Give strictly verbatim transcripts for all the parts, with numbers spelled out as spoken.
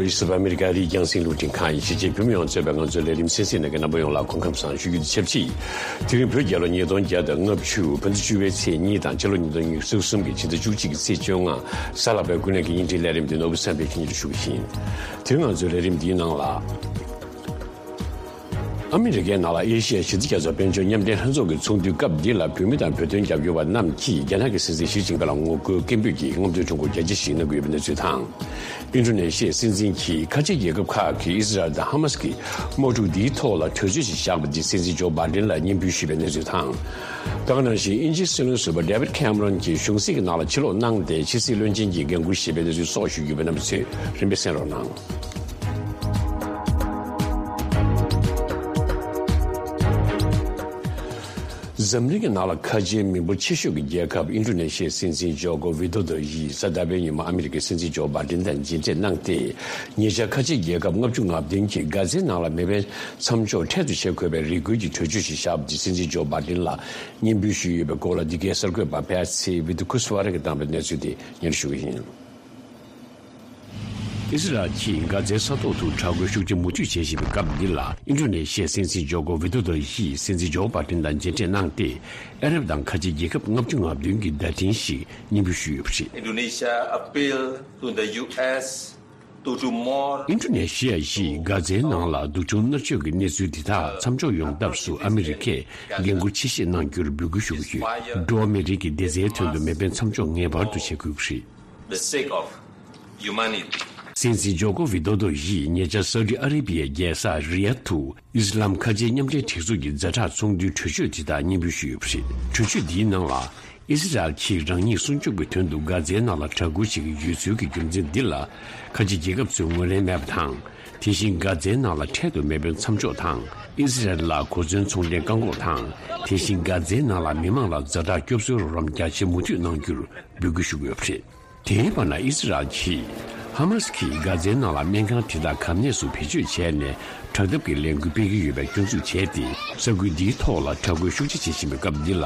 ཨ་མི་རི་ཀ་རིགས་རྒྱང་སྲིང་རླུང་འཕྲིན་ཁང་ཡི་གཞིས་བྱེས་བོད་མི་ཡོངས་གཙོས་པའི་ང་ཚོའི་ལས་རིམ་གསན་གཟིགས་གནང་མཁན་རྣམ་པ་ཡོངས་ལ་སྐུ་ཁམས་བཟང་ཞུ་རྒྱུ་དང་ཆབས་ཅིག་དེ་རིང་བོད་རྒྱལ་ལོ་ཉིས་སྟོང་བརྒྱ་དང་ལྔ་བཅུ་བོད་ཟླ་བཅུ་པའི་ཚེས་གཉིས་དང་ཕྱི་ལོ་ཉིས་སྟོང་ཉི་ཤུ་རྩ་གསུམ་གྱི་ཕྱི་ཟླ་བཅུ་གཅིག་གི་ཚེས་བཅོ་ལྔ། གཟའ་ལྷག་པའི་ཀུན་གླེང་གི་བརྙན་འཕྲིན་ལས་རིམ་འདི་ནོར་བུ་བསམ་འཕེལ་གྱིས་སྙན་སྒྲོན་ཞུ་གི་ཡིན། དེ་རིང་ང་ཚོའི་ལས་རིམ་འདིའི་ནང་ལ། ཨ་མི་རི་ཀའི་ནང་ལ་ཨེ་ཤི་ཡ་ཞི་བདེ་རྒྱ་མཚོ་དཔལ་འབྱོར་མཉམ་འབྲེལ་ལྷན་ཚོགས་ཀྱི་ཚོགས་འདུའི་སྐབས་འདི་ལ་བོད་མི་དང་བོད་དོན་རྒྱབ་སྐྱོར་བ་རྣམས་ཀྱིས་རྒྱ་ནག་གི་སྲིད་འཛིན་ཞི་ཅིན་ཕིང་ལ་ངོ་རྒོལ་སྐད་འབོད་ཀྱིས་རྔམ་སྟོན་ཁྲོམ་སྐོར་རྒྱ་ཆེ་ཞིག་གནང་གི་ཡོད་པའི་གནས་ཚུལ་དང་། ཨིན་ཌོ་ནེ་ཤི་ཡའི་སྲིད་འཛིན་གྱིས་ཁ་ཆེ་རྒྱལ་ཁབ་ཁག་གིས་ཨི་ཟི་རལ་དང་ཧ་མ་སི་གི་དམག་འཁྲུག་འདིའི་ཐོག་ལ་གྲོས་ཆོད་ཞིག་བཞག་པ་འདི་སྲིད་འཛིན་ཇོ་བྷའི་ཌེན་ལ་སྙན་འབུལ་ཞུས་པའི་གནས་ཚུལ་དང་། དེ་ག་ནང་བཞིན་དབྱིན་ཇིའི་སྲིད་བློན་ཟུར་པ་ཌེ་བིད་ཁེ་མ་རོན་གྱིས་གཞུང་སྲིད་ཀྱི་ནང་ལ་ཕྱིར་ལོག་གནང་སྟེ་ཕྱི་སྲིད་བློན་ཆེན་གྱི་འགན་འཁུར་བཞེས་པའི་གནས་ཚུལ་སོགས་ཞུ་རྒྱུ་ཡོད་པས་རྣམ་པ་ཚོས་རིམ་པས་གསན་རོགས་གནང་། འཛམ་གླིང་གི་ནང་ལ་ཁ་ཆེའི་མི་འབོར་ཆེ་ཤོས་ཀྱི་རྒྱལ་ཁབ་ཨིན་ཌོ་ནེ་ཤི་ཡའི་སྲིད་འཛིན་ཇོ་ཀོ་ཝི་དོ་དོ་ཡིས་གཟའ་ཟླ་བའི་ཉིན་མོ་ཨ་མི་རི་ཀའི་སྲིད་འཛིན་ཇོ་བྷའི་ཌེན་དང་མཇལ་འཕྲད་གནང་སྟེ། ཉེ་ཆར་ཁ་ཆེའི་རྒྱལ་ཁབ་ལྔ་བཅུ་ང་བདུན་གྱིས་གྷ་ཛའི་ནང་ལ་མེ་འཕེན་མཚམས་འཇོག་འཕྲལ་དུ་བྱེད་དགོས་པའི་རེ་སྐུལ་གྱི་གྲོས་ཆོད་ཞིག་བཞག་པ་དེ་སྲིད་འཛིན་ཇོ་བྷའི་ཌེན་ལ་སྙན་འབུལ་ཞུས་ཡོད་པའི་སྐོར་ལ། འདི་གའི་གསར་འགོད་པ་པེ་ཚི་ཝི་ཏུ་ཁུ་སི་ཝ་ར་གིས་བཏང་བའི་གནས་ཚུལ་དེ་སྙན་ཞུ་གི་ཡིན། ཨི་ཟི་རལ་གྱིས་གྷ་ཛའི་ས་ཐོག་ཏུ་དྲག་རྒོལ་ཤུགས་ཆེ་མུ་མཐུད་བྱེད་བཞིན་པའི་སྐབས་འདི་ལ། ཨིན་ཌོ་ནེ་ཤི་ཡའི་སྲིད་འཛིན་ཇོ་ཀོ་ཝི་དོ་དོ་ཡིས་སྲིད་འཛིན་ཇོ་བྷའི་ཌེན་དང་མཇལ་འཕྲད་གནང་སྟེ། ཨ་རབ་དང་ཁ་ཆེ་རྒྱལ་ཁབ་ལྔ་བཅུ་ང་བདུན་གྱི་བརྡ་འཕྲིན་ཞིག་སྙན་འབུལ་ཞུས་ཡོད་པ་རེད། Indonesia appeal to the U S to do more. ཨིན་ཌོ་ནེ་ཤི་ཡ་ཡིས་གྷ་ཛའི་ནང་ལ་སྡུག་སྦྱོང་མནར་གཅོད་ཀྱི་གནས་ཚུལ་དེ་དག་མཚམས་འཇོག་ཡོང་ཐབས་སུ་ཨ་མི་རི་ཀས་འགན་འཁུར་ཆེ་བཞེས་གནང་རྒྱུར་འབོད་སྐུལ་ཞུ་གི་ཡོད། འགྲོ་བ་མིའི་རིགས་ཀྱི་བདེ་རྩའི་དོན་དུ་མེ་འཕེན་མཚམས་འཇོག་ངེས་པར་དུ་བྱེད་དགོས་ཀྱི་རེད། The sake of humanity. སྲིད་འཛིན་ཇོ་ཀོ་ཝི་དོ་དོ་ཡིས་ཉེ་ཆར་སའུ་ཌི་ཨ་རེ་བྷི་ཡའི་རྒྱལ་ས་རི་ཡཱད་དུ་ཨི་སི་ལམ་ཁ་ཆེའི་མཉམ་འབྲེལ་སྒྲིག་འཛུགས་ཀྱི་ཛ་དྲག་ཚོགས་འདུའི་གྲོས་ཆོད་དེ་དག་སྙན་འབུལ་ཞུས་ཡོད་པ་རེད། གྲོས་ཆོད་འདིའི་ནང་ལ། ཨི་སི་རལ་གྱིས་རང་ཉིད་སྲུང་སྐྱོབ་ཀྱི་དོན་དུ་གྷ་ཛའི་ནང་ལ་དྲག་རྒོལ་བྱེད་ཀྱི་ཡོད་ཚུལ་གྱི་རྒྱུ་མཚན་འདི་ལ། ཁ་ཆེ་རྒྱལ་ཁབ་ཚོས་ངོས་ལེན་མེད་པ་དང་། དེ་བཞིན་གྷ་ཛའི་ནང་ལ་འཕྲལ་དུ་མེ་འཕེན་མཚམས་འཇོག་དང་། ཨི་སི་རལ་ལ་གོ་མཚོན་ཚོང་འབྲེལ་བཀག་འགོག་དང་། དེ་བཞིན་གྷ་ཛའི་ནང་ལ་མི་མང་ལ་ཛ་དྲག་སྐྱོབ་གསོའི་རོགས་རམ་རྒྱ་ཆེ་མུ་མཐུད་གནང་རྒྱུར་འབོད་སྐུལ་ཞུ་གི་ཡོད་པ་རེད། དེའི་བར་ན་ཨི་སི་རལ་གྱིས་ཧ་མ་སི་ཀྱིས་གྷ་ཛའི་ནང་ལ་སྨན་ཁང་དེ་དག་གམ་གནས་སུ་བེད་སྤྱོད་བྱས་ནས་དྲག་འཐབ་ཀྱི་ལས་འགུལ་སྤེལ་གྱི་ཡོད་པའི་སྐྱོན་འཛུགས་བྱས་ཏེ། ས་ཁུལ་འདིའི་ཐོག་ལ་དྲག་རྒོལ་ཤུགས་ཆེ་བྱེད་བཞིན་པའི་སྐབས་འདི་ལ།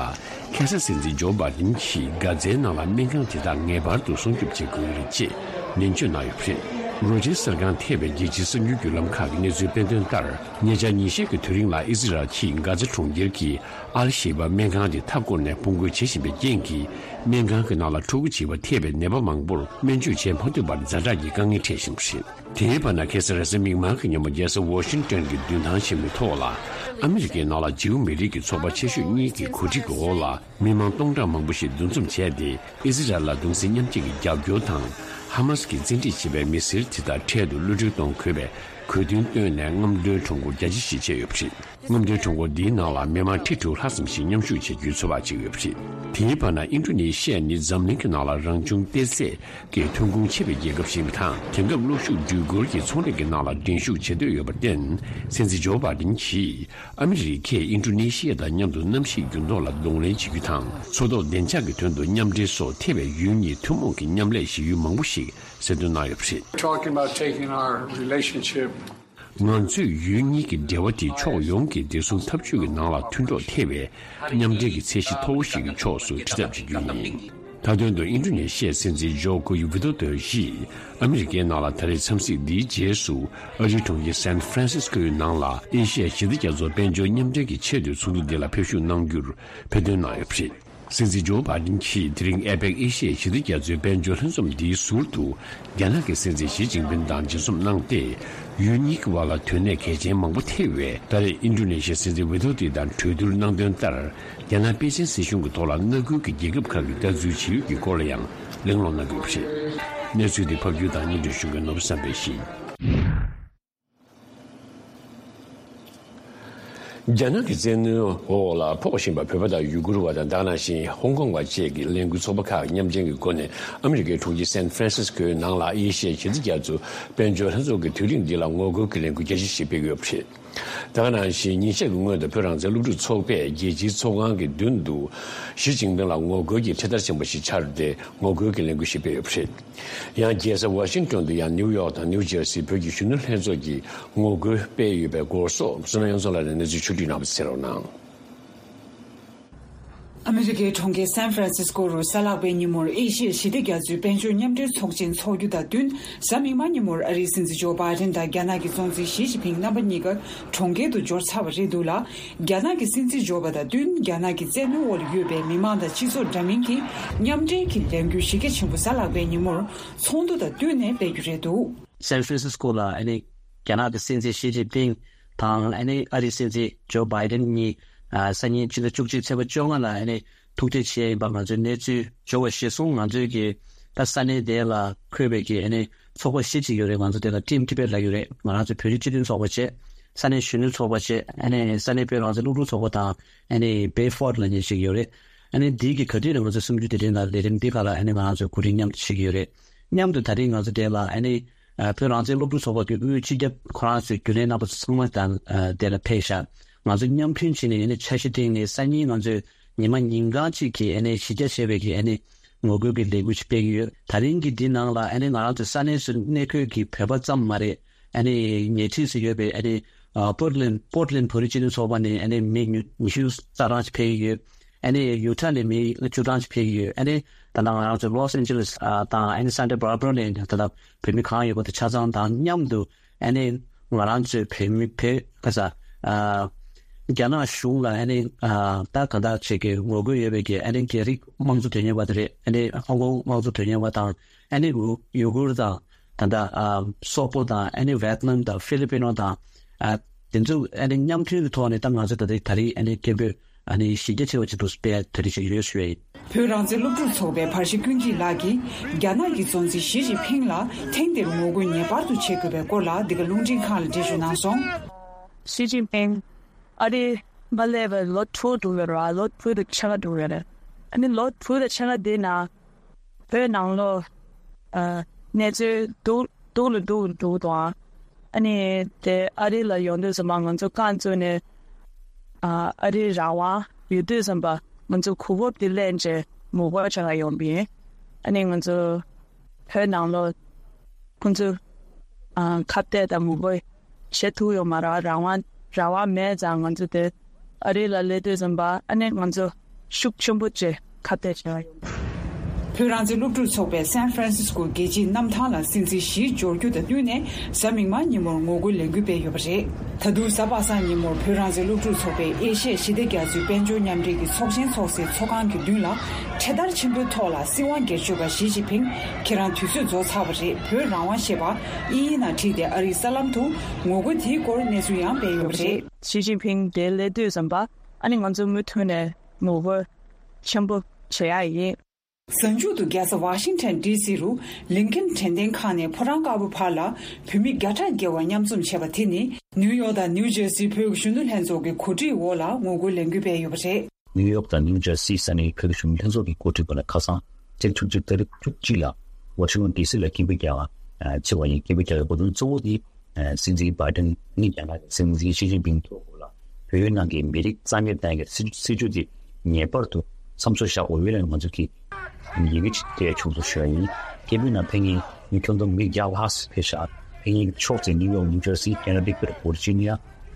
ཁ་སང་སྲིད་འཛིན་ཇོ་བྷའི་ཌེན་གྱིས་གྷ་ཛའི་ནང་ལ་སྨན་ཁང་དེ་དག་ངེས་པར་དུ་སྲུང་སྐྱོབ་བྱེད་དགོས་ཀྱི་རེད་ཅེས་ནན་བརྗོད་གནང་ཡོད་པ་རེད། རོའི་ཊར་གསར་ཁང་ཐེ་བའི་རྒྱལ་སྤྱིའི་གསར་འགྱུར་བརྒྱུད་ལམ་ཁག་གིས་གནས་ཚུལ་སྤེལ་དོན་ལྟར། ཉེ་ཆར་ཉིན་ཤས་ཀྱི་དུས་རིང་ལ་ཨི་སི་རལ་གྱིས་གྷ་ཛ་གྲོང་ཁྱེར་གྱི་ཨལ་ཤེ་བྷ་སྨན་ཁང་དེ་མཐའ་བསྐོར་ནས་དཔུང་རྒོལ་བྱེད་བཞིན་པའི་རྐྱེན་གྱིས། སྨན་ཁང་གི་ནང་ལ་ཕྲུ་གུ་བྱིས་པ་ཐེ་བའི་ནད་པ་མང་པོར་སྨན་བཅོས་བྱེད་མ་ཐུབ་པར་ཛ་དྲག་གི་དཀའ་ངལ་འཕྲད་བཞིན་པ་རེད། དེའི་བར་ན་ཁ་སང་རེས་གཟའ་མིག་དམར་གྱི་ཉིན་མོ་རྒྱལ་ས་ཝ་ཤིང་ཏོན་གྱི་མདུན་ཐང་ཆེན་མོའི་ཐོག་ལ། ཨ་མི་རི་ཀའི་ནང་ལ་ཇིའུ་མི་རིགས་ཀྱི་ཚོགས་པ་ཆེ་ཤོས་གཉིས་ཀྱི་གོ་སྒྲིག་འོག་ལ། མི་མང་སྟོང་ཕྲག་མང་པོ་ཞིག་འདུ་འཛོམས་བྱས་ཏེ། ཨི་སི་རལ་ལ་གདུང་སེམས་མཉམ་སྐྱེད་ཀྱི་རྒྱབ་སྐྱོར་དང་། ཧ་མ་སི་ཀྱིས་བཙན་ཁྲིད་བྱས་པའི་མི་སེར་དེ་དག་འཕྲལ་དུ་གློད་གྲོལ་གཏོང་དགོས་པའི་གྲོས་མཐུན་བཏོན་ནས་རྔམ་སྟོན་ཁྲོམ་སྐོར་རྒྱ་ཆེ་ཞིག་བྱས་ཡོད་པ་རེད། རྔམ་སྟོན་ཁྲོམ་སྐོར་འདིའི་ནང་ལ་མི་མང་ཁྲི་དྲུག་ལྷག་ཙམ་ཞིག་མཉམ་ཞུགས་བྱེད་རྒྱུའི་ཚོད་དཔག་བྱེད་ཀྱི་ཡོད་པ་རེད། དེའི་བར་ན་ཨིན་ཌོ་ནེ་ཤི་ཡ་ནི་འཛམ་གླིང་གི་ནང་ལ་རང་བྱུང་གཏེར་སྲས་ཀྱི་ཐོན་ཁུངས་ཆེ་བའི་རྒྱལ་ཁབ་ཞིག་ཡིན་པ་དང་། དེང་སྐབས་གློག་ཤུགས་འགྲུལ་འཁོར་གྱི་ཚོང་ལས་ཀྱི་ནང་ལ་འགྲན་ཞུགས་བྱེད་འདོད་ཡོད་པར་བརྟེན། སྲིད་འཛིན་ཇོ་བྷའི་ཌེན་གྱིས་ཨ་མི་རི་ཀས་ཨིན་ཌོ་ནེ་ཤི་ཡ་དང་མཉམ་དུ་གནམ་གཤིས་འགྱུར་ལྡོག་ལ་གདོང་ལེན་བྱེད་རྒྱུ་དང་། མཚོ་ཐོག་བདེ་འཇགས་ཀྱི་དོན་དུ་མཉམ་འབྲེལ་སོགས་ཐེ་བའི་ཡུལ་གཉིས་ཐུན་མོང་གི་མཉམ་ལས་བྱེད་ཡུལ་མང་པོ་ཞིག་གསལ་སྟོན་གནང་ཡོད་པ་རེད། Talking about taking our relationship. ང་ཚོས་ཡུལ་གཉིས་ཀྱི་འབྲེལ་བ་དེ་ཕྱོགས་ཡོངས་ཀྱི་བདེ་སྲུང་འཐབ་ཇུས་ཀྱི་ནང་ལ་མཐུན་གྲོགས་ཐེ་བའི་མཉམ་འབྲེལ་གྱི་ཚད་གཞི་མཐོ་བོ་ཞིག་གི་ཕྱོགས་སུ་ཁྲིད་ཐབས་བྱེད་རྒྱུ་ཡིན། མཐའ་དོན་དུ་ཨིན་ཌོ་ནེ་ཤི་ཡའི་སྲིད་འཛིན་ཇོ་ཀོ་ཝི་དོ་དོ་ཡིས་ཨ་མི་རི་ཀའི་ནང་ལ་ད་རེས་འཚམས་གཟིགས་འདིའི་རྗེས་སུ། ཨ་རིའི་གྲོང་ཁྱེར་སན་ཧྥ་རན་སིས་ཀོའི་ནང་ལ་ཨེ་ཤི་ཡ་ཞི་བདེ་རྒྱ་མཚོ་དཔལ་འབྱོར་མཉམ་འབྲེལ་གྱི་ཆེས་མཐོའི་ཚོགས་འདུ་འདི་ལ་ཕེབས་ཞུགས་གནང་རྒྱུར་ཕེབས་ཐོན་གནང་ཡོད་པ་རེད། སྲིད་འཛིན་ཇོ་བྷའི་ཌེན་གྱིས་དེ་རིང་ཨེ་པེག་ཨེ་ཤི་ཡའི་ཞི་བདེ་རྒྱ་མཚོའི་དཔལ་འབྱོར་ལྷན་འཛོམས་འདིའི་ཟུར་དུ། རྒྱ་ནག་གི་སྲིད་འཛིན་ཞི་ཅིན་ཕིན་དང་མཇལ་འཛོམས་གནང་སྟེ། ཡུལ་གཉིས་ཀྱི་བར་ལ་དོན་གནད་གལ་ཆེན་མང་པོ་ཐེ་བའི་ད་རེས་ཨིན་ཌོ་ནེ་ཤི་ཡའི་སྲིད་འཛིན་ཝི་དོ་དོ་དང་གྲོས་བསྡུར་གནང་དོན་ལྟར། རྒྱ་ནག་པེ་ཅིན་སྲིད་གཞུང་གི་ཐོག་ལ་མངའ་ཁུལ་གྱི་རྒྱལ་ཁབ་ཁག་གི་ལྟ་ཚུལ་ཇི་ཡོད་ཀྱི་སྐོར་ལ་ཡང་གླེང་སློང་གནང་གི་ཡོད་པ་རེད། གནས་ཚུལ་འདི་ཕབ་སྒྱུར་དང་སྙན་སྒྲོན་ཞུ་མཁན་ནོར་བུ་བསམ་འཕེལ་ཡིན། རྒྱ་ནག་གི་བཙན་གནོན་འོག་ལ་ཕོག་བཞིན་པ་བོད་པ་དང་ཡུ་གུར་བ་དང་དེ་ནང་བཞིན་ཧོང་ཀོང་བ་བཅས་ཀྱི་ལས་འགུལ་ཚོགས་པ་ཁག་མཉམ་འབྲེལ་གྱི་སྒོ་ནས་ཨ་མི་རི་ཀའི་གྲོང་ཁྱེར་སན་ཧྥ་རན་སིས་ཀོའི་ནང་ལ་ཨེ་ཤི་ཡའི་ཞི་བདེ་རྒྱ་མཚོའི་དཔལ་འབྱོར་ལྷན་ཚོགས་ཀྱི་དུས་རིམ་འདི་ལ་ངོ་རྒོལ་གྱི་ལས་འགུལ་རྒྱ་ཆེ་ཞིག་སྤེལ་གྱི་ཡོད་པ་རེད། དེ་ག་ནང་བཞིན་ཉིན་ཤས་ཀྱི་སྔོན་དུ་བོད་རང་བཙན་སློབ་ཕྲུག་ཚོགས་པས་རྒྱལ་སྤྱིའི་ཚོགས་ཁང་གི་མདུན་དུ་ཞི་ཅིན་ཕིང་ལ་ངོ་རྒོལ་གྱི་འཕྲེད་དར་ཆེན་པོ་ཞིག་འཕྱར་ཏེ་ངོ་རྒོལ་གྱི་ལས་འགུལ་ཞིག་སྤེལ་ཡོད་པ་རེད། ཡང་རྒྱལ་ས་ཝ་ཤིང་ཏོན་དུ་ཡང་ནིའུ་ཡོག་དང་ནིའུ་ཇར་སི་བོད་ཀྱི་གཞོན་ནུ་ལྷན་ཚོགས་ཀྱིས་ངོ་རྒོལ་སྤེལ་ཡོད་པའི་སྐོར་སོགས་བསོད་ནམས་དབྱངས་མཚོ་ལགས་ནས་གནས་ཚུལ་ཕྱོགས་བསྒྲིགས་གནང་བ་གསན་རོགས་གནང་། ཨ་མི་རི་ཀའི་གྲོང་ཁྱེར་སན་ཧྥ་རན་སིས་ཀོ་རུ་གཟའ་ལྷག་པའི་ཉིན་མོར་ཨེ་ཤི་ཡ་ཞི་བདེ་རྒྱ་མཚོའི་དཔལ་འབྱོར་མཉམ་འབྲེལ་ཚོགས་ཆེན་འཚོགས་རྒྱུ་དང་བསྟུན། གཟའ་མིག་དམར་ཉིན་མོར་ཨ་རིའི་སྲིད་འཛིན་ཇོ་བྷའི་ཏན་དང་རྒྱ་ནག་གི་གཙོ་འཛིན་ཞི་ཅིན་ཕིང་རྣམ་པ་གཉིས་ཀ་གྲོང་ཁྱེར་དུ་འབྱོར་ཚར་བ་རེད་འདུག་ལ། རྒྱ་ནག་གི་སྲིད་འཛིན་འབྱོར་བ་དང་བསྟུན། རྒྱ་ནག་གི་བཙན་གནོན་འོག་ལ་ཡོད་པའི་མི་མང་དང་སྤྱི་ཚོགས་འདྲ་མིན་གྱིས་མཉམ་འབྲེལ་གྱི་ལས་འགུལ་གཞི་རྒྱ་ཆེན་པོ་གཟའ་ལྷག་པའི་ཉིན་མོར་ཚོགས་འདུ་དང་བསྟུན་ནས་སྤེལ་རྒྱུ་རེད་འདུག། སན་ཧྥ་རན་སིས་ཀོ་ལ་ཨ་ནི་རྒྱ་ནག་གི་སྲིད་འཛིན་ཞི་ཅིན་ཕིང་དང་ཨ་ནི་ཨ་རིའི་སྲིད་འཛིན་ཇོ་བྷའི་ཏན་གཉིས་ཨ་སང་ཉིན་ཕྱི་ཟླ་བཅུ་གཅིག་ཚེས་པ་བཅོ་ལྔ་ལ་ཨ་ནི་ཐུག་འཕྲད་བྱས་ཡིན་པ་ང་ཚོའི་གནས་ཚུལ་འབྱོར་བ་གཞིར་བཟུང་ང་ཚོའི་གི་ད་ས་གནས་དེ་ལ་འཁོད་པའི་གི་ཨ་ནི་ཚོགས་པ་བཞི་ཅིག་ཡོད་རེད། ང་ཚོ་དེ་ལ་ཊིམ་ཊི་བེཊ་ལབ་ཡོད་རེད། ང་རང་ཚོ་བོད་རིགས་སྤྱི་མཐུན་ཚོགས་པ་བྱས། ས་གནས་གཞོན་ནུ་ཚོགས་པ་བྱས། ཨ་ནི་ས་གནས་བོད་རང་བཙན་སློབ་ཕྲུག་ཚོགས་པ་དང་ཨ་ནི་བྷེ་ཕོར་ཊི་ལབ་མཁན་ཞིག་ཡོད་རེད། ཨ་ནི་འདི་གི་ག་དུས་ནས་ང་ཚོ་སུམ་ཅུ་དེ་རིང་ལ་ལས་རིམ་འདི་ཁག་ལ་ཨ་ནི་ང་རང་ཚོ་གོ་སྒྲིག་མཉམ་དུ་བྱེད་ཀྱི་ཡོད་རེད། མཉམ་དུ་ད་རིང་ང་ཚོ་དེ་ལ་ཨ་ནི་ཨ་བོད་རང་བཙན་སློབ་ཕྲུག་ཚོགས་པ་གི་དབུས་སྤྱི་ཁྱབ་ཁོ་རང་ཚོའི་རྒྱུན་ལས་རྣམ་པ་ཚང་མ་དང་ཨ་དེ་ལ་ཕེབས་ཤག། ང་ཚོ་མཉམ་མཐུན་བྱས་ནས་ཨ་ནི་འཆར་གཞི་བཏིང་ནས་སང་ཉིན་ང་ཚོས་ཉི་མ་ཉིན་གང་གཅིག་གི་ཨ་ནི་གཞི་རྒྱ་ཆེ་བའི་གི་ཨ་ནི་ངོ་རྒོལ་གྱི་ལས་འགུལ་ཞིག་སྤེལ་གྱི་ཡོད། ད་རིང་གི་འདི་ནང་ལ་ཨ་ནི་ང་རང་ཚོ་ས་གནས་སུ་གནས་འཁོད་ཀྱི་བོད་པ་ཙམ་མ་རེད། ཨ་ནི་ཉེ་འཁྲིས་སུ་ཡོད་པའི་ཨ་ནི་ཨ་པོར་ཊི་ལེན་པོར་ཊི་ལེན་བོད་རིགས་སྤྱི་མཐུན་ཚོགས་པ་ནས་ཨ་ནི་མི་ཉི་ཉི་ཤུ་རྩ་གྲངས་ཤིག་ཕེབས་ཀྱི་ཡོད། ཨ་ནི་ཡུ་ཊ་ནས་མི་བཅུ་གྲངས་ཤིག་ཕེབས་ཀྱི་ཡོད། ཨ་ནི་ད་ལྟ་ང་རང་ཚོ་ལོས་ཨན་ཇེ་ལེས་ཨ་དང་ཨ་ནི་སན་ཊ་བྷར་བྷ་ར་ནས་ད་ལྟ་བོད་མི་གང་ཡོད་པ་དེ་ཆ་ཚང་དང་མཉམ་དུ་ཨ་ནི་ང་རང་ཚོའི་བོད་མི་བོད་ག་ས་ཨ་རྒྱ་ནག་གཞུང་ལ་ཨ་ནི་ཨ་ད་ག་འདྲ་བྱེད་ཀྱི་ངོ་རྒོལ་ཡོད་པའི་གི་ཨ་ནི་རྒྱ་རིགས་དམངས་གཙོ་དོན་གཉེར་བ་དེ་རེད། ཨ་ནི་ཧོང་ཀོང་དམངས་གཙོ་དོན་གཉེར་བ་དང་ཨ་ནི་ཡུ་གུར་དང་ད་ལྟ་ཨ་སོག་པོ་དང་ཨ་ནི་ཝེ་ཏི་ནམ་དང་ཧྥི་ལི་པི་ནོ་དང་ཨ་དེ་ཚོ་ཨ་ནི་མཉམ་མཐུན་གྱི་ཐོག་ནས་ད་ང་ཚོ་ད་ལྟ་ད་རེས་ཨ་ནི་སྐད་འབོད་ཨ་ནི་གཞི་རྒྱ་ཆེ་བ་ཅིག་ཏུ་སྤེལ་ཡ་ད་རེས་བྱེད་ཀྱི་ཡོད་ཞུ་བ་ཡིན། བོད་རང་བཙན་སློབ་ཕྲུག་ཚོགས་པའི་བར་ཞི་ཀུན་གྱིས་ལགས་ཀྱིས་རྒྱ་ནག་གི་གཙོ་འཛིན་ཞི་ཅིན་ཕིང་ལ་ཐེངས་འདིར་ངོ་རྒོལ་ངེས་པར་དུ་བྱེད་དགོས་པའི་སྐོར་ལ་འདི་ག་རླུང་འཕྲིན་ཁང་ལ་འགྲེལ་བརྗོད་གནང་སོང་། ཞི་ཅིན་ཕིང་ཨ་རི་མ་སླེབས་པར་ལོ་དྲུག་འགྲོ་གི་རེད། ལོ་དྲུག་དང་ཕྱེད་ཀ་འགྲོ་གི་རེད། ཨ་ནི་ལོ་དྲུག་དང་ཕྱེད་ཀ་དེའི་ནང་བོད་ནང་ལོགས་ཨ་གནས་ཚུལ་སྡུག་སྡུག་ལ་སྡུག་འགྲོ་གི་འདུག་ཨ་ནི་དེ་ཨ་རི་ལ་ཡོང་དུས་ཙམ་པ་ང་ཚོ་རྐང་བཙུགས་ནས་ཨ་ཨ་རིའི་རང་དབང་ཡོད་དུས་ཙམ་པ་ང་ཚོ་གོ་སྐབས་དེ་ལེན་བྱས་ངོ་རྒོལ་བྱེད་ག་ཡོང་པ་ཡིན། ཨ་ནི་ང་ཚོ་བོད་ནང་ལོགས་ཁོང་ཚོ་ཨ་ཁ་གཏད་དང་ངོ་རྒོལ་བྱེད་ཐུབ་ཡོད་མ་རེད། རང་དབང་རང་དབང་མེད་ཙང་ང་ཚོ་དེ་ཨ་རི་ལ་སླེབས་དུས་ཙམ་པ་ཨ་ནི་ང་ཚོ་ཤུགས་ཆེན་པོ་བྱས་ཁ་གཏད་བྱས་ཡོད། བོད་རང་བཙན་སློབ་ཕྲུག་ཚོགས་པས་སན་ཧྥ་རན་སིས་ཀོ་རྒྱལ་སྤྱིའི་གནམ་ཐང་ལ་སྲིད་འཛིན་ཞི་འབྱོར་རྒྱུ་དང་བསྟུན་ནས་གཟའ་མིག་དམར་ཉིན་མོར་ངོ་རྒོལ་ལས་འགུལ་སྤེལ་ཡོད་པ་རེད། ད་དུང་གཟའ་པ་སངས་ཉིན་མོར་བོད་རང་བཙན་སློབ་ཕྲུག་ཚོགས་པས་ཨེ་ཤ་ཡ་ཞི་བདེ་རྒྱ་མཚོའི་དཔལ་འབྱོར་མཉམ་འབྲེལ་གྱི་ཚོགས་ཆེན་འཚོགས་སའི་ཚོགས་ཁང་གི་མདུན་ལ་འཕྲེད་དར་ཆེན་པོའི་ཐོག་ལ་སྲིད་དབང་སྒེར་གཅོད་པ་ཞི་ཅིན་ཕིང་ཁྱེད་རང་དུས་ཚོད་རྫོགས་ཚར་བ་རེད། བོད་རང་དབང་ཞེས་པ་དབྱིན་ཡིག་ནང་བྲིས་ཏེ་ཨ་རིའི་གསར་ལམ་དུ་ངོ་རྒོལ་དེའི་སྐོར་གནས་ཚུལ་ཡང་སྤེལ་ཡོད་པ་རེད། ཞི་ཅིན་ཕིང་དེ་སླེབས་དུས་ཙམ་པ་ཨ་ནི་ང་ཚོ་མུ་མཐུད་ནས་ངོ་རྒོལ་ཆེན་པོ་བྱེད་ཡ་ཡིན། གཟའ་མཇུག་ཏུ་རྒྱལ་ས་ཝ་ཤིང་ཊོན་ཌི་སི་རུ་ལིན་ཁན་དྲན་རྟེན་ཁང་ནས་ཕོ་བྲང་དཀར་པོ་བར་ལ་བོད་མི་བརྒྱ་ཕྲག་བརྒལ་བ་མཉམ་འཛོམས་བྱས་པ་དེ་ནི་ནིའུ་ཡོག་དང་ནིའུ་ཇར་སིའི་བོད་ཀྱི་གཞོན་ནུ་ལྷན་ཚོགས་ཀྱི་གོ་སྒྲིག་འོག་ལ་ངོ་རྒོལ་ལས་འགུལ་སྤེལ་ཡོད་པ་རེད། ནིའུ་ཡོག་དང་ནིའུ་ཇར་སིའི་ས་གནས་བོད་ཀྱི་གཞོན་ནུ་ལྷན་ཚོགས་ཀྱི་གོ་སྒྲིག་འོག་ལ་ཁ་སང་ཚེས་བཅུ་གཅིག་ཏ་རིག་བཅུ་གཅིག་ལ་ཝ་ཤིང་ཊོན་ཌི་སི་ལ་སྐད་འབོད་རྒྱག་པ་བྱེད་པ་ཡིན། སྐད་འབོད་རྒྱག་པའི་གོ་དོན་གཙོ་བོ་དེ་སྲིད་འཛིན་བྷའི་ཌེན་ནི་རྒྱ་ནག་གི་སྲིད་འཛིན་ཞི་ཅིན་ཕིང་ཐོག་ལ་བོད་ནང་གི་མི་རིགས་རྩ་མེད་གཏོང་གི་སྲིད་སྲིད་ཇུས་དེ་ངེས་པར་དུ་མཚམས་འཇོག་བཞག་དགོས་པའི་ལན་ང་ཚོ་གིས་ཡི་གེ་ཅིག་སྤྲད་ཆོག་ཏུ་ཞུ་བ་ཡིན། སྐད་འབོད་ནང་ཕེབས་མཁན་མི་ཁྱོན་བསྡོམས་མི་བརྒྱ་ལྷག་ཙམ་ཕེབས་ཤག། ཕེབས་མཁན་གྱི་ཕྱོགས་དེ་ནིའུ་ཡོག་ནིའུ་ཇར་སི་ཀེ་ན་ཌི་ཀཊ་ཝར་ཇི་ནི་ཡ་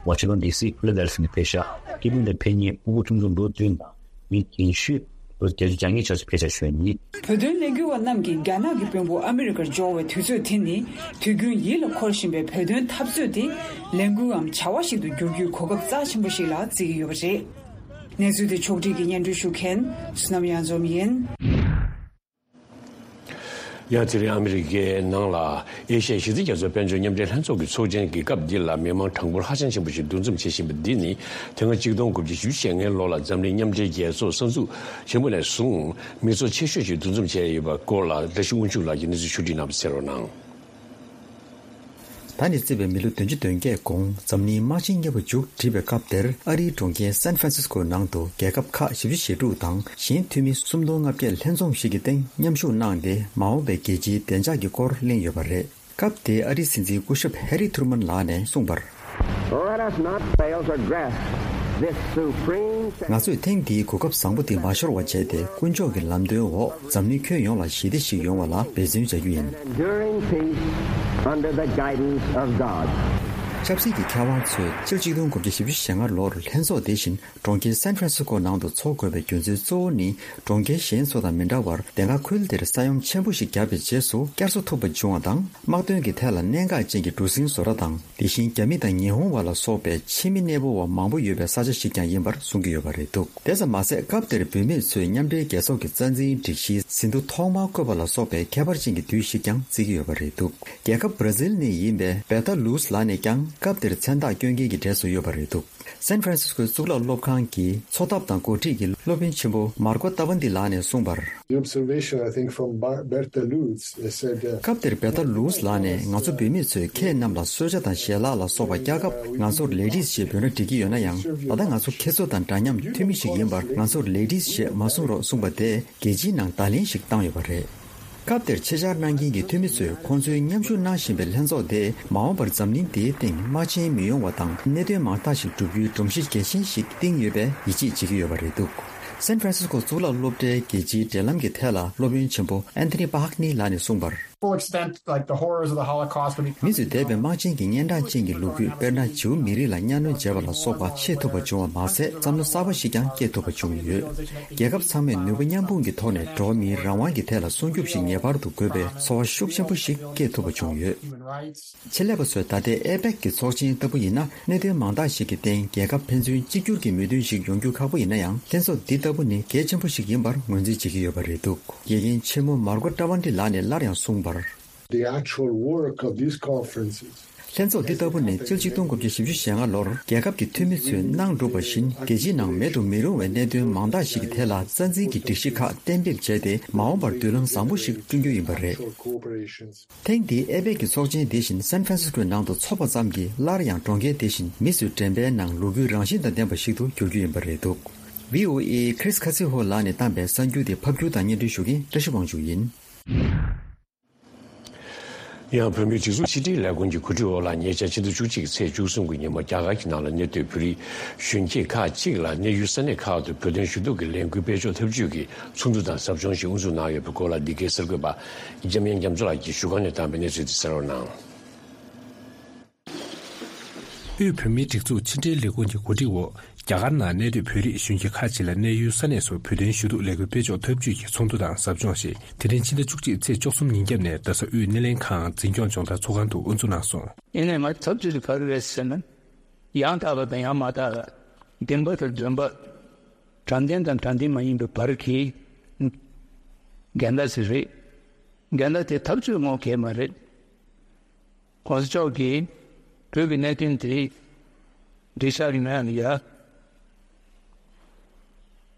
ཝ་ཤིང་ཊོན་ཌི་སི་ཕི་ལ་ཌེལ་ཕི་ཡ་ནས་ཕེབས་ཤག། སྐད་འབོད་ནང་ཕེབས་མཁན་ཕྲུ་གུ་ཆུང་ཆུང་ལོ་བདུན་དང་མི་རྒན་ཤོས་ལོ་བརྒྱད་ཅུ་གྱ་ལྔའི་ཆར་ཞིག་ཕེབས་ཤག་ཞུ་བ་ཡིན། བོད་དོན་ལས་འགུལ་བ་རྣམས་ཀྱིས་རྒྱ་ནག་གི་དཔོན་པོ་ཨ་མི་རི་ཀར་འབྱོར་བའི་དུས་ཚོད་དེ་ནི་དུས་རྒྱུན་ཡིད་ལ་འཁོར་བཞིན་པའི་བོད་དོན་འཐབ་རྩོད་དེ་ལས་འགུལ་འམ་བྱ་བ་ཞིག་ཏུ་འགྱུར་རྒྱུའི་གོ་སྐབས་རྩ་ཆེན་པོ་ཞིག་ལ་བརྩི་གི་ཡོད་པ་རེད། གནས་ཚུལ་དེ་ཕྱོགས་སྒྲིག་གིས་སྙན་སྒྲོན་ཞུ་མཁན་བསོད་ནམས་གཡང་འཛོམས་ཡིན། ཡང་དེ་རིང་ཨ་མི་རི་ཀའི་ནང་ལ་ཨེ་ཤ་ཡ་ཞི་བདེ་རྒྱ་མཚོའི་དཔལ་འབྱོར་མཉམ་འབྲེལ་ལྷན་ཚོགས་ཀྱི་ཚོགས་ཆེན་གྱི་སྐབས་འདི་ལ་མི་མང་གྲངས་འབོར་ཧ་ཅང་ཆེན་པོ་ཞིག་འདུ་འཛོམས་བྱེད་བཞིན་པ་འདི་ནི་དེ་སྔ་གཅིག་སྟོང་དགུ་བརྒྱ་བཞི་བཅུ་ཞེ་ལྔའི་ལོ་ལ་འཛམ་གླིང་མཉམ་འབྲེལ་རྒྱལ་ཚོགས་གསར་འཛུགས་ཡིན་པ་ནས་བཟུང་མི་ཚོགས་ཆེ་ཤོས་ཤིག་འདུ་འཛོམས་བྱས་ཡོད་པའི་སྐོར་ལ་བཀྲ་ཤིས་དབང་ཕྱུག་ལགས་ཀྱིས་གནས་ཚུལ་ཕྱོགས་སྒྲིག་གནང་བ་གསན་རོགས་གནང་། ད་ནས་བརྩིས་པའི་མི་ལོ་བདུན་ཅུ་དོན་བརྒྱད་གོང་འཛམ་གླིང་དམག་ཆེན་གཉིས་པ་མཇུག་བསྒྲིལ་བའི་སྐབས་དེར་ཨ་རིའི་གྲོང་ཁྱེར་སན་ཧྥ་རན་སིས་ཀོ་ནང་དུ་རྒྱལ་ཁབ་ཁག་བཞི་བཅུ་ཞེ་དྲུག་དང་གཞན་འཐུས་མི་སུམ་སྟོང་ལྔ་བརྒྱ་ལྷན་འཛོམས་ཤིག་གི་སྟེང་མཉམ་ཞུགས་གནང་སྟེ་མ་འོངས་པའི་རྒྱལ་སྤྱིའི་བདེ་འཇགས་ཀྱི་སྐོར་གླེང་ཡོད་པ་རེད། སྐབས་དེའི་ཨ་རིའི་སྲིད་འཛིན་སྐུ་ཞབས་ཧེ་རི་ཐུར་མན་ལགས་ནས་གསུངས་པར། Let us not fail to grasp this supreme ང་ཚོས་ཐེངས་འདིའི་གོ་སྐབས་བཟང་པོ་འདི་མ་ཤོར་བ་བྱས་ཏེ་དཀོན་མཆོག་གི་ལམ་སྟོན་འོག་འཛམ་གླིང་ཁྱོན་ཡོངས་ལ་ཞི་བདེ་ཞིག་ཡོང་བ་ལ་འབད་བརྩོན་བྱ་རྒྱུ་ཡིན། Enduring peace under the guidance of God. ཆབ་སྲིད་ཀྱི་མཁས་དབང་ཚོས་ཕྱི་ལོ་ཆིག་སྟོང་དགུ་བརྒྱ་བཞི་བཅུ་ཞེ་ལྔ་ལོར་ལྷན་ཚོགས་དེ་བཞིན་གྲོང་ཁྱེར་སན་ཧྥ་རན་སིས་ཀོ་ནང་དུ་འཚོགས་དགོས་པའི་རྒྱུ་མཚན་གཙོ་བོ་ནི། གྲོང་ཁྱེར་གཞན་ཚོ་དང་མི་འདྲ་བར་དེ་སྔ་ཁུལ་དེར་ས་ཡོམ་ཆེན་པོ་ཞིག་བརྒྱབ་པའི་རྗེས་སུ་བསྐྱར་གསོ་ཐུབ་པ་བྱུང་བ་དང་། དམག་དོན་གྱི་ཐད་ལ་གནད་འགག་ཅན་གྱི་གྲུ་གཟིངས་བཟོ་གྲྭ་དང་། དེ་བཞིན་རྒྱ་མི་དང་ཉི་ཧོང་བར་ལ་སོགས་པའི་ཕྱི་མི་གནས་སྤོ་བ་མང་པོ་ཡོད་པའི་ས་ཆ་ཞིག་ཀྱང་ཡིན་པར་གསུང་གི་ཡོད་པ་རེད་འདུག་དེ་ཙམ་མ་ཟད། སྐབས་དེར་བོད་མི་ཚོས་མཉམ་འབྲེལ་རྒྱལ་ཚོགས་ཀྱི་རྩ་འཛིན་སྒྲིག་གཞིའི་ཟིན་ཐོ་ཐོག་མར་བཀོད་པ་ལ་སོགས་པའི་ཁྱད་པར་ཅན་གྱི་དུས་ཤིག་ཀྱང་བརྩི་གི་ཡོད་པ་རེད་འདུག་རྒྱལ་ཁབ་བར་ཛིལ་ནས་ཡིན་པའི་བེ་ཏཱ་ལུས་ལགས་ནས་ཀྱང་སྐབས་དེར་མཚན་རྟགས་སྐྱོན་མཁན་གྱི་གྲས་སུ་ཡོད་པ་རེད་འདུག་སན་ཧྥ་རན་སིས་ཀོའི་གཙུག་ལག་སློབ་ཁང་གི་འཚོ་ཐབས་དང་འགོ་ཁྲིད་ཀྱི་སློབ་དཔོན་ཆེན་པོ་མར་ཀོ་ཏཱ་ཝན་ཏི་ལགས་ནས་གསུངས་པར། The observation, I think, from Bar- Bertha Lutz, they said, uh, སྐབས་དེར་བེ་ཏཱ་ལུས་ལགས་ནས། ང་ཚོ་བོད་མི་ཚོས་ཁྱེད་རྣམས་ལ་གསོལ་ཇ་དང་ཞལ་ལག་ལ་སོགས་པ་བཀྱག་སྐབས། ང་ཚོར་ལེ་ཌིས་ཞེས་འབོད་སྒྲ་སྒྲིག་གི་ཡོད་ན་ཡང་། ད་ལྟ་ང་ཚོ་ཁྱེད་ཚོ་དང་འདྲ་མཉམ་འཐུས་མི་ཞིག་ཡིན་པར། ང་ཚོར་ལེ་ཌིས་ཞེས་མ་གསུང་རོགས་གསུངས་པ་དེས། རྒྱལ་སྤྱིའི་ནང་བརྡ་ལན་ཞིག་བཏང་ཡོད་པ་རེད། སྐབས་དེར་ཆེད་བཅར་གནང་མཁན་གྱི་འཐུས་མི་ཚོས་ཁོང་ཚོའི་མཉམ་ཞུགས་གནང་བཞིན་པའི་ལྷན་ཚོགས་དེས་མ་འོངས་པར་འཛམ་གླིང་འདིའི་སྟེང་དམག་ཆེན་མི་ཡོང་བ་དང་། གནད་དོན་མང་དག་ཞིག་བསྒྲུབ་རྒྱུའི་སྒྲོམ་གཞི་གལ་ཆེན་ཞིག་བཏིང་ཡོད་པའི་ཡིད་ཆེས་བྱེད་ཀྱི་ཡོད་པ་རེད་འདུག་སན་ཧྥ་རན་སིས་ཀོ་གཙུག་ལག་སློབ་གྲྭའི་རྒྱལ་སྤྱིའི་འབྲེལ་ལམ་གྱི་ཐད་ལ་སློབ་དཔོན་ཆེན་པོ་ཨན་ཐོ་ནི་པ་ཧག་ནི་ལགས་ནས་གསུངས་པར། Full extent, like, the horrors of the Holocaust, when we མི་ཚོས་འདས་པའི་དམག་ཆེན་གྱི་སྙན་གྲགས་ཅན་གྱི་ལོ་རྒྱུས། དཔེར་ན། ཇིའུ་མི་རིགས་ལ་གཉའ་གནོན་བྱས་པ་ལ་སོགས་པ་ཤེས་ཐུབ་པ་བྱུང་བ་མ་ཟད། བསམ་བློ་གསར་པ་ཞིག་ཀྱང་སྐྱེས་ཐུབ་པ་བྱུང་ཡོད། རྒྱལ་ཁབ་ཚང་མས་ནུས་པ་མཉམ་སྤུངས་ཀྱི་ཐོག་ནས་འགྲོ་བ་མིའི་རང་དབང་གི་ཐད་ལ་སྲུང་སྐྱོབ་ཞིག་ངེས་པར་དུ་དགོས་པའི་ཚོར་བ་ཤུགས་ཆེན་པོ་ཞིག་སྐྱེས་ཐུབ་པ་བྱུང་ཡོད། ཆེད་ལས་པ་ཚོས་ད་ལྟའི་ཨེ་པེག་གི་ཚོགས་ཆེན་ལྟ་བུ་ཡིན་ན། གནད་དོན་མང་དག་ཞིག་གི་སྟེང་རྒྱལ་ཁབ་ཕན་ཚུན་གཅིག་གྱུར་གྱི་མོས་མཐུན་ཞིག་ཡོང་རྒྱུ་ཁག་པོ་ཡིན་ན་ཡང་། ལྷན་ཚོགས་འདི་ལྟ་བུ་ནི་གལ་ཆེན་པོ་ཞིག་ཡིན་པར་ངོས་འཛིན་བྱེད་ཀྱི་ཡོད་པ་རེད་འདུག་དགེ་རྒན་ཆེན་མོ་མར་ཀོ་ཀྲ་ཝན་ཏི་ལགས་ནས་སླར་ཡང་གསུངས་པར། The actual work of these conferences. ལྷན་ཚོགས་འདི་ལྟ་བུ་ནི་ཕྱི་ལོ་ཆིག་སྟོང་དགུ་བརྒྱ་བཞི་བཅུ་ཞེ་ལྔ་ལོར་རྒྱལ་ཁབ་ཀྱི་འཐུས་མི་ཚོས་གནང་གྲུབ་པ་བཞིན། རྒྱལ་སྤྱིའི་ནང་མེད་དུ་མི་རུང་བའི་གནད་དོན་མང་དག་ཞིག་གི་ཐད་ལ་རྩ་འཛིན་གྱི་སྒྲིག་གཞི་ཁག་གཏན་འབེབས་བྱས་ཏེ། མ་འོངས་པར་མདུན་ལམ་བཟང་པོ་ཞིག་བསྐྲུན་རྒྱུ་ཡིན་པ་རེད། ཐེངས་འདིའི་ཨེ་པེག་གི་ཚོགས་ཆེན་དེ་བཞིན་སན་ཧྥ་རན་སིས་ཀོའི་ནང་དུ་འཚོགས་པ་ཙམ་གྱིས། སླར་ཡང་གྲོང་ཁྱེར་དེ་བཞིན་མི་ཚོའི་དྲན་པའི་ནང་ལོ་རྒྱུས་རང་བཞིན་དང་ལྡན་པ་ཞིག་ཏུ་འགྱུར་རྒྱུ་ཡིན་པ་རེད་འདུག་ཝི་ཨོ་ཨེ་ཁྲིས་ཁ་སི་ཧོ་ལགས་ནས་བཏང་པའི་གསར་འགྱུར་དེ་ཕབ་སྒྱུར་དང་སྙན་སྒྲོན་ཞུ་མཁན་བཀྲ་ཤིས་དབང་ཕྱུག་ཡིན། ཡང་། བོད་མིའི་སྒྲིག་འཛུགས་ཕྱི་དྲིལ་ལས་ཁུངས་ཀྱི་གོ་སྒྲིག་འོག་ལ། ཉེ་ཆར་ཕྱི་ཟླ་བཅུ་གཅིག་གི་ཚེས་བཅུ་གསུམ་གྱི་ཉིན་མོ། རྒྱ་གར་གྱི་ནང་ལ་གནས་སྡོད་བོད་རིགས་གཞོན་སྐྱེས་ཁག་ཅིག་ལ་གནས་ཡུལ་ས་གནས་ཁག་ཏུ་བོད་དོན་ཞུ་གཏུག་གི་ལས་འགུལ་སྤེལ་ཕྱོགས་འཐབ་ཇུས་ཀྱི་ཚོགས་འདུ་དང་ཟབ་སྦྱོང་ཞིག་དབུ་འཛུགས་གནང་ཡོད་པའི་སྐོར་ལ། འདི་གའི་གསར་འགོད་པ་འཇམ་དབྱངས་རྒྱ་མཚོ་ལགས་ཀྱིས་བཞུགས་སྒར་ནས་བཏང་བའི་གནས་ཚུལ་དེ་གསན་རོགས་གནང་། དབུས་བོད་མིའི་སྒྲིག་འཛུགས་ཕྱི་དྲིལ་ལས་ཁུངས་ཀྱི་གོ་སྒྲིག་འོག་རྒྱ་གར་ནང་གནས་སྡོད་བོད་རིགས་གཞོན་སྐྱེས་ཁག་ཅིག་ལ་གནས་ཡུལ་ས་གནས་སུ་བོད་དོན་ཞུ་གཏུག་ལས་འགུལ་སྤེལ་ཕྱོགས་འཐབ་ཇུས་ཀྱི་ཚོགས་འདུ་དང་ཟབ་སྦྱོང་ཞིག་དེ་རིང་ཕྱི་ཟླ་བཅུ་གཅིག་ཚེས་བཅུ་གསུམ་ཉིན་རྒྱབ་ནས་རྡ་ས་དབུས་སྣེ་ལེན་ཁང་འཛིན་སྐྱོང་སྦྱོང་བརྡར་ཚོགས་ཁང་དུ་དབུ་འཛུགས་གནང་སོང་། ཡིན་ནའི་ང་ཚོ་འཐབ་ཇུས་དེ་ག་རེ་རེད་ཟེར་ན། ཡང་དག་པ་དང་ཡང་མ་དག་པ། བདེན་པ་དང་འདོན་པ། དྲང་བདེན་དང་དྲང་བདེན་མ་ཡིན་པའི་བར་གྱི་འགལ་ཟླ་ཞིག་རེད། འགལ་ཟླ་དེ་འཐབ་རྩོད་ངོ་གལ་མ་རེད། གོང་ས་མཆོག་གིས་བོད་ཀྱི་གནད་དོན་དེ་འགྲིག་ཆགས་ཀྱི་མེད་ཡ།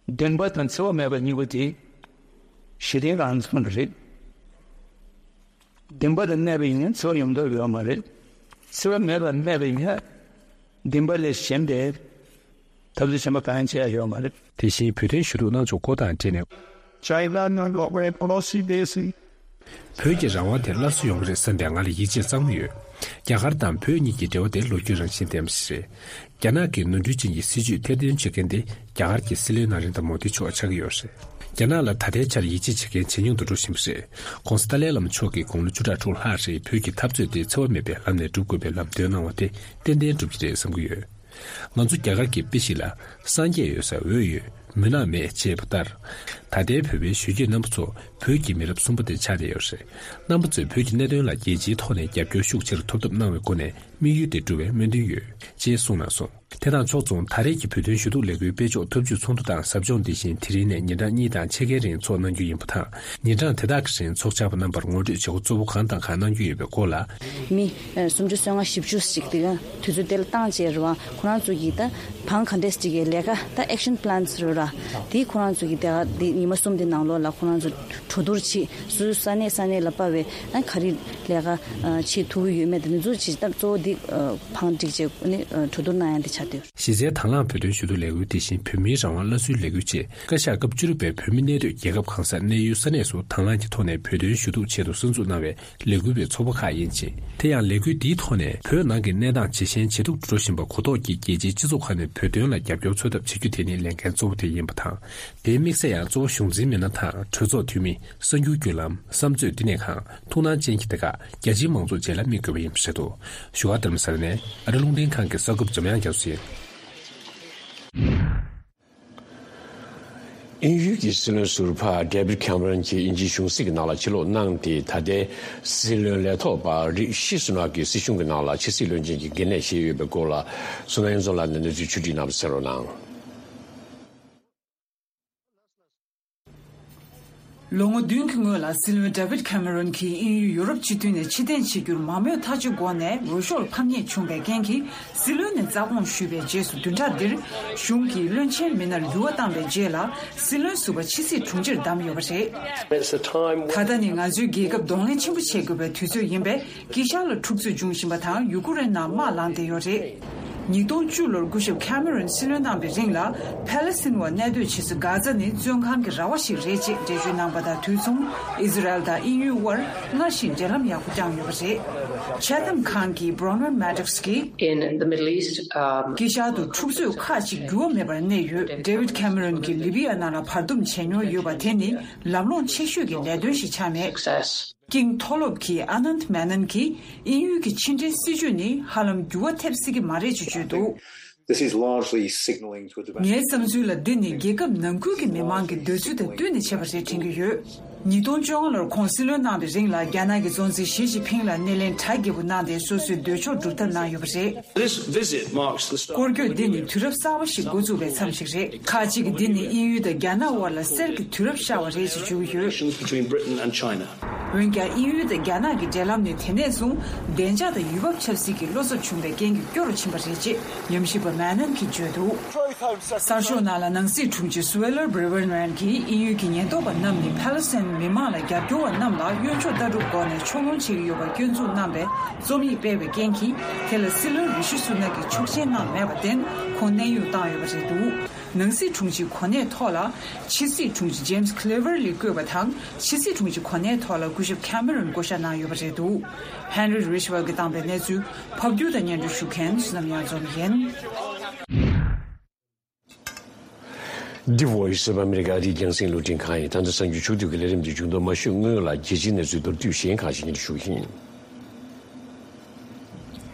བདེན་པ་དང་འཚེ་བ་མེད་པ་གཉིས་པོ་དེ་ཞི་བདེ་རང་བཙན་རེད། བདེན་པ་དང་གནས་པ་ཡིན་ན་འཚེ་བ་ཡོང་འདོད་ཡོད་མ་རེད། འཚེ་བ་མེད་པར་གནས་པ་ཡིན་ན་བདེན་པ་ལས་གཞན་པའི་འཐབ་རྩོད་གཞན་པ་གང་ཡང་བྱེད་ཡ་ཡོད་མ་རེད། དེ་བཞིན་བོད་དོན་ཞུ་གཏུག་གནང་ཕྱོགས་སྐོར་དང་འབྲེལ་ནས། China not cooperate policy this བོད་ཀྱི་རང་དབང་དེ་སླར་གསོ་ཡོང་གི་རེད་བསམ་པའི་ང་ལ་ཡིད་ཆེས་གཙང་མ་ཡོད། རྒྱ་གར་དང་བོད་གཉིས་ཀྱི་འབྲེལ་བ་དེ་ལོ་རྒྱུས་རང་བཞིན་ལྡན་པ་ཞིག་རེད། རྒྱ་ནག་གི་ནོར་འཁྲུལ་ཅན་གྱི་སྲིད་བྱུས་ཐེར་འདོན་བྱེད་མཁན་དེ་རྒྱ་གར་གྱི་སྲིད་བློན་ན་རེན་དྲ་མོ་དི་མཆོག་ཆགས་ཀྱི་ཡོད་རེད། རྒྱ་ནག་ལ་ད་ལྟའི་ཆར་ཡིད་ཆེས་བྱེད་མཁན་ཇེ་ཉུང་དུ་འགྲོ་བཞིན་པ་རེད། ྋགོང་ས་ཏཱ་ལའི་བླ་མ་མཆོག་གིས་དགུང་ལོ་བཅུ་ཕྲག་དྲུག་ལྷག་རིང་བོད་ཀྱི་འཐབ་རྩོད་དེ་འཚེ་བ་མེད་པའི་ལམ་ནས་སྒྲུབ་དགོས་པའི་ལམ་སྟོན་གནང་བ་དེ་ཏན་ཏན་འགྲུབ་ཀྱི་རེད་བསམ་གྱི་ཡོད། ང་ཚོ་རྒྱ་གར་གྱི་དཔེ་ཞིག་ལ། སངས་རྒྱས་ཡོད་ས་འོད་ཡོད། མུན་ནག་མེད་ཅེས་པ་ལྟར། ད་ལྟའི་བོད་པའི་གཞོན་སྐྱེས་རྣམ་པ་ཚོ་བོད་ཀྱི་མི་རབས་གསུམ་པ་དེ་ཆགས་བསྡད་ཡོད་རེད། རྣམ་པ་ཚོས་བོད་ཀྱི་གནད་དོན་ལ་རྒྱལ་སྤྱིའི་ཐོག་ནས་རྒྱབ་སྐྱོར་ཤུགས་ཆེ་རུ་ཐོབ་ཐབས་གནང་བའི་སྒོ་ནས་དམིགས་ཡུལ་དེ་འགྲུབ་པའི་སྨོན་འདུན་ཡོད། ཅེས་གསུངས་གནང་སོང་། དེ་དང་ཕྱོགས་མཚུངས་ད་རེས་ཀྱི་བོད་དོན་ཞུ་གཏུག་ལས་འགུལ་སྤེལ་ཕྱོགས་འཐབ་ཇུས་ཚོགས་འདུ་དང་ཟབ་སྦྱོང་འདི་བཞིན་དེ་རིང་ནས་ཉིན་གྲངས་གཉིས་དང་ཕྱེད་ཀའི་རིང་འཚོགས་གནང་རྒྱུ་ཡིན་པ་དང་། ཉིན་གྲངས་དེ་དག་གི་རིང་ཚོགས་བཅར་བ་རྣམ་པར་ངོ་སྤྲོད་བྱེད་སྒོ་གཙོ་བོ་གང་དང་གང་གནང་རྒྱུ་ཡོད་པའི་སྐོར་ལ། མི་ཨ་སུམ་ཅུ་སོ་ལྔ་བཞི་བཅུ་ཞིག་དེ་ག་དུས་ཚོད་དེ་ལ་བཏང་བྱས་རེད་བ། ཁོ་རང་ཚོ་གིས་ད་བང་ག་འདྲས་ཅིག་གི་ལས་ཀ་ད་action plans རེད་ར། དེ་ཁོ་རང་ཚོ་གིས་དེ་ག་དེ་ཉི་མ་གསུམ་དེ་ནང་ལོགས་ལ་ཁོ་རང་ཚོ་གྲོས་བསྡུར་བྱེད། སོ་སོའི་ས་གནས་ས་གནས་ལ་སྤར་བའི་ཨ་ག་རེ་ལས་ཀ་ཨ་བྱེད་ཐུབ་ཀྱི་ཡོད་མེད་དེ་ཚོ་ཅིག་ད་གཙོ་བོ་དེ་ཨ་བང་སྒྲིག་བྱས་ནས་ཨ་གྲོས་བསྡུར་གནང་ཡ་དེ་ཆགས་བསྡད་ཡོད། གཞི་རྩའི་དང་བླངས་བོད་དོན་ཞུ་གཏུག་ལས་འགུལ་དེ་བཞིན་བོད་མིའི་རང་དབང་སླར་གསོའི་ལས་འགུལ་བཅས་བཀའ་ཤག་སྐབས་བཅུ་དྲུག་པའི་བོད་མི་གནས་སྡོད་རྒྱལ་ཁབ་གང་སར་གནས་ཡུལ་ས་གནས་སུ་དང་བླངས་ཀྱི་ཐོག་ནས་བོད་དོན་ཞུ་གཏུག་ཆེད་དུ་གསར་འཛུགས་གནང་བའི་ལས་འགུལ་བའི་ཚོགས་པ་ཁག་ཡིན་ཞིང་། དེ་ཡང་ལས་འགུལ་འདིའི་ཐོག་ནས་བོད་ནང་གི་གནས་སྟངས་ཇེ་ཞན་ཇེ་སྡུག་ཏུ་འགྲོ་བཞིན་པ་གོ་རྟོགས་ཀྱིས་རྒྱལ་སྤྱིའི་སྤྱི་ཚོགས་ཁག་ནས་བོད་དོན་ལ་རྒྱབ་སྐྱོར་འཚོལ་ཐབས་བྱེད་རྒྱུ་དེ་ནི་ལས་འགན་གཙོ་བོ་དེ་ ཡིན་པ་དང་། དེའི་དམིགས་ཚད་ཡང་གཙོ་བོ་གཞུང་འཛིན་མི་སྣ་དང་གྲོས་ཚོགས་འཐུས་མི། གསར་འགྱུར་བརྒྱུད་ལམ། བསམ་མཛོད་བསྟི་གནས་ཁང་། ཐུགས་སྣང་ཅན་གྱི་དེ་ཁག་རྒྱ་ཆེའི་མང་ཚོགས་བཅས་ལ་དམིགས་དགོས་པ་ཡིན་པ་རེད་འདུག་བཞུགས་སྒར་རྡ་རམ་ས་ལ་ནས་ཨ་རི་རླུང་འཕྲིན་ཁང་གི་གསར་འགོད་པ་འཇམ་དབྱངས་རྒྱ་མཚོ་ཡིན། དབྱིན་ཡུལ་གྱི་སྲིད་བློན་ཟུར་པ་David Cameron གྱིས་དབྱིན་ཇིའི་གཞུང་སྲིད་ཀྱི་ནང་ལ་ཕྱིར་ལོག་གནང་སྟེ། ད་ལྟའི་སྲིད་བློན་ལས་ཐོག་པ་རི་ཤི་སུ་ནག་གིས་སྲིད་གཞུང་གི་ནང་ལ་ཕྱི་སྲིད་བློན་ཆེན་གྱི་འགན་ལེན་བཞེས་ཡོད་པའི་སྐོར་ལ། བསོད་ནམས་དབྱངས་འཛོམས་ལགས་ནས་གནས་ཚུལ་ཕྱོགས་སྒྲིག་གནང་བ་གསན་རོགས་གནང་། ལོ་ངོ་བདུན་གྱི་སྔོན་ལ་སྲིད་བློན་David Cameron གྱིས་དབྱིན་ཡུལ་ཡུ་རོབ་སྤྱི་མཐུན་ནས་ཕྱིར་འཐེན་བྱེད་རྒྱུར་མང་མོས་ཐག་གཅོད་སྒོ་ནས་འོས་ཤོག་ཕམ་ཉེས་བྱུང་བའི་རྐྱེན་གྱིས། སྲིད་བློན་ནས་རྩ་དགོངས་ཞུས་པའི་རྗེས་སུ། བདུན་ཕྲག་འདིར་གཞུང་གི་བློན་ཆེན་མི་སྣར་འགྱུར་བ་བཏང་བའི་རྗེས་ལ། སྲིད་བློན་ཟུར་པ་ཕྱི་སྲིད་དྲུང་ཆེར་བདམས་ཡོད་པ་རེད། It's a time when ད་ལྟ་ནི་ང་ཚོའི་རྒྱལ་ཁབ་གདོང་ལེན་ཆེན་པོ་བྱེད་དགོས་པའི་དུས་ཚོད་ཡིན་པས། དཀྱིལ་ཤར་ལ་འཁྲུག་རྩོད་འབྱུང་བཞིན་པ་དང་། ཡུ་ཀུ་རེན་ནང་དམག་ལངས་བསྡད་ཡོད་རེད། ཉིས་སྟོང་བཅུ་ལོར་སྐུ་ཞབས་ཁེ་མེ་རོན་སྲིད་བློན་གནང་བའི་རིང་ལ། ཕཱ་ལེ་སི་ཐན་བ་གནས་སྡོད་བྱེད་ས་གྷ་ཛ་ནི་བཙོན་ཁང་གི་ར་བ་ཞིག་རེད་ཅེས་འགྲེལ་བརྗོད་གནང་པ་དང་དུས་མཚུངས། ཨི་ཟི་རལ་དང་དབྱིན་ཡུལ་དབར་སྔར་བཞིན་འབྲེལ་ལམ་ཡག་པོ་བསྐྱངས་ཡོད་པ་རེད། ཆེ་ཐམ་ཁང་གི་Bronwyn Maddox གིས། In the Middle East, um, དཀྱིལ་ཤར་དུ་འཁྲུག་རྩོད་ཁག་ཅིག་འགྱུར་བ་མེད་པར་གནས་ཡོད། David Cameron གྱིས་ལི་བི་ཡ་ནང་ལ་བར་འདུམ་བྱས་མྱོང་ཡོད་པ་དེ་ནི་ལམ་ལྷོང་ཆེ་ཤོས་ཀྱི་ལས་དོན་ཞིག་ཆགས་མེད། Success. ཀིང་མཐོ་སློབ་ཀྱི་ཨ་ནནྟ་མེ་ནན་གྱིས་དབྱིན་ཡུལ་གྱི་ཕྱི་འབྲེལ་སྲིད་ཇུས་ནི་ཧ་ལམ་འགྱུར་བ་ཐེབས་སྲིད་ཀྱི་མ་རེད་ཅེས་བརྗོད་འདུག This is largely signaling to a development. ངའི་བསམ་ཚུལ་ལ་འདི་ནི་རྒྱལ་ཁབ་ནང་ཁུལ་གྱི་མི་མང་གི་འདོད་ཚུལ་དང་བསྟུན་ནས་བྱས་པ་རེད་དྲན་གྱི་ཡོད། ཉིས་སྟོང་བཅོ་ལྔ་ལོར་ཁོང་སྲིད་བློན་གནང་བའི་རིང་ལ། རྒྱ་ནག་གི་གཙོ་འཛིན་ཞི་ཅིན་ཕིང་ལ་སྣེ་ལེན་གྲ་རྒྱས་པོ་གནང་སྟེ། སོ་སོའི་འདོད་ཕྱོགས་སྒྲུབ་ཐབས་གནང་ཡོད་པ་རེད། This visit marks the start སྐོར་སྐྱོད་འདི་ནི་དུས་རབས་གསར་པ་ཞིག་འགོ་བཙུགས་པའི་མཚམས་ཤིག་རེད། ཁག་ཅིག་གིས་འདི་ནི་དབྱིན་ཡུལ་དང་རྒྱ་ནག་དབར་ལ་གསེར་གྱི་དུས་རབས་ཤར་བ་རེད་ཅེས་བརྗོད་ཀྱི་ཡོད། Relations between Britain and China. འོན་ཀྱང་། དབྱིན་ཡུལ་དང་རྒྱ་ནག་གི་འབྲེལ་ལམ་ནི་དེ་ནས་བཟུང་བདེ་འཇགས་དང་ཡུལ་བབ་ཆབ་སྲིད་ཀྱི་བློ་འཚབ་བྱུང་བའི་རྐྱེན་གྱིས་སྐྱོ་རུ་ཕྱིན་པ་རེད་ཅེས་ཉམས་ཞིབ་པ་མེ་ནན་གྱིས་བརྗོད་འདུག་གསར་ཤོག་ནང་ལ་ནང་སྲིད་དྲུང་ཆེ་སུའེ་ལར་བྷི་རི་ཝན་རན་གྱིས་དབྱིན་ཡུལ་གྱི་ཉེན་རྟོག་པ་རྣམས་ནི་ཕཱ་ལེ་སི་ཐན་མི་མང་ལ་རྒྱབ་སྐྱོར་བ་རྣམས་ལ་གཡོན་ཕྱོགས་ལྟ་གྲུབ་སྒོ་ནས་ཕྱོགས་ལྷུང་བྱེད་ཀྱི་ཡོད་པར་སྐྱོན་འཛུགས་གནང་བའི་རྩོམ་ཡིག་སྤེལ་བའི་རྐྱེན་གྱིས། དེ་ལ་སྲིད་བློན་རི་ཤི་སུ་ནག་གིས་ཆོག་མཆན་གནང་མེད་པར་བརྟེན། ཁོང་གནས་དབྱུང་བཏང་ཡོད་པ་རེད་འདུག་ནང་སྲིད་དྲུང་ཆེའི་གོ་གནས་ཐོག་ལ་ཕྱི་སྲིད་དྲུང་ཆེ་ཇེམ་སི་ཁི་ལེ་ཝར་ལི་བསྐོས་པ་དང་། ཕྱི་སྲིད་དྲུང་ཆེའི་གོ་གནས་ཐོག་ལ་སྐུ་ཞབས་ཁེ་མེ་རོན་བསྐོ་བཞག་གནང་ཡོད་པ་རེད་འདུག་ཧན་རི་རི་ཤི་ཝལ་གྱིས་བཏང་པའི་གནས་ཚུལ་ཕབ་སྒྱུར་དང་སྙན་སྒྲོན་ཞུ་མཁན་བསོད་ནམས་གཡང་འཛོམས་ཡིན། འདི་Voice of America ཨ་རིའི་རྒྱང་སྲིང་རླུང་འཕྲིན་ཁང་ཡིན། ད་ལྟ་གསར་འགྱུར་ཕྱོགས་བསྡུས་ཀྱི་ལས་རིམ་འདི་མཇུག་བསྡོམས་མ་ཞུས་སྔོན་ལ། རྒྱལ་སྤྱིའི་གནས་ཚུལ་མདོར་བསྡུས་གཞན་ཁག་ཅིག་སྙན་སྒྲོན་ཞུ་གི་ཡིན།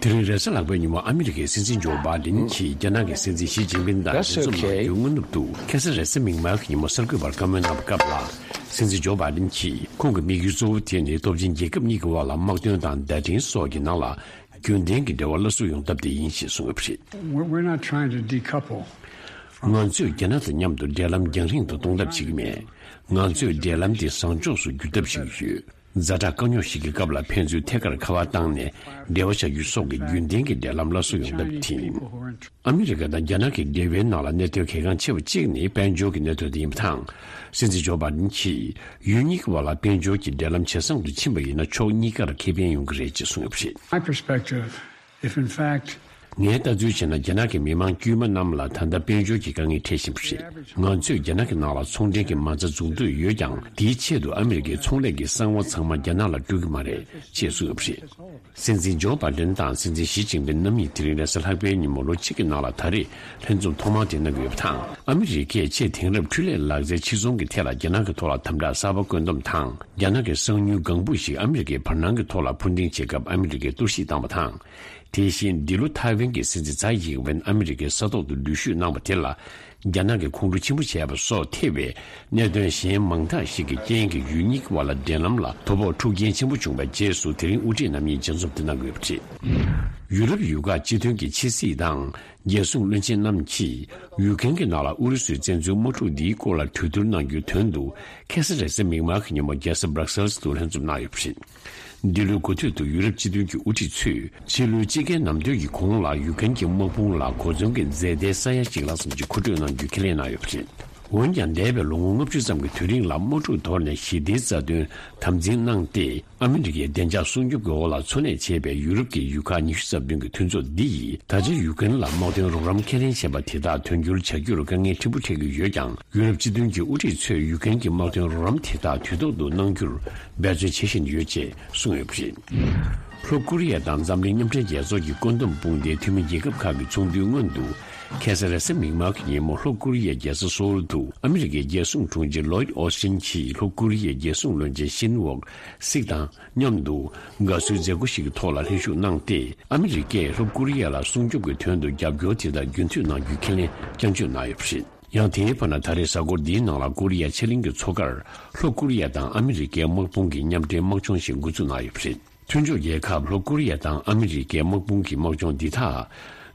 དེ་རིང་རེས་གཟའ་ལྷག་པའི་ཉིན་མོ་ཨ་མི་རི་ཀའི་སྲིད་འཛིན་ཇོ་བྷའི་ཌེན་གྱིས་རྒྱ་ནག་གི་སྲིད་འཛིན་ཞི་ཅིན་ཕིན་དང་That's འབྲེལ་འཚམས་གནང་okay. རྒྱུའི་སྔ་ནུབ་ཏུ། ཁ་སང་རེས་གཟའ་མིག་དམར་གྱི་ཉིན་མོ་གསར་འགོད་པར་བཀའ་མོལ་གནང་བའི་སྐབས་ལ། སྲིད་འཛིན་ཇོ་བྷའི་ཌེན་གྱིས་ཁོང་གི་དམིགས་ཡུལ་གཙོ་བོ་དེ་ནི་སྟོབས་ཆེན་རྒྱལ་ཁབ་གཉིས་ཀྱི་དབར་ལ་དམག་དོན་དང་བརྡ་འཕྲིན་སོགས་ཀྱི་ནང་ལ་རྒྱུན་ལྡན་གྱི་འབྲེལ་བ་སླར་གསོ་ཡོང་ཐབས་དེ་ཡིན་ཞེས་གསུངས་ཡོད་པ་རེད། We're, we're not trying to decouple. ང་ཚོས་རྒྱ་ནག་དང་མཉམ་དུ་འབྲེལ་ལམ་རྒྱང་རིང་དུ་གཏོང་ཐབས་བྱེད་ཀྱི་མེད། ང་ཚོས་འབྲེལ་ལམ་དེ་བཟང་ཕྱོགས་སུ་བསྒྱུར་ཐབས་བྱེད་ཀྱི་ཡོད། ཛ་དྲག་དཀའ་རྙོག་ཞིག་གི་སྐབས་ལ་ཕན་ཚུན་ཐད་ཀར་ཁ་པར་བཏང་ནས་འབྲེལ་བ་བྱ་རྒྱུ་སོགས་ཀྱི་རྒྱུན་ལྡན་གྱི་འབྲེལ་ལམ་སླར་གསོ་ཡོང་ཐབས་དེ་ཡིན། ཨ་མི་རི་ཀ་དང་རྒྱ་ནག་གི་འབྲེལ་བའི་ནང་ལ་གནད་དོན་གལ་འགངས་ཆེ་བ་གཅིག་ནི་དཔལ་འབྱོར་གྱི་གནད་དོན་དེ་ཡིན་པ་དང་། སྲིད་འཛིན་ཇོ་བྷའི་ཌེན་གྱིས་ཡུལ་གཉིས་ཀྱི་བར་ལ་དཔལ་འབྱོར་གྱི་འབྲེལ་ལམ་ཇེ་བཟང་དུ་ཕྱིན་པ་ཡིན་ན། ཕྱོགས་གཉིས་ཀར་ཁེ་ཕན་ཡོང་གི་རེད་ཅེས་གསུངས་ཡོད་པ་རེད། My perspective, if in fact ངས་ལྟ་ཚུལ་བྱས་ན། རྒྱ་ནག་གི་མི་མང་དཀྱུས་མ་རྣམས་ལ་ད་ལྟ་དཔལ་འབྱོར་གྱི་དཀའ་ངལ་འཕྲད་བཞིན་པ་རེད། ང་ཚོས་རྒྱ་ནག་གི་ནང་ལ་ཚོང་འབྲེལ་གྱི་མ་རྩ་འཛུགས་འདོད་ཡོད་ཀྱང་། དེའི་ཆེད་དུ་ཨ་མི་རི་ཀའི་ཚོང་ལས་ཀྱི་གསང་བ་ཚང་མ་རྒྱ་ནག་ལ་སྤྲོད་ཀྱི་མ་རེད་ཅེས་གསུངས་ཡོད་པ་རེད། སྲིད་འཛིན་ཇོ་བྷའི་ཌེན་དང་སྲིད་འཛིན་ཞི་ཅིན་ཕིན་རྣམ་གཉིས་དེ་རིང་རེས་གཟའ་ལྷག་པའི་ཉིན་མོ་ལོ་གཅིག་གི་ནང་ལ་ད་རེས་ལྷན་འཛོམས་ཐོག་མ་དེ་གནང་གི་ཡོད་པ་དང་། ཨ་མི་རི་ཀས་ཆེས་དེང་རབས་འཕྲུལ་ལས་ལག་རྩལ་ཕྱིར་ཚོང་གི་ཐད་ལ་རྒྱ་ནག་གི་ཐོག་ལ་དམ་དྲག་གསར་པ་བཀོད་འདོམས་དང་། རྒྱ་ནག་གི་གསང་ཉུལ་ལྒང་བུ་ཞིག་ཨ་མི་རི་ཀའི་བར་སྣང་གི་ཐོག་ལ་འཕུར་ལྡིང་བྱེད་སྐབས་ཨ་མི་རི་ཀས་གཏོར་བཤིག་བཏང་བ་དང་། དེ་བཞིན་འདི་ལོ་ཐའེ་ཝན་གྱི་སྲིད་འཛིན་ཚའེ་ཡིང་ཝེན་ཨ་མི་རི་ཀའི་ས་ཐོག་ཏུ་འགྲུལ་བཞུད་གནང་བ་དེ་ལ། རྒྱ་ནག་གིས་ཁོང་ཁྲོ་ཆེན་པོ་བྱས་པ་སོགས་ཐེ་བའི་གནད་དོན་གཞན་མང་དག་ཞིག་གི་རྐྱེན་གྱིས་ཡུལ་གཉིས་ཀྱི་བར་ལ་འབྲེལ་ལམ་ལ་དོ་ཕོག་འཁྲུག་རྐྱེན་ཆེན་པོ་བྱུང་བའི་རྗེས་སུ། དེ་རིང་དབུ་ཁྲིད་རྣམ་གཉིས་མཇལ་འཛོམས་དེ་གནང་གི་ཡོད་པ་རེད། ཡུ་རོབ་ཡུལ་ཁག་སྤྱི་མཐུན་གྱི་ཕྱི་སྲིད་དང་རྒྱལ་སྲུང་བློན་ཆེན་རྣམས་ཀྱིས་ཡུཀ་རེན་གྱི་ནང་ལ་ཨུ་རུ་སུའི་བཙན་འཛུལ་དམག་འཁྲུག་འདིའི་སྐོར་ལ་གྲོས་བསྡུར་གནང་རྒྱུའི་དོན་དུ། ཁ་སང་རེས་གཟའ་མིག་དམར་གྱི་ཉིན་མོ་རྒྱལ་ས་སྦྲག་སེལ་དུ་ལྷན་འཛོམས་གནང་ཡོད་པ་རེད། འདི་ལོའི་འགོ་སྟོད་དུ་ཡུ་རོབ་སྤྱི་མཐུན་གྱི་དབུ་ཁྲིད་ཚོས་ཕྱི་ལོའི་དཔྱིད་ཀའི་ནམ་དུས་ཀྱི་གོང་ལ་ཡུཀ་རེན་གྱི་དམག་དཔུང་ལ་གོ་མཚོན་གྱི་རྫས་མཐའི་ས་ཡ་གཅིག་ལྷག་ཙམ་གྱི་མཁོ་སྤྲོད་གནང་རྒྱུའི་ཁས་ལེན་གནང་ཡོད་པ་རེད། འོན་ཀྱང་། འདས་པའི་ལོ་ངོ་ལྔ་བཅུ་ཙམ་གྱི་དུས་རིང་ལ་དམག་འཁྲུག་དོར་ནས་ཞི་བདེའི་རྩ་དོན་དམ་འཛིན་གནང་སྟེ། ཨ་མི་རི་ཀའི་བདེ་འཇགས་སྲུང་སྐྱོབ་ཀྱི་འོག་ལ་འཚོ་གནས་བྱེད་པའི་ཡུ་རོབ་ཀྱི་ཡུལ་ཁག་ཉི་ཤུ་རྩ་བདུན་གྱི་མཐུན་ཚོགས་འདི་ཡིས་ད་ཆ་ཡུཀ་རེན་ལ་དམག་དོན་རོགས་རམ་ཁས་ལེན་བྱས་པ་དེ་དག་དོན་འཁྱོལ་བྱ་རྒྱུར་དཀའ་ངལ་ཕྲན་བུ་འཕྲད་ཀྱི་ཡོད་ཀྱང་། ཡུ་རོབ་སྤྱི་མཐུན་གྱི་དབུ་ཁྲིད་ཚོས་ཡུཀ་རེན་གྱི་དམག་དོན་རོགས་རམ་དེ་དག་དུས་ཐོག་ཏུ་གནང་རྒྱུར་འབད་བརྩོན་བྱེད་བཞིན་ཡོད་ཅེས་གསུངས་ཡོད་པ་རེད། ལྷོ་ཀོ་རི་ཡ་དང་འཛམ་གླིང་མཉམ་འབྲེལ་རྒྱལ་ཚོགས་ཀྱི་བཀོད་འདོམས་དཔུང་སྡེའི་འཐུས་མི་རྒྱལ་ཁབ་ཁག་གི་ཚོགས་འདུའི་སྔོན་དུ། ཁ་སང་རེས་གཟའ་མིག་དམར་གྱི་ཉིན་མོ་ལྷོ་ཀོ་རི་ཡའི་རྒྱལ་ས་སོའུལ་དུ་ཨ་མི་རི་ཀའི་རྒྱལ་སྲུང་དྲུང་ཆེ་ལོའིད་ཨོ་སི་ཊིན་གྱིས་ལྷོ་ཀོ་རི་ཡའི་རྒྱལ་སྲུང་བློན་ཆེན་ཤིན་ཝོག་སིག་དང་མཉམ་དུ་དགའ་བསུའི་མཛད་སྒོ་ཞིག་གི་ཐོག་ལ་ལྷན་ཞུགས་གནང་སྟེ། ཨ་མི་རི་ཀས་ལྷོ་ཀོ་རི་ཡ་ལ་སྲུང་སྐྱོབ་ཀྱི་དོན་དུ་རྒྱབ་སྐྱོར་དེ་དག་རྒྱུན་མཐུད་གནང་རྒྱུའི་ཁས་ལེན་བསྐྱར་བརྗོད་གནང་ཡོད་པ་རེད། ཡང་དེའི་བར་ན་ད་རེས་གཟའ་འཁོར་འདིའི་ནང་ལ་ཀོ་རི་ཡ་ཕྱེད་གླིང་གི་མཚོ་ཁར་ལྷོ་ཀོ་རི་ཡ་དང་ཨ་མི་རི་ཀའི་དམག་དཔུང་གི་མཉམ་འབྲེལ་དམག་སྦྱོང་ཞིག་འགོ་འཛུགས་གནང་ཡོད་པ་རེད། མཐུན་ཕྱོགས་རྒྱལ་ཁབ་ལྷོ་ཀོ་རི་ཡ་དང་ཨ་མི་རི་ཀའི་དམག་དཔུང་གི་དམག་སྦྱོང་འདི་དག་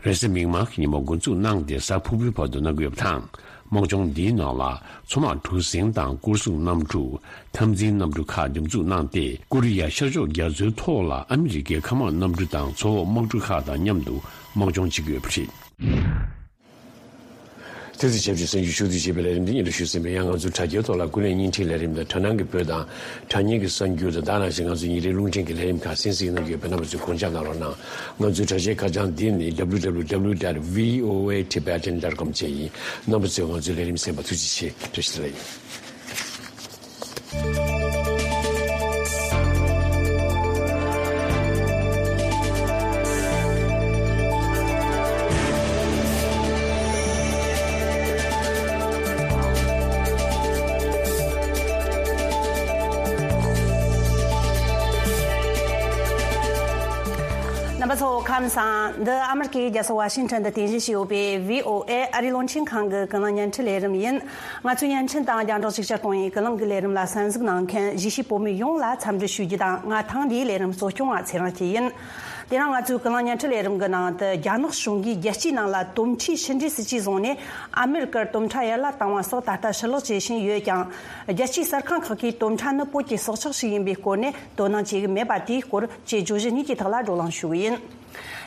རེས་གཟའ་མིག་དམར་གྱི་ཉིན་མོ་འགོ་འཛུགས་གནང་སྟེ་གཟའ་ཕུར་བུའི་བར་དུ་གནང་གི་ཡོད་པ་དང་། དམག་སྦྱོང་འདིའི་ནང་ལ་མཚོ་དམག་གྲུ་གཟིངས་དང་སྐོར་སྲུང་གནམ་གྲུ། འཐབ་འཛིང་གནམ་གྲུ་ཁག་འདེམས་འཛུགས་གནང་སྟེ། ཀོ་རི་ཡ་ཤར་ཕྱོགས་རྒྱ་མཚོའི་ཐོག་ལ་ཨ་མི་རི་ཀའི་མཁའ་དམག་གནམ་གྲུ་དང་མཚོ་འོག་དམག་གྲུ་ཁག་དང་མཉམ་དུ་དམག་སྦྱོང་བྱེད་ཀྱི་ཡོད་པ་རེད། དེ་ཚོ་ཆབས་ཅིག་གསར་འགྱུར་ཕྱོགས་བསྡུས་བྱས་པའི་ལས་རིམ་འདི་སྙན་སྒྲོན་ཞུས་ཟིན་པས། ཡང་ང་ཚོའི་དྲ་རྒྱའི་ཐོག་ལ་ཀུན་གླེང་བརྙན་འཕྲིན་ལས་རིམ་དང་དྲ་ནང་གི་བོད་དང་དྲ་བརྙན་གྱི་གསར་འགྱུར་དང་། དེ་ནང་བཞིན་ང་ཚོའི་ཉིན་རེའི་རླུང་འཕྲིན་གྱི་ལས་རིམ་ཁག་གསན་གཟིགས་གནང་གི་ཡོད་པས། རྣམ་པ་ཚོས་སྐོར་རྒྱབ་གནང་རོགས་གནང་། ང་ཚོའི་དྲ་རྒྱའི་ཁ་བྱང་འདི་ནི་W W W dot V O A Tibetan dot com བཅས་ཡིན། རྣམ་པ་ཚོས་ང་ཚོའི་ལས་རིམ་གསན་པར་ཐུགས་རྗེ་ཆེ། བཀྲ་ཤིས་བདེ་ལེགས། རྣམ་པ་ཚོ་ཁམས་བཟང་། འདི་ཨ་མི་རི་ཀའི་རྒྱལ་ས་ཝ་ཤིང་ཊོན་དུ་རྟེན་གཞི་བྱས་ཡོད་པའི་V O A ཨ་རིའི་རླུང་འཕྲིན་ཁང་གི་ཀུན་གླེང་བརྙན་འཕྲིན་ལས་རིམ་ཡིན། ང་ཚོའི་བརྙན་འཕྲིན་དང་རྒྱང་སྒྲོག་ཅིག་ཅར་གཏོང་བའི་ཀུན་གླེང་གི་ལས་རིམ་ལ་གསན་གཟིགས་གནང་མཁན་གཞིས་བྱེས་བོད་མི་ཡོངས་ལ་འཚམས་འདྲི་ཞུ་རྒྱུ་དང་། ང་ཐེངས་འདིའི་ལས་རིམ་གཙོ་སྐྱོང་བ་ཚེ་རིང་སྐྱིད་ཡིན། དེ་རིང་ང་ཚོའི་ཀུན་གླེང་བརྙན་འཕྲིན་ལས་རིམ་གྱི་ནང་དུ། རྒྱ་ནག་གཞུང་གིས་རྒྱལ་སྤྱིའི་ནང་ལ་དོམ་ཁྲའི་ཕྱི་འབྲེལ་སྲིད་ཇུས་བཟུང་ནས་ཨ་མེ་རི་ཀར་དོམ་ཁྲ་ཡར་ལ་བཏང་བ་སོགས་ད་ལྟ་ཕྱིར་ལོག་བྱེད་བཞིན་ཡོད་ཀྱང་། རྒྱལ་སྤྱིའི་གསར་ཁང་ཁག་གིས་དོམ་ཁྲ་ནི་བོད་ཀྱི་སྲོག་ཆགས་ཤིག་ཡིན་པའི་སྐོར་ནས་དོ་སྣང་བྱེད་ཀྱི་མེད་པ་དེའི་སྐོར་བཅས་བརྗོད་གཞི་གཉིས་ཀྱི་ཐོག་ལ་བགྲོ་གླེང་ཞུ་གི་ཡིན།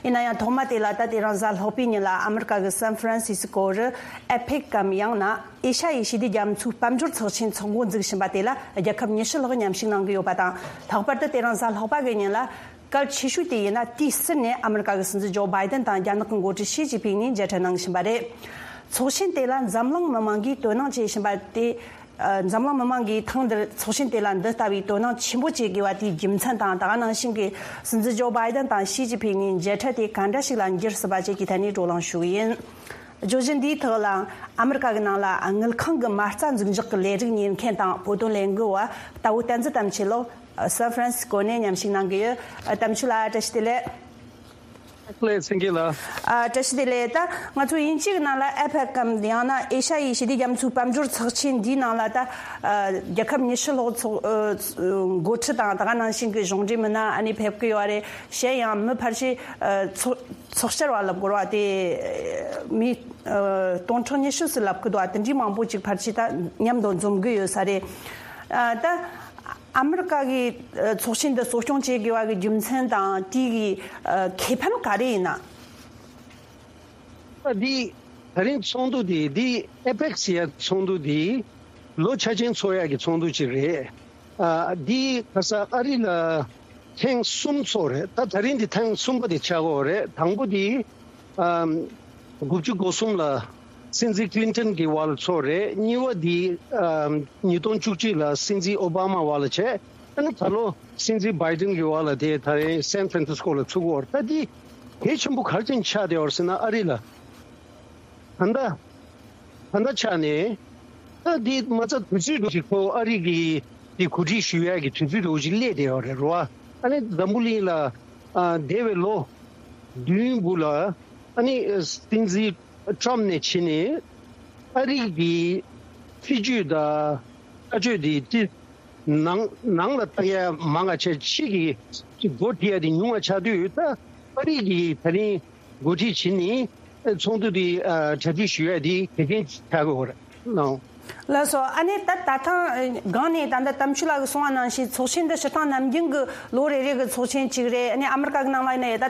ཡིན་ན་ཡང་ཐོག་མ་དེ་ལ། ད་དེ་རིང་གཟའ་ལྷག་པའི་ཉིན་ལ་ཨ་མེ་རི་ཀ་གི་སན་ཧྥ་རན་སི་སི་ཀོ་རུ་ཨེ་པེག་གམ་ཡང་ན་ཨེ་ཤ་ཡའི་ཞི་བདེ་རྒྱ་མཚོའི་དཔལ་འབྱོར་ཚོགས་ཆེན་འཚོགས་འགོ་འཛུགས་བཞིན་པ་དེ་ལ་རྒྱལ་ཁབ་ཉི་ཤུ་ལྷག་མཉམ་ཞུགས་གནང་གི་ཡོད་པ་དང་། ལྷག་པར་དུ་དེ་རིང་གཟའ་ལྷག་པ་གི་ཉིན་ལ། གལ་ཆེ་ཤོས་དེ་ཡིན་ན། དུས་ཟུར་ནས་ཨ་མེ་རི་ཀ་གི་སྲིད་འཛིན་ཇོ་བྷའི་ཏན་དང་རྒྱ་ནག་གི་འགོ་ཁྲིད་ཞི་ཅིན་ཕིང་གཉིས་མཇལ་འཕྲད་གནང་བཞིན་པ་རེད། ཚོགས་ཆེན་དེ་ལ་འཛམ་གླིང་མི་མང་གིས་དོ་སྣང་བྱེད་བཞིན་པ་དེ། ཨ། འཛམ་གླིང་མི་མང་གིས་ཐེངས་འདིར་ཚོགས་ཆེན་དེ་ལ་འདི་ལྟ་བུའི་དོ་སྣང་ཆེན་པོ་བྱེད་དགོས་པ་དེའི་རྒྱུ་མཚན་དང་། ད་ག་ནང་བཞིན་གྱི་སྲིད་འཛིན་ཇོ་བྷའི་ཏན་དང་ཞི་ཅིན་ཕིང་གཉིས་མཇལ་འཕྲད་དེ་ག་འདྲ་ཞིག་ལ་འགྱུར་སྲིད་པ་བཅས་ཀྱི་ཐད་ནས་བགྲོ་གླེང་ཞུ་གི་ཡིན། བརྗོད་གཞི་འདིའི་ཐོག་ལ་ཨ་མེ་རི་ཀ་གི་ནང་ལ་དངུལ་ཁང་གི་མ་རྩ་འཛུགས་འཇོག་གི་ལས་རིགས་གཉེར་མཁན་དང་བོད་དོན་ལས་འགུལ་བ་རྟ་བོ་བསྟན་འཛིན་དམ་ཆོས་ལགས་སན་ཧྥ་རན་སི་སྐོ་ནས་མཉམ་ཞུགས་གནང་གི་ཡོད། དམ་ཆོས་ལགས། བཀྲ་ཤིས་བདེ་ལེགས། ལགས་སེ། སེང་གེ་ལགས། ཨ། བཀྲ་ཤིས་བདེ་ལེགས། ད་ང་ཚོ་དབྱིན་ཇི་གི་ནང་ལ་ཨེ་པེག་གམ་ཡང་ན་ཨེ་ཤ་ཡའི་ཞི་བདེ་རྒྱ་མཚོའི་དཔལ་འབྱོར་ཚོགས་ཆེན་འདིའི་ནང་ལ། ད། ཨ། རྒྱལ་ཁབ་ཉི་ཤུ་ལྷག་ཚོགས། ཨ། འགོ་ཁྲིད་དང་། ད་ག་ནང་བཞིན་གྱི་གཞུང་འབྲེལ་མི་སྣ་ཨ་ནི་ཕེབས་ཀྱི་ཡོད་རེད། གཞན་ཡང་མི་ཕལ་ཆེར། ཨ། ཚོགས་ཚོགས་བཅར་བ་ལབ་དགོས་རེད་པ། དེ་མི། ཨ། སྟོང་ཕྲག་ཉི་ཤུ་ཙམ་ལབ་ཀྱི་འདུག་པ། དེ་འདྲའི་མང་པོ་ཅིག་ཕལ་ཆེར་ད་མཉམ་དུ་འཛོམས་ཀྱི་ཡོད་ས་རེད། ཨ། ད། ཨ་མེ་རི་ཀ་གིས། ཨ། ཚོགས་ཆེན་འདི་གཙོ་སྐྱོང་བྱེད་དགོས་པ་གི་རྒྱུ་མཚན་དང་དེ་གི། ཨ། ཁེ་ཕན་ག་རེ་ཡིན་ན། ཨ། འདི་ད་རིང་ཚོགས་འདུ་འདི། འདི་ཨེ་པེག་ཟེར་ཡ་ཚོགས་འདུ་འདི་ལོ་ཆ་ཆེན་ཚོགས་ཡ་གི་ཚོགས་འདུ་ཅིག་རེད། ཨ། འདི་ཁ་སང་ཨ་རི་ལ་ཐེངས་གསུམ་ཚོགས་རེད། ད་ད་རིང་འདི་ཐེངས་གསུམ་པ་དེ་ཆགས་ཀྱི་ཡོད་རེད། དང་པོ་འདི། ཨམ། དགུ་བཅུ་གོ་གསུམ་ལ་སྲིད་འཛིན་ཀི་ལིན་ཏོན་གྱི་འོག་ལ་ཚོགས་རེད། གཉིས་པ་འདི། ཨམ། ཉིས་སྟོང་བཅུ་གཅིག་ལ་སྲིད་འཛིན་ཨོ་བྷ་མ་འོག་ལ་བྱས། ཨ་ནི་ད་ལོ་སྲིད་འཛིན་བྷའི་ཏིན་གྱི་འོག་ལ་དེ་ད་རིང་སན་ཧྥ་རན་སི་སྐོ་ལ་ཚུགས་ཀྱི་ཡོད་རེད། ད་འདི་གལ་ཆེན་པོ་ག་རེ་བྱས་ནས་ཆགས་བསྡད་ཡོད་རེད་ཟེར་ན། ཨ་རི་ལ་ད་ལྟ་ད་ལྟ་ཆགས་ནས། ད་འདི་མ་རྩ་དུས་ཚོད་འདྲ་ཞིག་ཁོ་ཨ་རི་གི་འདི་གོ་སྒྲིག་ཞུ་ཡག་གི་དུས་ཚོད་འདྲ་བོ་ཞིག་སླེབས་བསྡད་ཡོད་རེད་རོ། ཨ་ནི་འཛམ་བུ་གླིང་ལ། ཨ། འདས་པའི་ལོ་བདུན་སྦུག་ལ། ཨ་ནི་སྲིད་འཛིན་ཊམ་ནས་བྱས་ནས་ཨ་རི་གི་སྲིད་ཇུས་དང་ལྟ་སྤྱོད་དེ་ཅི། ནང་ནང་ལ་བལྟ་ཡ་མང་ང་ཆེ། ཕྱི་གི་ཅིག་སྒོ་ཕྱེ་ཡ་དེ་ཉུང་ང་ཆགས་དུས། ད་ཨ་རི་གིས་ད་རིང་འགོ་ཁྲིད་བྱས་ནས་ཚོགས་འདུ་དེ། ཨ། གྲ་སྒྲིག་ཞུ་ཡ་དེ་གལ་ཆེན་ཆགས་ཀྱི་ཡོད་རེད་ལགས། ལགས་སོ། ཨ་ནི་ད་ད་ཐེངས་སྒང་ནས་ད་ལྟ་དམ་ཆོས་ལགས་ཀྱིས་གསུངས་པ་ནང་བཞིན་ཚོགས་ཆེན་འདི་སྤྱིར་བཏང་ནམ་རྒྱུན་གྱི་ལོ་རེ་རེ་གི་ཚོགས་ཆེན་གཅིག་རེད། ཨ་ནི་ཨ་མི་རི་ཀ་གི་ནང་ལ་ཡིན་ན་ཡང་ད་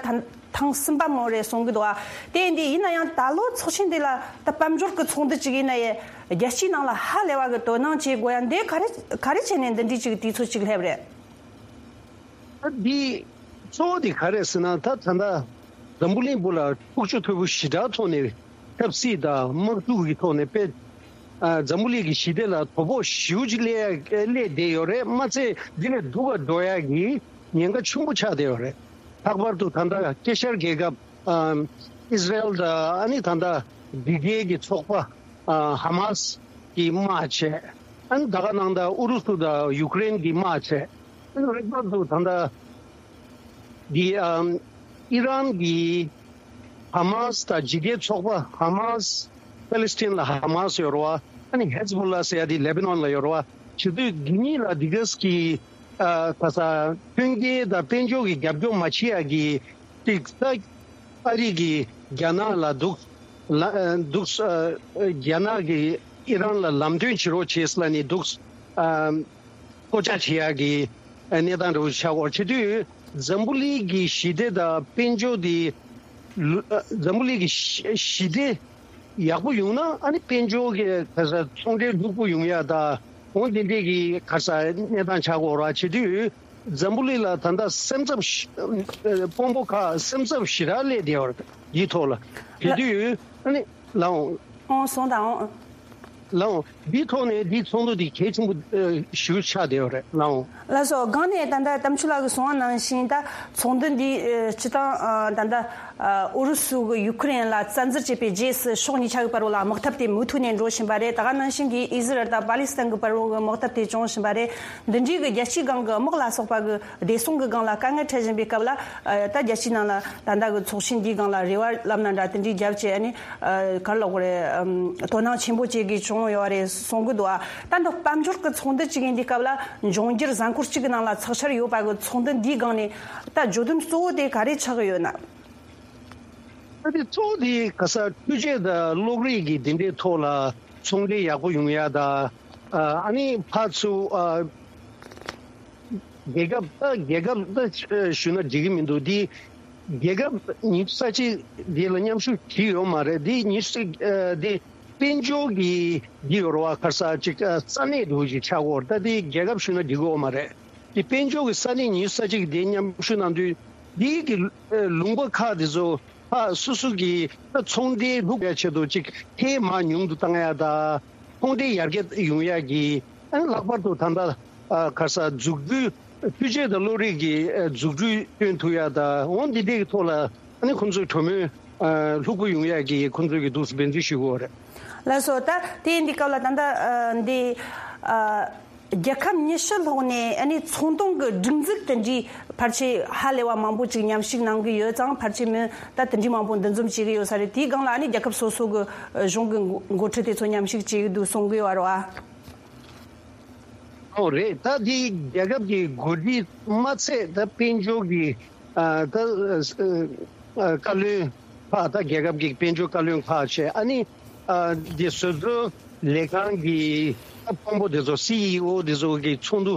ཐེངས་གསུམ་པ་མོ་རེད་གསུང་གི་འདུག་པ། དེ་ཡིན་དུས་ཡིན་ན་ཡང་ད་ལོ་ཚོགས་ཆེན་འདི་ལ་ད་དཔལ་འབྱོར་གྱི་ཚོགས་འདུ་གཅིག་ཡིན་ན་ཡང་རྒྱལ་སྤྱིའི་ནང་ལ་ཧ་ལས་པ་གི་དོ་སྣང་བྱེད་དགོས་ཡ་འདི་ག་རེ་ག་རེ་བྱས་ནས་འདི་འདྲའི་ཅིག་དུས་ཚོད་ཅིག་སླེབས་རེད། ད་འདི་གཙོ་བོ་དེ་ག་རེ་ཟེར་ན། ད་ད་ལྟ་འཛམ་བུ་གླིང་སྦུག་ལ་འཁྲུག་ཆ་དོད་པོ་ཞེ་དྲག་ཐོག་ནས། ཆབ་སྲིད་དང་དམག་འཁྲུག་གི་ཐོག་ནས་དཔེ། ཨ། འཛམ་བུ་གླིང་གི་ཞི་བདེ་ལ་དོ་ཕོག་ཞེ་པོ་ཅིག་སླེབས་ཡ་སླེབས་བསྡད་ཡོད་རེད། མ་ཚད་འདི་ལས་སྡུག་ག་འགྲོ་ཡ་གི་ཉེན་ཁ་ཆེན་པོ་ཆགས་བསྡད་ཡོད་རེད། ལྷག་པར་དུ་ད་ལྟ་དཀྱིལ་ཤར་རྒྱལ་ཁབ། ཨ། ཨིས་ར་ཨེལ་དང་ཨ་ནི་ད་ལྟ་འདི་གའི་གི་ཚོགས་པ་ཨ་ཧ་མཱས་ཀྱི་དམག་བྱས། ཨ་ནི་ད་ག་ནང་ད་ཨུ་རུ་སུ་དང་ཡུཀ་རེན་གྱི་དམག་བྱས། ཨ་ནི་རེག་པར་དུ་ད་ལྟ་འདི་ཨམ་ཨི་རན་གྱི་ཧ་མཱས་དང་འཇིགས་སྐུལ་ཚོགས་པ་ཧ་མཱས། པེ་ལེ་སི་ཐན་ལ་ཧ་མཱས་ཡོད་རེད་བ། ཨ་ནི་ཧེ་ཛ་བུ་ལ་ཟེར་ཡ་དེ་ལེ་བྷ་ནོན་ལ་ཡོད་རེད་བ། བྱེད་དུས་འདི་གཉིས་ལ་འདི་གས་ཀྱི་ཨ་ཁ་ས་མཐུན་རྐྱེན་དང་དཔལ་འབྱོར་གྱི་རྒྱབ་སྐྱོར་མ་བྱེད་ཡ་གི་ཏིག་ས་ཨ་རི་གིས་རྒྱ་ནག་ལ་འདུག་ལ་ཨ་འདུག་ཨ་རྒྱ་ནག་གིས་ཨི་རན་ལ་ལམ་སྟོན་བྱེད་རོགས་བྱེད་ལ་ནི་འདུག་ཨ་ཐོ་ཅག་བྱེད་ཡ་གི་གནས་སྟངས་འདྲ་བོ་ཆགས་ཡོད་རེད། བྱེད་དུས་འཛམ་བུ་གླིང་གི་ཞི་བདེ་དང་དཔལ་འབྱོར་དེ་ལུ་ཨ་འཛམ་བུ་གླིང་གི་ཞི་ཞི་བདེ་ཡག་པོ་ཡོང་ན་ཨ་ནི་དཔལ་འབྱོར་གྱི་ཁ་ས་ཚོང་འབྲེལ་ལྷུག་པོ་ཡོང་ཡ་ད་འོང་དེ་འདྲས་ཀྱི་ཁ་ས་གནས་སྟངས་ཆགས་ཡོད་རེད། བྱེད་དུས་འཛམ་བུ་གླིང་ལ་ད་ལྟ་སེམས་འཚབ་ཞི་ཨ་དཔོན་པོ་ཁག་སེམས་འཚབ་ཞེ་དྲག་སླེབས་བསྡད་ཡོད་རེད། འདིའི་ཐོག་ལ་བྱེད་དུས་ཨ་ནི་ལའོ། ཨོ་སོང་དང་ཨོ། ལའོ། འདིའི་ཐོག་ནས་འདིའི་ཚོགས་འདུ་འདི་གལ་ཆེན་པོ་ཨ་ཞེ་པོ་ཆགས་བསྡད་ཡོད་རེད་ལའོ། ལགས་སོ། སྒང་ནས་ད་ལྟ་དམ་ཆོས་ལགས་ཀྱིས་གསུངས་པ་ནང་བཞིན་ད་ཚོགས་འདུ་འདི་ཨ་སྤྱི་བཏང་ཨ་ད་ལྟ་ཨ་ཨུ་རུ་སུ་གི་ཡུ་ཁུ་རེན་ལ་བཙན་འཛུལ་བྱས་པའི་རྗེས་སུ་ཕྱོགས་གཉིས་ཆ་གི་བར་བ་ལ་དམག་འཐབ་དེ་མུ་མཐུད་ནས་འགྲོ་བཞིན་པ་རེད། ད་ག་ནང་བཞིན་གྱི་ཨི་ཟི་རལ་དང་པ་ལི་སི་ཐན་གྱི་བར་བ་གི་དམག་འཐབ་དེ་བྱུང་བཞིན་པ་རེད། འདི་འདྲའི་གི་རྒྱལ་སྤྱིའི་སྒང་གི་དམག་ལ་སོགས་པ་གི་བདེ་སྲུང་གི་སྒང་ལ་དཀའ་ངལ་འཕྲད་བཞིན་པའི་སྐབས་ལ་ཨ་ད་རྒྱལ་སྤྱིའི་ནང་ལ་ད་ལྟ་གི་ཚོགས་ཆེན་འདིའི་སྒང་ལ་རེ་བ་ལབ་ན་འདྲ་དེ་འདྲའི་རྒྱབ་བྱས་ཨ་ནི་ཨ་ག་རེ་ལབ་དགོས་རེད། ཨམ་དོ་སྣང་ཆེན་པོ་བྱེད་དགོས་བྱུང་ཡོད་རེད་གསུང་གི་འདུག་ཨ་ད་འདི་དཔལ་འབྱོར་གི་ཚོགས་འདུ་གཅིག་ཡིན་དུས་སྐབས་ལ་འབྱུང་འགྱུར་གཟའ་འཁོར་གཅིག་གི་ནང་ལ་ཚགས་ཤར་ཡོད་པ་གི་ཚོགས་འདུ་འདིའི་སྒང་ནས་ད་བརྗོད་དོན་གཙོ་བོ་དེ་ག་རེ་ཆགས་ཀྱི་ཡོད་ན། ད་དེ་གཙོ་བོ་དེ་ག་ས་འཕྲུལ་ཆས་དང་གློག་རིག་གི་དེ་འདྲའི་ཐོག་ལ་ཚོང་འབྲེལ་ཡག་པོ་ཡོང་ཡ་ད་ཨ་ནི་ཕར་ཚུར་ཨ། རྒྱལ་ཁབ་ད་རྒྱལ་ཁབ་ད་ཞུ་ན་འགྲིག་གི་མི་འདུག་འདི་རྒྱལ་ཁབ་ཉི་ཤུ་རྩ་གཅིག་འདི་ལ་མཉམ་ཞུགས་བྱས་ཡོད་མ་རེད། འདི་ཉི་ཤུ་རྩ་འདི་དཔལ་འབྱོར་གྱི་འདི་ཡོད་རེད་བ། ཁ་ས་ཅིག་ས་གནས་འདྲ་བོ་ཞིག་ཆགས་ཡོད་རེད། ད་འདི་རྒྱལ་ཁབ་ཞུ་ན་འགྲིག་གི་ཡོད་མ་རེད། འདི་དཔལ་འབྱོར་གྱི་ས་གནས་ཉི་ཤུ་རྩ་གཅིག་འདི་མཉམ་ཞུགས་གནང་དུས་འདི་གི་ལུང་པ་ཁག་འདི་ཚོ་ཁག་སོ་སོ་གི་ད་ཚོང་འབྲེལ་ལྷུག་ཡ་ཆེད་དུ་ཅིག་ཐེ་མ་ཉུང་དུ་བཏང་ཡ་ད་ཚོང་འབྲེལ་ཡར་རྒྱས་ཡོང་ཡ་གི་ཨ་ནི་ལྷག་པར་དུ་ད་ལྟ་ཨ་ག་ས་འཛུགས་སྐྲུན་འཕྲུལ་ཆས་དང་གློག་རིག་གི་ཨ་འཛུགས་སྐྲུན་སྟོན་ཐུབ་ཡ་ད་འོ་འདི་འདྲའི་ཐོག་ལ་ཨ་ནི་ཁོང་ཚོས་གྲོས་མོལ་ཨ་ལྷུག་པོ་ཡོང་ཡ་གི་ཁོང་ཚོས་གི་འདུག་སེ་འབད་བརྩོན་ཞུ་གི་ཡོད་རེད། ལགས་སོ། ད་དེ་ཡིན་དུས་སྐབས་ལ་ད་ལྟ་ཨ་འདི་ཨ་རྒྱལ་ཁབ་ཉི་ཤུ་ལྷག་ནས་ཨ་ནི་ཚོང་དོན་གྱི་སྒྲིག་འཛུགས་དེ་འདྲའི་ཕལ་ཆེར་ཧ་ལས་པ་མང་པོ་ཅིག་མཉམ་ཞུགས་གནང་གི་ཡོད་ཙང་ཕལ་ཆེར་མི་ད་དེ་འདྲའི་མང་པོ་འདུ་འཛོམས་བྱེད་ཀྱི་ཡོད་ས་རེད། དེའི་སྒང་ལ་ཨ་ནི་རྒྱལ་ཁབ་སོ་སོ་གི་གཞུང་གི་འགོ་འགོ་ཁྲིད་དེ་ཚོ་མཉམ་ཞུགས་བྱེད་ཀྱི་འདུག་གསུང་གི་ཡོད་རེད་བ། ཨོ་རེད། ད་འདི་རྒྱལ་ཁབ་ཀྱི་འགོ་ཁྲིད་མ་ཚད་ད་དཔལ་འབྱོར་གྱི་ཨ་ད་ཨ་བཀའ་བློན་ཁག་ད་རྒྱལ་ཁབ་ཀྱི་དཔལ་འབྱོར་བཀའ་བློན་ཁག་བྱས་ཨ་ནི་ཨ་འདི་བཟོ་ཚོང་ལས་ཁང་གི་ད་དཔོན་པོ་དེ་ཚོ་སི་ཨི་ཨོ་དེ་ཚོ་གི་ཚོགས་འདུ་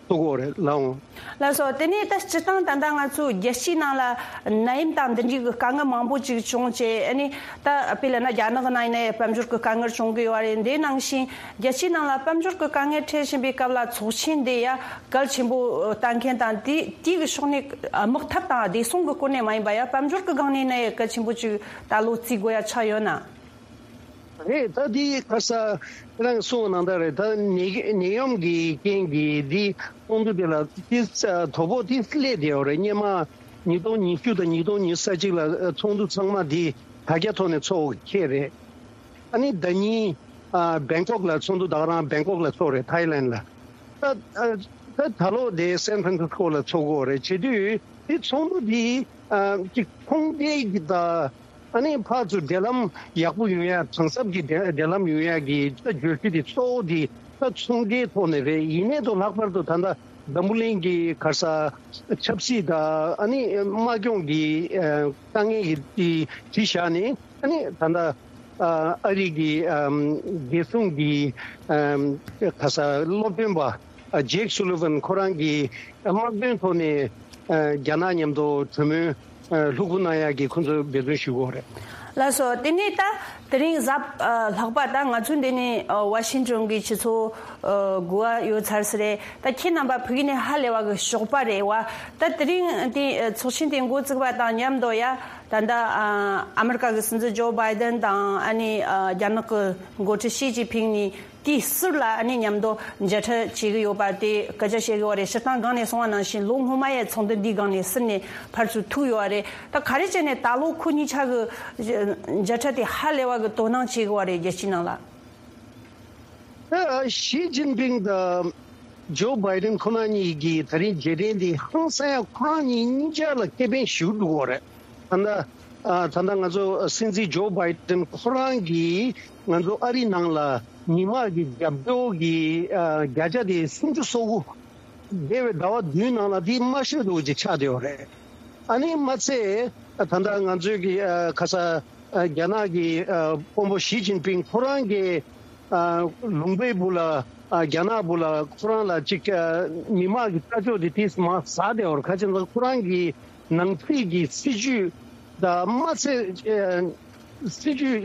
ཚོགས་ཀྱི་ཡོད་རེད་ལགས་འོང་། ལགས་སོ། དེ་ནས་ད་སྤྱིར་བཏང་ད་ལྟ་ང་ཚོ་རྒྱལ་སྤྱིའི་ནང་ལ་ནད་ཡམས་དང་འདི་འདྲའི་གི་དཀའ་ངལ་མང་པོ་ཅིག་བྱུང་བྱས་ཨ་ནི་ད་དཔེ་ལབ་ན་རྒྱ་ནག་གི་ནང་ཡིན་ན་ཡང་དཔལ་འབྱོར་གི་དཀའ་ངལ་བྱུང་གི་ཡོད་རེད། འདི་ནང་བཞིན་རྒྱལ་སྤྱིའི་ནང་ལ་དཔལ་འབྱོར་གྱི་དཀའ་ངལ་འཕྲད་བཞིན་པའི་སྐབས་ལ་ཚོགས་ཆེན་འདི་ཡ་གལ་ཆེན་པོ་ལྟ་མཁན་དང་དེ་དེའི་གི་ཕྱོགས་ནས་དམག་འཐབ་དང་བདེ་སྲུང་གི་སྐོར་ནས་མ་ཡིན་པ་ཡ་དཔལ་འབྱོར་གྱི་སྒང་ནས་ནི་གལ་ཆེན་པོ་ཅིག་ད་ལོ་བརྩི་དགོས་ཡ་ཆགས་ཡོད་ན། རེད། ད་འདི་ཁ་ས་རང་གསུངས་གནང་སྟངས་རེད། ད་ནད་ནད་ཡམས་ཀྱི་རྐྱེན་གྱིས་འདི་ཚོགས་འདུ་དེ་ལ་དེ་དོ་ཕོག་དེ་སླེབས་བསྡད་ཡོད་རེད། སྔོན་མ་ཉིས་སྟོང་ཉི་ཤུ་དང་ཉིས་སྟོང་ཉི་ཤུ་རྩ་གཅིག་ལ་ཚོགས་འདུ་ཚང་མ་འདི་དྲ་རྒྱ་ཐོག་ནས་ཚོགས་ཁེལ་རེད། ཨ་ནི་ཟླ་ཉིན་ཨ་བེང་ཀོག་ལ་ཚོགས་འདུ་ད་ག་རང་བེང་ཀོག་ལ་ཚོགས་རེད། ཐའི་ལན་ལ། ད་ཨ་ད་ད་ལོ་དེ་སན་ཧྥ་རན་སིས་ཀོ་ལ་ཚོགས་དགོས་རེད། བྱེད་དུས་དེ་ཚོགས་འདུ་དེ་ཨ་ཅིག་ཚོང་འབྲེལ་གྱི་ད་ཨ་ནི་ཕར་ཚུར་འབྲེལ་ལམ་ཡག་པོ་ཡོང་ཡ་གང་ཟབ་ཀྱི་འབྲེལ་འབྲེལ་ལམ་ཡོང་ཡ་གི་ད་བརྗོད་གཞི་དེ་གཙོ་བོ་དེ་ད་ཚོང་འབྲེལ་ཐོག་ནས་རེད། ཡིན་ནའི་ད་ལྷག་པར་དུ་ད་ལྟ་འཛམ་བུ་གླིང་གི་ག་ས་ཆབ་སྲིད་དང་ཨ་ནི་དམག་སྦྱོང་གི་ཨ་དཀའ་ངལ་གྱི་དེ་གཞི་བཞག་ནས། ཨ་ནི་ད་ལྟ་ཨ་ཨ་རི་གི་ཨམ་བདེ་སྲུང་གི་ཨམ་ག་ས་སློབ་སྟོན་པ་ཨ་ཇེག་སུ་ལི་ཝན་ཁོ་རང་གི་དམག་དོན་ཐོག་ནས་ཨ་རྒྱ་ནག་མཉམ་དུ་གྲོས་མོལ་ཨ་ལྷུག་པོ་གནང་ཡག་གི་ཁོང་ཚོས་འབད་བརྩོན་ཞུ་གི་ཡོད་རེད། ལགས་སོ། དེ་ནས་ད་དེ་རིང་གཟའ་ཨ་ལྷག་པ་ད་ང་ཚོ་འདི་ནས་ཨ་ཝ་ཤིང་ཊོན་གྱི་ཆུ་ཚོད་ཨ་དགུ་པ་ཡོད་ཚར་ས་རེད། ད་ཁྱེད་རྣམ་པ་ཕ་གི་ནས་ཧ་ལས་པ་གི་ཞོགས་པ་རེད་བ། ད་དེ་རིང་དེ་ཨ་ཚོགས་ཆེན་དེ་འགོ་བཙུགས་པ་དང་མཉམ་དུ་ཡ། ད་ལྟ་ཨ་ཨ་མི་རི་ཀ་གི་སྲིད་འཛིན་ཇོ་བྷའི་ཌེན་དང་ཨ་ནི་ཨ་རྒྱ་ནག་གི་འགོ་ཁྲིད་ཞི་ཅིན་ཕིང་གཉིས་ དེའི་ཟུར་ལ་ཨ་ནི་མཉམ་དུ་མཇལ་འཕྲད་བྱེད་ཀྱི་ཡོད་པ་དེ་སྐད་ཆ་བཤད་ཀྱི་ཡོད་རེད། སྤྱིར་བཏང་སྒང་ནས་གསུངས་པ་ནང་བཞིན་ལོ་སྔོན་མ་ཡི་ཚོགས་འདུ་འདིའི་སྒང་ནས་ཟུར་ནས་ཕར་ཚུར་ཐུག་ཡོད་རེད། ད་ག་རེ་བྱས་ནས་ད་ལོ་ཁོ་གཉིས་ཆ་གི་མཇལ་འཕྲད་དེ་ཧ་ལས་པ་གི་དོ་སྣང་བྱེད་ཀྱི་ཡོད་རེད་རྒྱལ་སྤྱིའི་ནང་ལ། ད་ཞི་ཅིན་ཕིང་དང་ཇོ་བྷའི་ཌེན་ཁོ་རང་གཉིས་ཀྱི་ད་རིང་མཇལ་འཕྲད་འདི་ཧང་སང་ཡ་ཁོ་རང་གཉིས་གཉིས་ཆ་ལ་ཁེ་ཕན་ཞེ་པོ་འདུག་གོ་རེད། ད་ལྟ་ཨ་ད་ལྟ་ང་ཚོ་སྲིད་འཛིན་ཇོ་བྷའི་ཌེན་ཁོ་རང་གིས་ང་ཚོ་ཨ་རི་ནང་ལ་ཉི་མ་གི་རྒྱབ་སྐྱོར་གྱི་ཨ་བརྒྱ་ཆ་དེ་སུམ་ཅུ་སོ་དགུ་འདས་པའི་ཟླ་བ་བདུན་ནང་ལ་དེ་མ་ཤོད་འདུག་ཅིག་ཆགས་བསྡད་ཡོད་རེད། ཨ་ནི་མ་ཚད་ད་ལྟ་ང་ཚོའི་གི་ཨ་ཁ་ས་ཨ་རྒྱ་ནག་གི་ཨ་དཔོན་པོ་ཞི་ཅིན་ཕིང་ཁོ་རང་གི་ཨ་ལུང་པའི་སྦུག་ལ་ཨ་རྒྱ་ནག་སྦུག་ལ་ཁོ་རང་ལ་ཅིག་ཨ་མི་དམངས་ཀྱི་ལྟ་ཕྱོགས་དེ་ཏིས་མ་ཟ་བསྡད་ཡོད་རེད། ཁ་ཅིག་ཁོ་རང་གི་ནང་སྲིད་ཀྱི་སྲིད་ཇུས་དང་མ་ཚད་ཨ་སྲིད་ཇུས་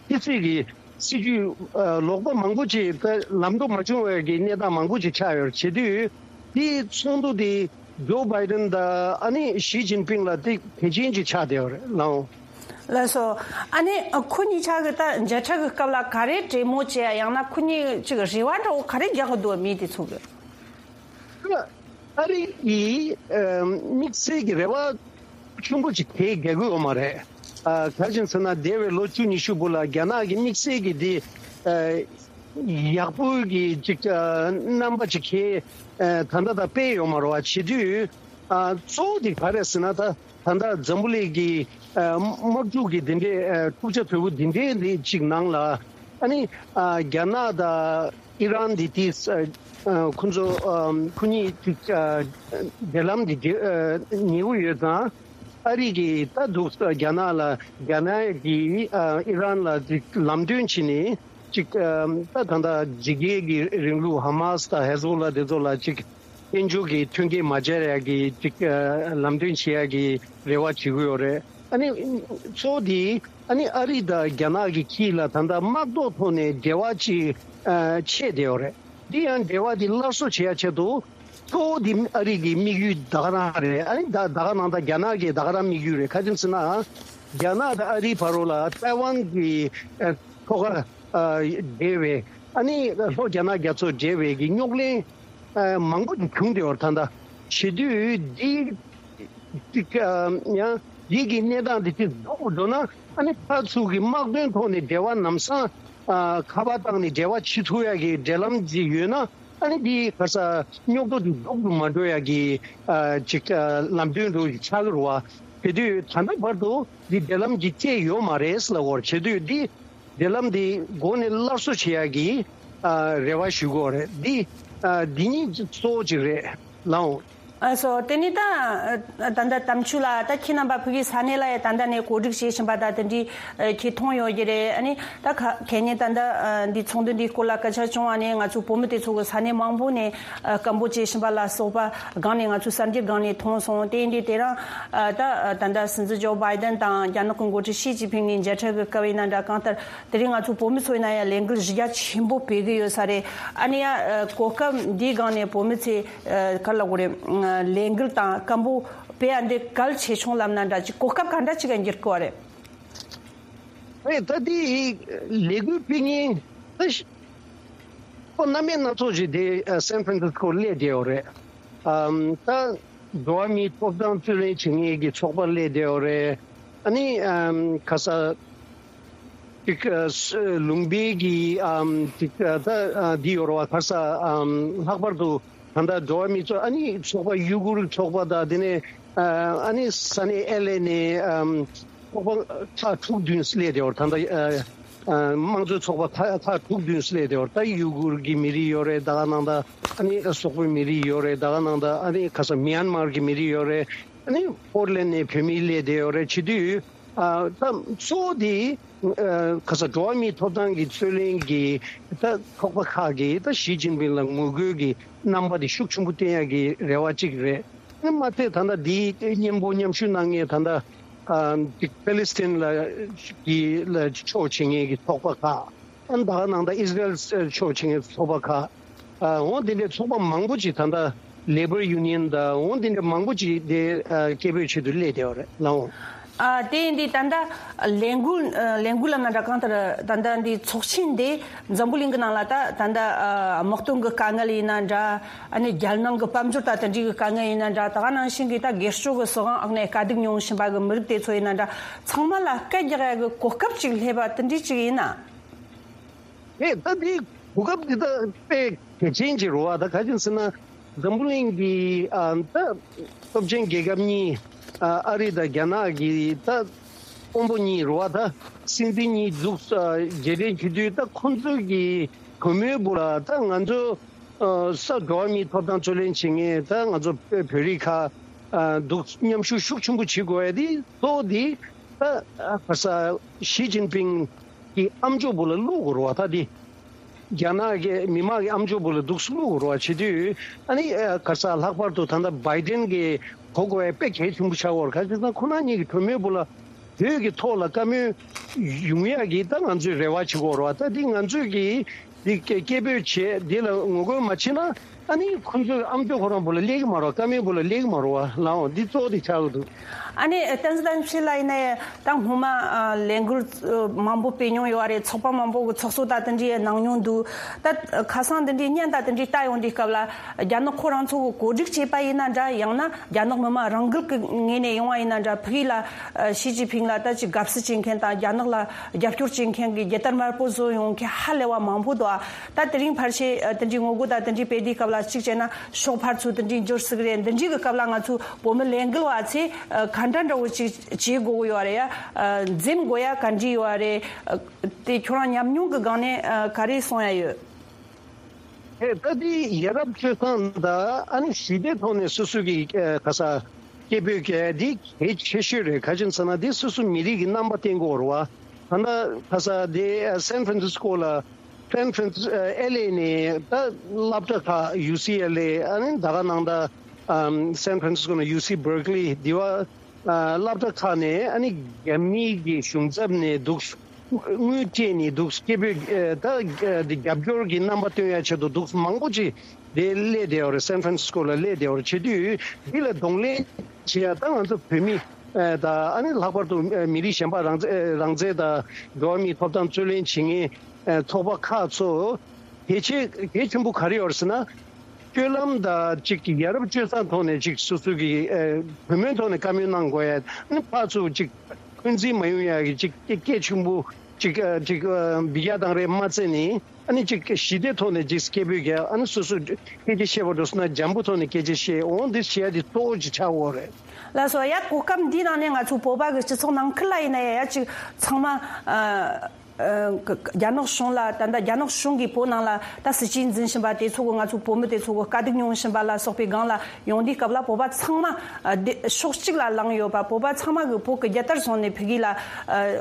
ཕྱི་སྲིད་ཀྱི་སྲིད་ཇུས་ཨ་ལོག་པ་མང་པོ་ཅིག་ད་ལམ་འགྲོ་མ་བྱུང་བའི་གི་གནས་སྟངས་མང་པོ་ཅིག་ཆགས་ཡོད་རེད། བྱེད་དུས་དེའི་ཚོགས་འདུ་དེ་ཇོ་བྷའི་ཌེན་དང་ཨ་ནི་ཞི་ཅིན་ཕིང་ལ་དེ་གལ་ཆེན་ཅིག་ཆགས་བསྡད་ཡོད་རེད་ལགས། ལགས་སོ། ཨ་ནི་ཁོ་གཉིས་ཆ་གི་ད་མཇལ་འཕྲད་ཀྱི་སྐབས་ལ་ག་རེ་གྲོས་མོལ་བྱས་ཡང་ན་ཁོ་གཉིས་ཅིག་རེ་བ་འདྲ་བོ་ག་རེ་རྒྱག་གི་འདུག་མི་དེ་ཚོ་གི། ཨ་རི་ཡིས་ཨ་དམིགས་བསལ་གྱི་རེ་བ་ཆེན་པོ་ཅིག་དེ་རྒྱག་གི་ཡོད་མ་རེད། ཨ་ག་རེ་བྱས་ཟེར་ན་འདས་པའི་ལོ་བཅུ་ཉི་ཤུ་སྦུག་ལ་རྒྱ་ནག་གི་དམིགས་བསལ་གྱི་དེ་ཨ་ཡག་པོའི་གི་ཅིག་ཨ་རྣམ་པ་ཅིག་གི་ཨ་ད་ལྟ་ད་སྤེལ་ཡོད་མ་རེད་བ། བྱེད་དུས་ཨ་གཙོ་བོ་དེ་ག་རེ་ཟེར་ན་ད་ད་ལྟ་འཛམ་བུ་གླིང་གི་ཨ་དམག་འཁྲུག་གི་དེ་འདྲའི་ཨ་འཁྲུག་ཆ་དོད་པོ་དེ་འདྲའི་དེ་ཅིག་ནང་ལ་ཨ་ནི་ཨ་རྒྱ་ནག་དང་ཨི་རན་འདི་དེ་ཨ་ཁོ་ཚོ་ཨ་ཁོ་གཉིས་ཅིག་ཨ་འབྲེལ་ལམ་འདི་ཨ་ཉེ་པོ་ཡོད་ཙང་ཨ་རི་གིས་ད་འདུག་རྒྱ་ནག་ལ་རྒྱ་ནག་གིས་ཨ་ཨི་རན་ལ་ཅིག་ལམ་སྟོན་བྱས་ནས་ཅིག་ཨ་ད་ད་ལྟ་ཇི་རྒྱལ་གྱི་རིང་ལུགས་ཧ་མ་སི་དང་ཧེ་ཟོ་ལ་དེ་ཚོ་ལ་ཅིག་དཔལ་འབྱོར་གྱི་མཐུན་རྐྱེན་མ་སྦྱར་ཡག་གི་ཅིག་ཨ་ལམ་སྟོན་བྱེད་ཡག་གི་རེ་བ་བྱེད་ཀྱི་ཡོད་རེད། ཨ་ནི་གཙོ་བོ་དེ་ཨ་ནི་ཨ་རི་དང་རྒྱ་ནག་གི་དཀྱིལ་ལ་ད་ལྟ་དམག་ཐོག་ཐོག་ནས་འབྲེལ་བ་ཅིག་ཨ་ཆད་བསྡད་ཡོད་རེད། འདི་ཡང་འབྲེལ་བ་འདི་སླར་གསོ་བྱེད་ཡ་ཆེད་དུ་གཙོ་བོ་འདི་ཨ་རི་གི་དམིགས་ཡུལ་ད་ག་རང་རེད། ཨ་ནི་ད་ད་ག་ནང་ད་རྒྱ་ནག་གི་ད་ག་རང་དམིགས་ཡུལ་རེད། ག་རེ་ཟེར་ན་རྒྱ་ནག་དང་ཨ་རིའི་བར་ལ་ཏའེ་ཝན་གྱི་ཨ་ཐོག་ཁ་ཨ་འབྲེལ་བའི་ཨ་ནི་ལྷོ་རྒྱ་ནག་རྒྱ་མཚོ་འབྲེལ་བའི་གི་རྙོག་གླེང་ཨ་མང་པོ་ཅིག་བྱུང་བསྡད་ཡོད་རེད། ད་ལྟ་བྱེད་དུས་འདི་ཅིག་ཨ་ཡང་འདི་གི་གནས་སྟངས་འདི་ཅིག་རྫོགས་འགྲོ་ན་ཨ་ནི་ཕར་ཚུར་གྱི་དམག་དོན་ཐོག་ནས་འབྲེལ་བ་ལམ་སང་ཨ་ཁ་པར་བཏང་ནས་འབྲེལ་བ་བྱེད་ཐུབ་ཡ་གི་འབྲེལ་ལམ་ཅིག་ཡོད་ན་ཨ་ནི་འདི་ག་ས་རྙོག་དྲ་འདི་རྫོགས་སུ་མ་འགྲོ་ཡ་གི་ཨ་ཅིག་ཨ་ལམ་སྟོན་འདྲ་ཅིག་ཆགས་ཀྱི་རེད་བ། དེ་དུས་ད་ལྟ་བར་དུ་འདི་འབྲེལ་ལམ་གྱི་བཅད་ཡོད་མ་རེད་ལབ་ཡོད་རེད། བྱེད་དུས་འདི་འབྲེལ་ལམ་འདི་འགོ་ནས་སླར་གསོ་བྱེད་ཡ་གི་ཨ་རེ་བ་ཞུ་གི་ཡོད་རེད། འདི་ཨ་འདི་གཉིས་གཙོ་བོ་ཅིག་རེད་ལགས། ཨ་སོ། དེ་ནས་ད་ད་ལྟ་དམ་ཆོས་ལགས་ད་ཁྱེད་རྣམ་པ་ཕ་གིའི་ས་གནས་ལ་ཡ་ད་ལྟ་ནས་གོ་སྒྲིག་བྱེད་བཞིན་པ་ད་དེ་འདྲའི་ཨ་ཁྱེད་མཐོང་ཡོད་ཀྱི་རེད། ཨ་ནི་ད་ཁ་ཁེ་ཉིན་ད་ལྟ་ཨ་འདི་ཚོགས་འདུ་འདིའི་སྐོར་ལ་སྐད་ཆ་བྱུང་བ་ནས་ང་ཚོ་བོད་མི་དེ་ཚོ་གི་ས་གནས་མང་པོ་ནས་ཨ་སྐད་འབོད་བྱེད་བཞིན་པ་ལ་སོགས་པ་སྒང་ནས་ང་ཚོ་གསར་འགྱུར་སྒང་ནས་མཐོང་སོང་། དེ་ཡིན་དུས་དེ་རིང་ཨ་ད་ད་ལྟ་སྲིད་འཛིན་ཇོ་བྷའི་ཌེན་དང་རྒྱ་ནག་གི་འགོ་ཁྲིད་ཞི་ཅིན་ཕིང་གཉིས་མཇལ་འཕྲད་ཀྱི་སྐབས་ཡིན་ན་འདྲ། གང་ལྟར་དེ་རིང་ང་ཚོ་བོད་མི་ཚོ་ཡིན་ན་ཡང་ལས་འགུལ་གཞི་རྒྱ་ཆེན་པོ་སྤེལ་གི་ཡོད་ས་རེད། ཨ་ནི་ཡང་ཨ་གོ་སྐབས་འདིའི་སྒང་ནས་བོད་མི་ཚོས་ཨ་ག་ལབ་དགོས་རེད། ཨ་ལས་འགུལ་དང་སྐད་འབོད་སྤེལ་ཡ་འདི་གལ་ཆེ་ཆུང་ལབ་ན་འདྲ་ཅིག་གོ་སྐབས་ག་འདྲ་ཅིག་ག་འགྱུར་གི་བ་རེད། རེད། ད་འདི་ལས་འགུལ་སྤེལ་མཁན་ད་ཤི་ཁོ་སྣ་མིན་སྣ་ཚོགས་ཤིག་དེ་ཨ་སན་ཧྥ་རན་སིས་ཀོ་སླེབས་བསྡད་ཡོད་རེད། ཨམ་ད་འགྲོ་བ་མིའི་ཐོབ་ཐང་རྩོད་ལེན་བྱེད་མཁན་གྱི་ཚོགས་པ་སླེབས་བསྡད་ཡོད་རེད། ཨ་ནི་ཨམ་ག་ས་ཅིག་ཨ་ལུང་པའི་གི་ཨམ་ཅིག་ཨ་ད་ཨ་འདི་ཡོད་རེད་བ། ག་ས་ཨམ་ལྷག་པར་དུ་ད་ལྟ་འགྲོ་བ་མིའི་ཚོགས་ཨ་ནི་ཚོགས་པ་ཡུ་གུར་ཚོགས་པ་དང་དེ་ནས་ཨ་ཨ་ནི་ས་གནས་ཨེལ་ཨེ་ནས་ཨམ་ཚོགས་པ་ཁག་དྲུག་བདུན་སླེབས་བསྡད་ཡོད་རེད། ད་ལྟ་ཨ་ཨ་དམངས་གཙོའི་ཚོགས་པ་ཁག་ཁག་དྲུག་བདུན་སླེབས་བསྡད་ཡོད་རེད། ད་ཡུ་གུར་གྱི་མི་རིགས་ཡོད་རེད། ད་ག་ནང་ད་ཨ་ནི་སོག་པོའི་མི་རིགས་ཡོད་རེད། ད་ག་ནང་ད་ཨ་ནི་ག་ས་མི་ཡན་མར་གྱི་མི་རིགས་ཡོད་རེད། ཨ་ནི་ཕོར་ལེན་ནས་བོད་མི་སླེབས་བསྡད་ཡོད་རེད། བྱེད་དུས། ཨ་ད་གཙོ་བོ་དེ་ཨ་ག་ས་འགྲོ་བ་མིའི་ཐོབ་ཐང་གི་རྩོད་ལེན་གྱི་ད་ཚོགས་པ་ཁག་གིས་ད་ཞི་ཅིན་ཕིང་ལ་ངོ་རྒོལ་གྱི་རྣམ་པ་དེ་ཤུགས་ཆེན་པོ་བསྟན་ཡག་གི་རེ་བ་གཅིག་རེད། ཨ་མ་ཚད་ད་ལྟ་འདིའི་སྙན་པོ་མཉམ་ཞུགས་གནང་མཁན་ད་ལྟ་ཨ་ཅིག་པེ་ལི་སི་ཐན་ལ་གི་ལ་ཕྱོགས་བྱེད་མཁན་གྱི་ཚོགས་པ་ཁག་ཨ་ད་ག་ནང་ད་ཨིས་ར་ཨེལ་ཕྱོགས་བྱེད་མཁན་ཚོགས་པ་ཁག་ཨ་འོ་དེ་འདྲའི་ཚོགས་པ་མང་པོ་ཅིག་ད་ལྟ་ལེ་བར་ཡུ་ནི་ཡན་དང་འོ་དེ་འདྲའི་མང་པོ་ཅིག་དེ་ཨ་སྐད་འབོད་ཆེད་དུ་སླེབས་བསྡད་ཡོད་རེད་ལགས། ཨ། དེ་ཡིན་དུས་ད་ལྟ་ལས་འགུལ་ཨ་ལས་འགུལ་ལབ་ན་འདྲ། གང་ལྟར་ད་ལྟ་འདི་ཚོགས་ཆེན་འདི་འཛམ་བུ་གླིང་གི་ནང་ལ་ད་ད་ལྟ་ཨ་དམག་དོན་གྱི་དཀའ་ངལ་ཡིན་ན་འདྲ། ཨ་ནི་རྒྱལ་ནང་གི་དཔལ་འབྱོར་ད་དེ་འདྲའི་གི་དཀའ་ངལ་ཡིན་ན་འདྲ། ད་ག་ནང་བཞིན་གྱི་ད་སྒེར་གཅོད་ཀྱི་སྲིད་དབང་འོག་ནས་དཀའ་སྡུག་མྱོང་བཞིན་པ་གི་མི་རིགས་དེ་ཚོ་ཡིན་ན་འདྲ། ཚང་མ་ལ་སྐད་རྒྱག་ཡ་གི་གོ་སྐབས་ཅིག་སླེབས་པ་དེ་འདྲའི་ཅིག་ཡིན་ན། ཨེ། ད་འདི་གོ་སྐབས་འདི་ད་དཔེ་གལ་ཆེན་ཅིག་རེད་བ། ད་ག་ཅིག་ཟེར་ན། འཛམ་བུ་གླིང་གི་ཨ་ད་སྟོབས་ཆེན་རྒྱལ་ཁབ་གཉིས། ཨ་ཨ་རི་དང་རྒྱ་ནག་གི་ད་དཔོན་པོ་གཉིས་རེད་བ། ད་སྲིད་འཛིན་གཉིས་འདུག་ཨ་མཇལ་འཕྲད་བྱེད་དུས། ད་ཁོང་ཚོ་གི་གུས་མོས་བུ་ལ་ད་ང་ཚོ་ཨ་ས་འགྲོ་བ་མིའི་ཐོབ་ཐང་རྩོད་ལེན་བྱེད་མཁན་ད་ང་ཚོ་བོད་རིགས་ཁག་ཨ་འདུག་མཉམ་ཞུགས་ཤུགས་ཆེན་པོ་བྱེད་དགོས་ཡ་དེ་གཙོ་བོ་དེ་ད་ཨ་ག་ས་ཞི་ཅིན་ཕིང་གི་ཨམ་ཅོག་བུ་ལ་བླུག་དགོས་རེད་བ། ད་དེ་རྒྱ་ནག་གི་མི་དམངས་ཀྱི་ཨམ་ཅོག་བུ་ལ་འདུག་སེ་བླུག་དགོས་རེད་བ། བྱེད་དུས་ཨ་ནི་ཨ་ག་ས་ལྷག་པར་དུ་ད་ལྟ་བྷའི་ཌེན་གྱིས་གོ་དགོས་ཡ་དཔེ་གལ་ཆེན་པོ་ཆགས་ཡོད་རེད། ག་ཅི་ཟེར་ན་ཁོ་རང་གཉིས་ཀྱི་གྲོས་མོལ་བུ་ལ་བོད་ཀྱི་ཐོག་ལ་བཀའ་མོལ་ཡོང་ཡག་གི་ད་ང་ཚོས་རེ་བ་བྱེད་དགོས་རེད་བ། ད་འདི་ང་ཚོས་ཀྱིས་འདི་སྐད་སྐད་འབོད་བྱས། འདི་ལ་ངོ་རྒོལ་མ་བྱེད་ན། ཨ་ནི་ཁོ་ཚོའི་ཨམ་ཅོག་ཁོ་རང་བུ་ལ་སླེབས་ཀྱི་མ་རེད་བ། བཀའ་མོལ་བུ་ལ་སླེབས་ཀྱི་མ་རེད་བ། ལའོ། འདི་གཙོ་བོ་དེ་ཆགས་ཀྱི་འདུག་ཨ་ནི་བསྟན་འཛིན་དམ་ཆོས་ལགས་ཡིན་ན་ཡང་ད་སྔོན་མ་ཨ་ལས་འགུལ་ཨ་མང་པོ་སྤེལ་མྱོང་ཡོད་རེད། ཚོགས་པ་མང་པོ་གི་ཚོགས་གཙོ་ད་དེ་འདྲའི་གནང་མྱོང་འདུག་ད་ཁ་སང་དེ་འདྲའི་བརྙན་ད་དེ་འདྲའི་ལྟ་ཡོང་དུས་སྐབས་ལ། རྒྱ་ནག་ཁོ་རང་ཚོ་གི་གོ་སྒྲིག་བྱས་པ་ཡིན་ན་འདྲ། ཡང་ན་རྒྱ་ནག་མི་དམངས་རང་འགུལ་གྱི་ངོས་ནས་ཡོང་བ་ཡིན་ན་འདྲ། ཕ་གི་ལ་ཨ་ཞི་ཅིན་ཕིང་ལ་ད་ཅིག་དགའ་བསུ་བྱེད་མཁན་དང་། རྒྱ་ནག་ལ་རྒྱབ་སྐྱོར་བྱེད་མཁན་གྱི་རྒྱལ་དར་དམར་པོ་བཟོ་ཡོང་མཁན་ཧ་ལས་པ་མང་པོ་འདུག་ཨ། ད་དེ་རིང་ཕལ་ཆེར་ཨ་དེ་འདྲའི་ངོ་རྒོལ་དང་དེ་འདྲའི་སྤེལ་དུས་སྐབས་ལ། གཅིག་བྱས་ན་ཤོག་ཕར་ཚུར་དེ་འདྲའི་འབྱོར་སྲིད་ཀྱི་རེད། འདི་འདྲའི་གི་སྐབས་ལ་ང་ཚོ་བོད་མི་ལས་འགུལ་བ་ཚོས་ཨ་ག་འདྲ་འདྲ་བོ་ཅིག་བྱེད་དགོས་ཀྱི་ཡོད་རེད་ཡ། ཨ་འཛེམ་དགོས་ཡ་ག་འདྲ་ཡོད་རེད། ཨ་དེ་ཁྱོད་རང་ཉམས་མྱོང་གི་སྒང་ནས་ཨ་ག་རེ་གསུང་ཡ་ཡོད། ཨེ། ད་འདི་ཡ་རབས་སྤྱོད་བཟང་དང་ཨ་ནི་ཞི་བདེ་ཐོག་ནས་སོ་སོ་གི་ཨ་ག་ས་སྐད་འབོད་རྒྱག་ཡ་འདི་གལ་ཆེ་ཤོས་རེད། ག་ཅི་ཟེར་ན་འདི་སོ་སོ་མི་རིགས་ཀྱི་རྣམ་པ་བསྟན་དགོས་རེད་བ། ད་ལྟ་ག་ས་འདི་ཨ་སན་ཧྥ་རན་སིས་ཀོ་ལ། སན་ཧྥ་རན་སིས་ཨ་ཨེལ་ཨེ་ནས་ད་སློབ་གྲྭ་ཁག་ཡུ་སི་ཨེལ་ཨེ། ཨ་ནི་ད་ག་ནང་ད་ཨམ་སན་ཧྥ་རན་སིས་ཀོ་ནས་ཡུ་སི་བར་ཀ་ལི། འདི་བ་ཨ་སློབ་གྲྭ་ཁག་ནས། ཨ་ནི་རྒྱ་མིའི་གི་གཞུང་ཚབ་ནས་འདུག་དངུལ་སྤྲད་ནས་འདུག་སྐད་འབོད་ཨ་ད་ཨ་འདི་རྒྱབ་སྐྱོར་གྱི་རྣམ་པ་སྟོན་ཡ་ཆེད་དུ་འདུག་མང་པོ་ཅིག་དེ་སླེབས་བསྡད་ཡོད་རེད། སན་ཧྥ་རན་སིས་ཀོ་ལ་སླེབས་བསྡད་ཡོད་རེད། བྱེད་དུས་འདི་ལ་གདོང་ལེན་བྱེད་ཡ་ད་ང་ཚོ་བོད་མི་ཨ་ད་ཨ་ནི་ལྷག་པར་དུ་ཨ་མི་རིགས་གཞན་པ་རང་བཙན་རང་བཙན་དང་འགྲོ་བ་མིའི་ཐོབ་ཐང་རྩོད་ལེན་བྱེད་མཁན་ཨ་ཚོགས་པ་ཁག་ཚོ། གལ་ཆེ་གལ་ཆེན་པོ་ག་རེ་ཡོད་རེད་ཟེར་ན། སྤྱོད་ལམ་དང་གཅིག་གི་ཡ་རབས་སྤྱོད་བཟང་ཐོག་ནས་གཅིག་སོ་སོ་གི་ཨ་གུས་མོས་ཐོག་ནས་བཀའ་མོལ་གནང་དགོས་ཡ། ཨ་ནི་ཕར་ཚུར་གཅིག་འཁོན་འཛིན་མ་ཡོང་ཡ་གི་གཅིག་སྐད་ཆེན་པོ་གཅིག་ཨ་གཅིག་ཨ་འབུད་རྒྱག་བཏང་རེད་མ་ཚད་ནས། ཨ་ནི་གཅིག་ཞི་བདེ་ཐོག་ནས་གཅིག་སྐད་འབོད་རྒྱག་ཨ་ནི་སོ་སོ་སྐད་ཆ་བཤད་པ་འགྲོ་སོང་ན་འཇམ་པོ་ཐོག་ནས་སྐད་ཆ་བཤད། འོང་འདི་བྱེད་ཡ་འདི་གཙོ་བོ་གཅིག་ཆགས་ཡོད་རེད། ལགས་སོ། ཡ་གོ་སྐབས་འདི་ནང་ནས་ང་ཚོ་བོད་པ་གི་སྤྱི་ཚོགས་ནང་ཁུལ་ལ་ཡིན་ན་ཡ་ཡ་གཅིག་ཚང་མ་ཨ། ཨ་རྒྱ་ནག་གཞུང་ལ་ད་ལྟ་རྒྱ་ནག་གཞུང་གིས་བོད་ནང་ལ་ད་སྲིད་བྱུས་འཛིན་བཞིན་པ་དེ་ཚོ་གི་ང་ཚོ་བོད་མི་དེ་ཚོ་གི་དཀའ་སྡུག་མྱོང་བཞིན་པ་ལ་སོགས་པའི་སྒང་ལ་ཡོང་དུས་སྐབས་ལ། བོད་པ་ཚང་མ་ཨ་དེ་ཕྱོགས་གཅིག་ལ་ལངས་ཡོད་པ། བོད་པ་ཚང་མ་གི་བོད་ཀྱི་རྒྱལ་དར་བཟུང་ནས་ཕ་གི་ལ་ཨ་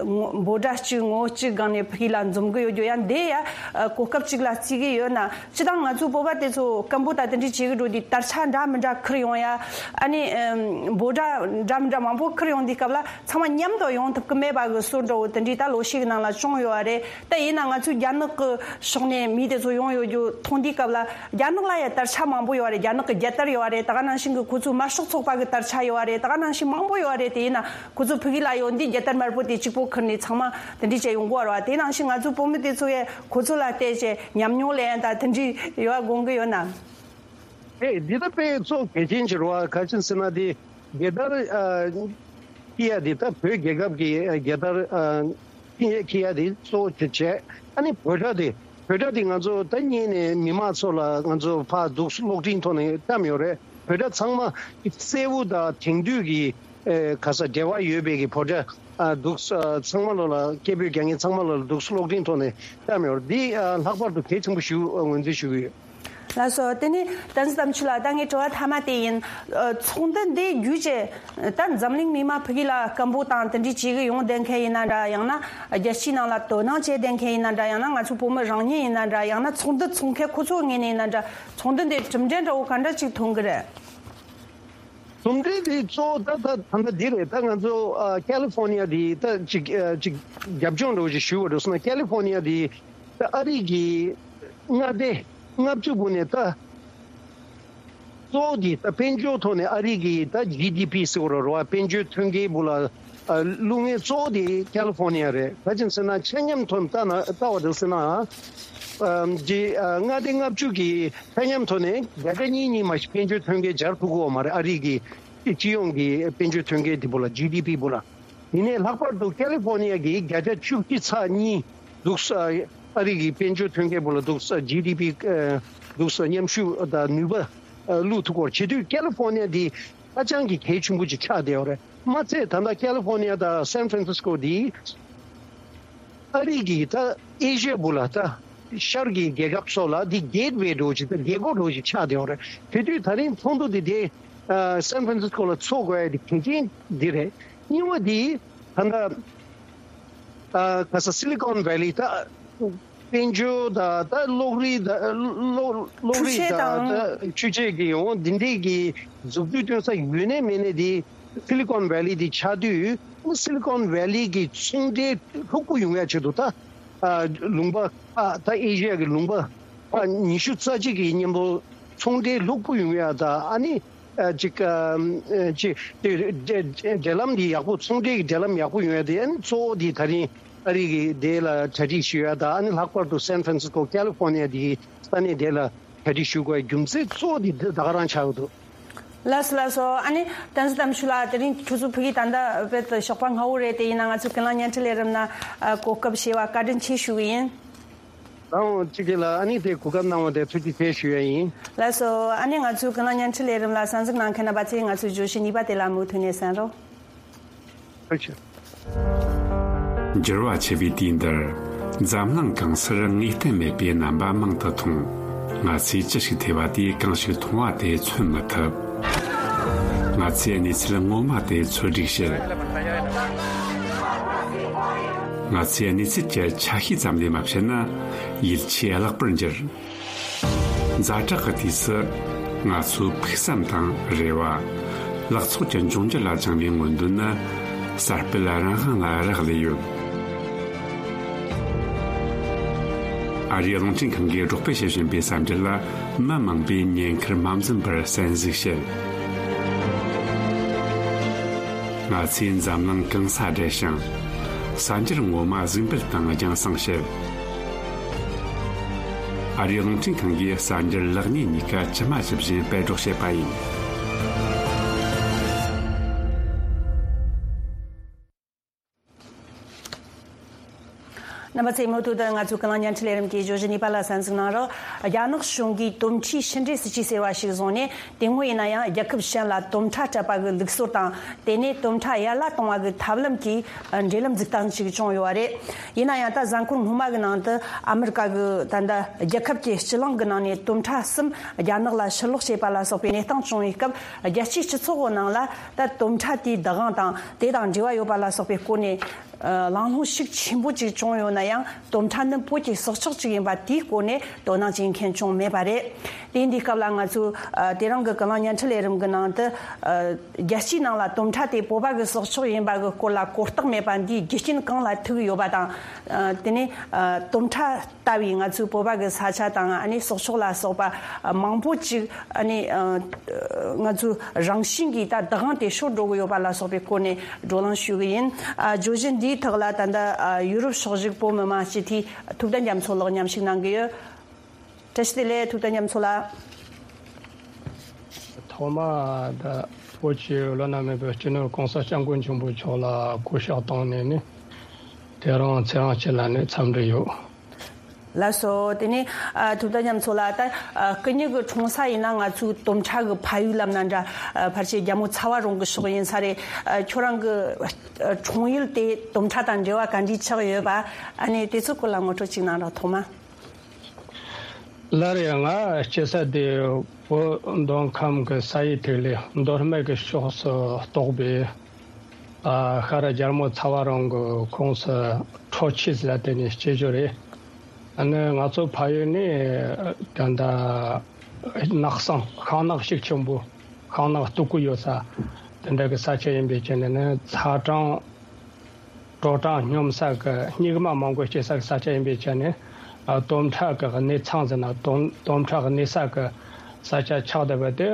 ངོ་འབོད་སྒྲ་གཅིག་ངོ་གཅིག་སྒང་ནས་ཕ་གི་ལ་འཛོམས་གི་ཡོད་རྒྱུ་ཡང་དེ་ཡ་ཨ་གོ་སྐབས་གཅིག་ལ་བརྩི་གི་ཡོད་ན། སྤྱིར་བཏང་ང་ཚོ་བོད་པ་དེ་ཚོ་སྐད་འབོད་དང་དེ་འདྲའི་བྱེད་གི་འགྲོ་དུས་དར་ཆ་འདྲ་མི་འདྲ་ཁུར་ཡོང་ཡ། ཨ་ནི་ཨ་འབོད་སྒྲ་འདྲ་མི་འདྲ་མང་པོ་ཁུར་ཡོང་དུས་སྐབས་ལ། ཚང་མ་མཉམ་དུ་ཡོང་ཐུབ་ཀྱི་མེད་པ་གི་བཟོ་འདྲ་བོ་དེ་འདྲའི་ད་ལོ་ཤས་ཀྱི་ནང་ལ་བྱུང་ཡོད་པ་རེད། ད་ཡིན་ན་ང་ཚོའི་རྒྱ་ནག་གི་ཕྱོགས་ནས་མི་དེ་ཚོ་ཡོང་ཡོད་རྒྱུ་མཐོང་དུས་སྐབས་ལ། རྒྱ་ནག་ལ་ཡང་དར་ཆ་མང་པོ་ཡོད་པ་རེད། རྒྱ་ནག་གི་རྒྱལ་དར་ཡོད་པ་རེད། ད་ག་ནང་བཞིན་གྱི་ཁོ་ཚོའི་དམར་ཤོག་ཚོགས་པ་གི་དར་ཆ་ཡོད་པ་རེད། ད་ག་ནང་བཞིན་མང་པོ་ཡོད་པ་རེད། དེ་ཡིན་ན་ཁོ་ཚོ་ཕ་གི་ལ་ཡོང་དུས་རྒྱལ་དར་དམར་པོ་དེ་གཅིག་པོ་ཁུར་ནས་ཚང་མ་དེ་འདྲའི་བྱས་ཡོང་གི་ཡོད་རེད་བ། དེ་ནང་བཞིན་ང་ཚོའི་བོད་མི་དེ་ཚོ་ཡང་ཁོ་ཚོ་ལ་བལྟས་བྱས་ཉམས་མྱོང་ལེན་ཡ་ད་དེ་འདྲའི་ཡོད་པ་དགོངས་ཀྱི་ཡོད་ན། ཨེ། འདི་ད་དཔེ་གཙོ་གལ་ཆེན་ཅིག་རེད་བ། ག་ཅི་ཟེར་ན་དེ། རྒྱལ་དར་ཨ་འཁྱེར་ཡ་དེ། ད་བོད་རྒྱལ་ཁབ་ཀྱི་ཨ་རྒྱལ་དར་ཨ་འཁྱེར་ཡ་དེ་གཙོ་བོ་བྱས། ཨ་ནི་འབོད་སྒྲ་དེ། འབོད་སྒྲ་དེ་ང་ཚོ་ད་སྔོན་ནས་མི་མང་ཚོ་ལ་ང་ཚོ་ཕར་འདུག་གློག་འཕྲིན་ཐོག་ནས་བཀྲམ་ཡོད་རེད། འབོད་སྒྲ་ཚང་མ་གསལ་བོ་དང་དེང་དུས་ཀྱི་ཨེ་ག་ས་འབྲེལ་བ་ཡོད་པའི་གི་འབོད་སྒྲ་ཨ་འདུག་ཨ་ཚང་མ་ལོ་ལ་སྐད་འབོད་རྒྱག་མཁན་ཚང་མ་ལོ་ལ་འདུག་གློག་འཕྲིན་ཐོག་ནས་བཀྲམ་ཡོད་རེད། འདི་ཨ་ལྷག་པར་དུ་གལ་ཆེན་པོ་ཞིག་ཨ་ངོས་འཛིན་ཞུ་གི་ཡོད། ལགས་སོ། དེ་ནས་བསྟན་འཛིན་དམ་ཆོས་ལགས། ད་ངའི་དྲི་བ་མཐའ་མ་དེ་ཡིན། ཨ་ཚོགས་འདུ་འདི་བརྒྱུད་བྱས་ད་འཛམ་གླིང་མི་མང་ཕ་གི་ལ་སྐད་འབོད་དང་དེ་འདྲའི་བྱེད་གི་ཡོང་བསྡད་མཁན་ཡིན་ན་འདྲ། ཡང་ན་རྒྱལ་སྤྱིའི་ནང་ལ་དོ་སྣང་བྱས་བསྡད་མཁན་ཡིན་ན་འདྲ། ཡང་ན་ང་ཚོ་བོད་མི་རང་ཉིད་ཡིན་ན་འདྲ། ཡང་ན་ཚོགས་འདུ་ཚོགས་མཁན་ཁོ་ཚོའི་ངོས་ནས་ཡིན་ན་འདྲ། ཚོགས་འདུ་འདི་གྲུབ་འབྲས་འདྲ་བོ་ག་འདྲ་ཅིག་མཐོང་གི་རེད། གྲུབ་འབྲས་འདི་གཙོ་བོ་ད་ད་ད་ལྟ་འདི་རེད། ད་ང་ཚོ་ཨ་ཀ་ལི་ཧྥོ་ནི་ཡ་འདི་ད་ཅིག་ཨ་ཅིག་རྒྱབ་ལྗོངས་འདྲ་བོ་ཅིག་ཞུ་བ་འགྲོ་སོང་ན། ཀ་ལི་ཧྥོ་ནི་ཡ་འདི་ད་ཨ་རི་གི་མངའ་སྡེ་ལྔ་བཅུ་བོ་ནས་ད། གཙོ་བོ་དེ་ད་དཔལ་འབྱོར་ཐོག་ནས་ཨ་རི་གི་ད་ཇི་ཌི་པི་ཟེར་བ་རེད་བ། དཔལ་འབྱོར་ཐོན་སྐྱེད་བོ་ལ་ ཨ། བླུག་མཁན་གཙོ་བོ་དེ་ཀ་ལི་ཧྥོ་ནི་ཡ་རེད། ག་ཅི་ཟེར་ན་ཆ་མཉམ་ཐོག་ནས་ལྟ་ན་ལྟ་བ་འདུག་ཟེར་ན། ཨ། ཨམ། ཅིག་ཨ། ལྔ་སྡེ་ལྔ་བཅུ་གི་ཆ་མཉམ་ཐོག་ནས་བརྒྱ་ཆ་གཉིས་གཉིས་མ་གཏོགས་དཔལ་འབྱོར་ཐོན་སྐྱེད་སྦྱར་ཐུབ་ཀྱི་ཡོད་མ་རེད། ཨ་རི་གི་སྤྱི་ཡོངས་ཀྱི་དཔལ་འབྱོར་ཐོན་སྐྱེད་དེ་བོ་ལ། ཇི་ཌི་པི་བོ་ལ། ཡིན་ནའི་ལྷག་པར་དུ་ཀ་ལི་ཧྥོ་ནི་ཡ་གི་བརྒྱ་ཆ་བཅུ་གཅིག་ཚེག་གཉིས་འདུག་ས། ཨ་རི་གི་དཔལ་འབྱོར་ཐོན་སྐྱེད་བོ་ལ་འདུག་ས། ཇི་ཌི་པི་ཨ། འདུག་ས། མཉམ་ཤུགས་དང་ནུས་པ་ཨ། བླུག་ཐུབ་ཀྱི་ཡོད་རེད། བྱེད་དུས་ཀ་ལི་ཧྥོ་ནི་ཡ་འདི་ཧ་ཅང་གི་གལ་ཆེན་པོ་ཅིག་ཆགས་བསྡད་ཡོད་རེད། མ་ཚད་ད་ལྟ་ཀ་ལི་ཧྥོ་ནི་ཡ་དང་སན་ཧྥ་རན་སིས་ཀོ་འདི་ཨ་རི་གི་ད་ཨེ་ཤི་ཡ་བོ་ལ་ད་ཤར་གྱི་རྒྱལ་ཁབ་སོགས་ལ་འདི་གེ་ཊི་ཝེ་འདྲ་བོ་ཅིག་ད་རྒྱལ་སྒོ་འདྲ་བོ་ཅིག་ཆགས་བསྡད་ཡོད་རེད། དེ་དུས་ད་རིང་ཚོགས་འདུ་འདི་དེ་ཨ། སན་ཧྥ་རན་སིས་ཀོ་ལ་ཚོགས་དགོས་ཡ་དེ་གལ་ཆེན་འདི་རེད། གཉིས་པ་འདི་ད་ལྟ་ཨ། ག་ས་སི་ལི་ཀོན་ཝེ་ལི་ད་དཔལ་འབྱོར་དང་ད་གློག་རིག་དང་གློག་གློག་འཕྲུལ་རིག་ཆས་དང་དང་ད་འཕྲུལ་ཆས་ཀྱི་འོང་འདི་འདྲའི་གི་འཛུགས་སྐྲུན་སྟོན་ས་ཡོད་ནའི་མེད་ནའི་དེ་སི་ལི་ཀོན་ཝེ་ལི་དེ་ཆགས་དུས་སི་ལི་ཀོན་ཝེ་ལི་གི་ཚོང་འབྲེལ་ལྷུག་པོ་ཡོང་ཡ་ཆེད་དུ་ད་ཨ། ལུང་པ་ཨ། ད་ཨེ་ཤི་ཡ་གི་ལུང་པ་ཨ། ཉི་ཤུ་རྩ་གཅིག་གི་མཉམ་དུ་ཚོང་འབྲེལ་ལྷུག་པོ་ཡོང་ཡ་ད་ཨ་ནི། ཨ། ཅིག་ཨ། ཅིག་དེ་འབྲེལ་འབྲེལ་འབྲེལ་ལམ་འདི་ཡག་པོ། ཚོང་འབྲེལ་གྱི་འབྲེལ་ལམ་ཡག་པོ་ཡོང་ཡ་དེ། ཨ་ནི་གཙོ་བོ་འདི་ད་རིང་ཨ་རི་གི་དེ་ལ་གྲ་སྒྲིག་ཞུ་ཡ་དང་། ཨ་ནི་ལྷག་པར་དུ་སན་ཧྥ་རན་སིས་ཀོ་ཀ་ལི་ཧྥོ་ནི་ཡ་འདིའི་ས་གནས་དེ་ལ་གྲ་སྒྲིག་ཞུ་དགོས་རྒྱུ་མཚན་གཙོ་བོ་འདི་འདི་ད་ག་རང་ཆགས་ཡོད་འདུག། ལགས་སོ་ལགས་སོ། ཨ་ནི་བསྟན་འཛིན་དམ་ཆོས་ལགས། དེ་རིང་ཁྱོད་ཚོ་ཕ་གིར་ད་ལྟ་དཔེ་ཞོགས་པ་སྔ་པོ་རེད། དེ་ཡིན་ན་ང་ཚོའི་ཀུན་གླེང་བརྙན་འཕྲིན་ལས་རིམ་ནང་ཨ། གོ་སྐབས་བྱས་པ་བཀའ་དྲིན་ཆེ་ཞུ་གི་ཡིན། ལགས་འོང་། ཅིག་གིས་ལ་ཨ་ནི་དེ་གོ་སྐབས་གནང་བ་དེ་ཐུགས་རྗེ་ཆེ་ཞུ་ཡ་ཡིན། ལགས་སོ། ཨ་ནི་ང་ཚོའི་ཀུན་གླེང་བརྙན་འཕྲིན་ལས་རིམ་ལ་གསན་གཟིགས་གནང་མཁན་རྣམ་པ་ཚོས་ང་ཚོའི་བརྗོད་གཞི་གཉིས་པ་དེ་ལ་མུ་མཐུད་ནས་གསན་རོགས། ཐུགས་རྗེ་ཆེ། འགྱུར་བ་ཆེ་བའི་དུས་འདིར། འཛམ་གླིང་གང་སར་ངེས་གཏན་མེད་པའི་རྣམ་པ་མང་དུ་མཐོང་། ང་ཚོས་ཅི་ཞིག་ཐོས་པ་དེས་གང་ཞིག་མཐོང་བ་དེ་མཚོན་མི་ཐུབ། ང་ཚོས་གནས་ཚུལ་ངོ་མ་དེ་འཚོལ་སྒྲིག་བྱེད། ང་ཚོས་གནས་ཚུལ་གྱི་ཆ་ཤས་ཙམ་ལས་མ་བཤད་ན་ཡིད་ཆེས་བརླག་པར་འགྱུར། ཛ་དྲག་གི་དུས་སུ་ང་ཚོའི་ཕུགས་བསམ་དང་རེ་བ། ལག་ཚོགས་ཀྱི་འབྱུང་འགྱུར་ལ་བཅངས་པའི་མངོན་འདོད་ནི་གསར་སྤེལ་རང་དབང་ལ་རག་ལས་ཡོད། ཨ་རིའི་རླུང་འཕྲིན་ཁང་གིས་སྒྲོག་སྤེལ་བྱེད་བཞིན་པའི་གསར་འགྱུར་ལ་མི་མང་པོས་ཉེན་ཁར་མ་འཛེམས་པར་གསན་གཟིགས་བྱེད། ང་ཚོས་འཛམ་གླིང་གང་སར་བསྒྲལ་ཞིང་། གསར་འགྱུར་ངོ་མ་གཟིགས་འབུལ་དང་རྒྱང་སྲིང་བྱེད། ཨ་རིའི་རླུང་འཕྲིན་ཁང་གིས་གསར་འགྱུར་ལེགས་ཉེས་གཉིས་ཀ་ཇི་མ་ཇི་བཞིན་སྤེལ་སྒྲོག་བྱེད་པ་ཡིན། རྣམ་པ་ཚོས་མུ་མཐུད་དུ་ང་ཚོའི་ཀུན་གླེང་བརྙན་འཕྲིན་ལས་རིམ་གྱི་བརྗོད་གཞི་གཉིས་པ་ལ་གསན་གཟིགས་གནང་རོགས། རྒྱ་ནག་གཞུང་གིས་དོམ་ཁྲའི་ཕྱི་འབྲེལ་སྲིད་ཇུས་ཟེར་བ་ཞིག་བཟུང་ནས། དེ་སྔོན་ཡིན་ན་ཡང་རྒྱལ་ཁབ་གཞན་ལ་དོམ་ཁྲ་སྤྲད་པ་གི་ལུགས་སྲོལ་དང་། དེ་ནས་དོམ་ཁྲ་ཡར་ལ་གཏོང་བ་གི་ཐབས་ལམ་གྱི་འབྲེལ་ལམ་འཛུགས་སྟངས་ཤིག་བྱུང་ཡོད་པ་རེད། ཡིན་ན་ཡང་ད་གཟའ་འཁོར་སྔོན་མ་གི་ནང་དུ་ཨ་མི་རི་ཀ་གི་ད་ལྟ་རྒྱལ་ཁབ་ཀྱི་སྤྱི་གླིང་གི་ནང་ནས་དོམ་ཁྲ་གསུམ་རྒྱ་ནག་ལ་ཕྱིར་སློག་བྱས་པ་ལ་སོགས་པའི་གནས་སྟངས་བྱུང་བའི་སྐབས། རྒྱལ་སྤྱིའི་སྤྱི་ཚོགས་ཀྱི་ནང་ལ་ད་དོམ་ཁྲ་དེའི་བདག་དབང་དང་། དེ་དང་འབྲེལ་བ་ཡོད་པ་ལ་སོགས་པའི་སྐོར་ནས། ཨ། གླེང་སློང་ཤུགས་ཆེན་པོ་ཅིག་བྱུང་ཡོད་ན་ཡང་། དོམ་ཁྲ་ནི་བོད་ཀྱི་སྲོག་ཆགས་ཤིག་ཡིན་པ་དེའི་སྐོར་ནས་དོ་སྣང་བྱེད་མཁན་བྱུང་མེད་པ་རེད། དེ་འདིའི་སྐབས་ལ་ང་ཚོས། ཨ། དེ་རིང་གི་ཀུན་གླེང་བརྙན་འཕྲིན་ལས་རིམ་གྱི་ནང་དུ། ཨ། རྒྱལ་སྤྱིའི་ནང་ལ་དོམ་ཁྲ་དེ་བོད་པ་གི་སྲོག་ཆགས་ཡིན་པ་གི་སྐོར་ལ་གོ་རྟོགས་མེད་པ་འདིའི་རྒྱུ་རྐྱེན་གང་ལ་ཐུག་ཡོད་པ་དང་། ཨ། དེ་ནས། ཨ། དོམ་ཁྲ་ལྟ་བུའི་ང་ཚོའི་བོད་པ་གི་ས་ཆ་དང་། ཨ་ནི་སྲོག་ཆགས་ལ་སོགས་པ་མང་པོ་ཅིག། ཨ་ནི། ཨ། ང་ཚོའི་རང་བཞིན་གྱིས་ད་བདག་དབང་དེ་ཤོར་འགྲོ་གི་ཡོད་པ་ལ་སོགས་པའི་སྐོར་ནས་བགྲོ་གླེང་ཞུ་གི་ཡིན། ཨ། བརྗོད་གཞི་འདིའི་ཐོག་ལ་ད་ལྟ། ཨ། ཡུ་རོབ་ཕྱོགས་བཞུགས་བོད་མི་མང་སྤྱི་འཐུས་ཐུབ་བསྟན་རྒྱ་མཚོ་ལགས་མཉམ་ཞུགས་གནང་གི་ཡོད། བཀྲ་ཤིས་བདེ་ལེགས། ཐུབ་བསྟན་རྒྱ་མཚོ་ལགས། ཐོག་མ་ད་བོད་ཀྱི་བླ་ན་མེད་པའི་སྤྱི་ནོར་༸གོང་ས་༸སྐྱབས་མགོན་ཆེན་པོ་མཆོག་ལ་གུས་ཕྱག་བཏང་ནས་ནི། དེ་རིང་ཚེ་རིང་སྐྱིད་ལགས་ནས་འཚམས་འདྲི་ཡོད། ལགས་སོ། དེ་ནས། ཨ། ཐུབ་བསྟན་རྒྱ་མཚོ་ལགས། ད། ཨ། སྐུ་ཉིད་ཀྱི་འཁྲུངས་ས་ཡིན་ན་ང་ཚོའི་དོམ་ཁྲ་གི་ཕ་ཡུལ་ལབ་ན་འདྲ། ཨ། ཕལ་ཆེར་རྒྱལ་མོ་ཚ་བ་རོང་གི་ཕྱོགས་ཡིན་ས་རེད། ཨ། ཁྱོད་རང་གི། ཨ། འཁྲུངས་ཡུལ་དེ་དོམ་ཁྲ་དང་འབྲེལ་བ་ག་འདྲས་ཆགས་ཡོད་པ། ཨ་ནི་དེ་ཚོའི་སྐོར་ལ་ངོ་སྤྲོད་ཅིག་གནང་རོགས། ཐོག་མ། ལར་ཡང་ང་སྐྱེས་ས་དེ་བོད་མདོ་ཁམས་ཀྱི་ས་ཡི་ཐིག་ལེ་མདོ་སྨད་ཀྱི་ཕྱོགས་སུ་གཏོགས་པའི། ཨ། ཤར་རྒྱལ་མོ་ཚ་བ་རོང་གི་ཁོངས་སུ་ཁྲོ་ཆུ་ཟེར་དེ་ནས་སྐྱེས་རྒྱུ་རེད། ཨ་ནི་ང་ཚོ་ཕ་ཡུལ་ནི་ད་ལྟ་ནགས་གསེང་ཤིང་ནགས་ཤུགས་ཆེན་པོ། ཤིང་ནགས་སྟུག་པོ་ཡོད་ས་དེ་འདྲ་གི་ས་ཆ་ཡིན་པའི་ཆ་ནས་ནི་ཚ་གྲང་། དྲོ་གྲང་སྙོམས་ས་གི་སྙིགས་མ་མང་པོ་སྐྱེ་ས་གི་ས་ཆ་ཡིན་པའི་ཆ་ནས། ཨ། དོམ་ཁྲ་གི་གནས་ཚང་ཟེར་ན་དོམ་དོམ་ཁྲ་གི་གནས་ས་གི་ས་ཆ་ཆགས་བསྡད་པ་དེ་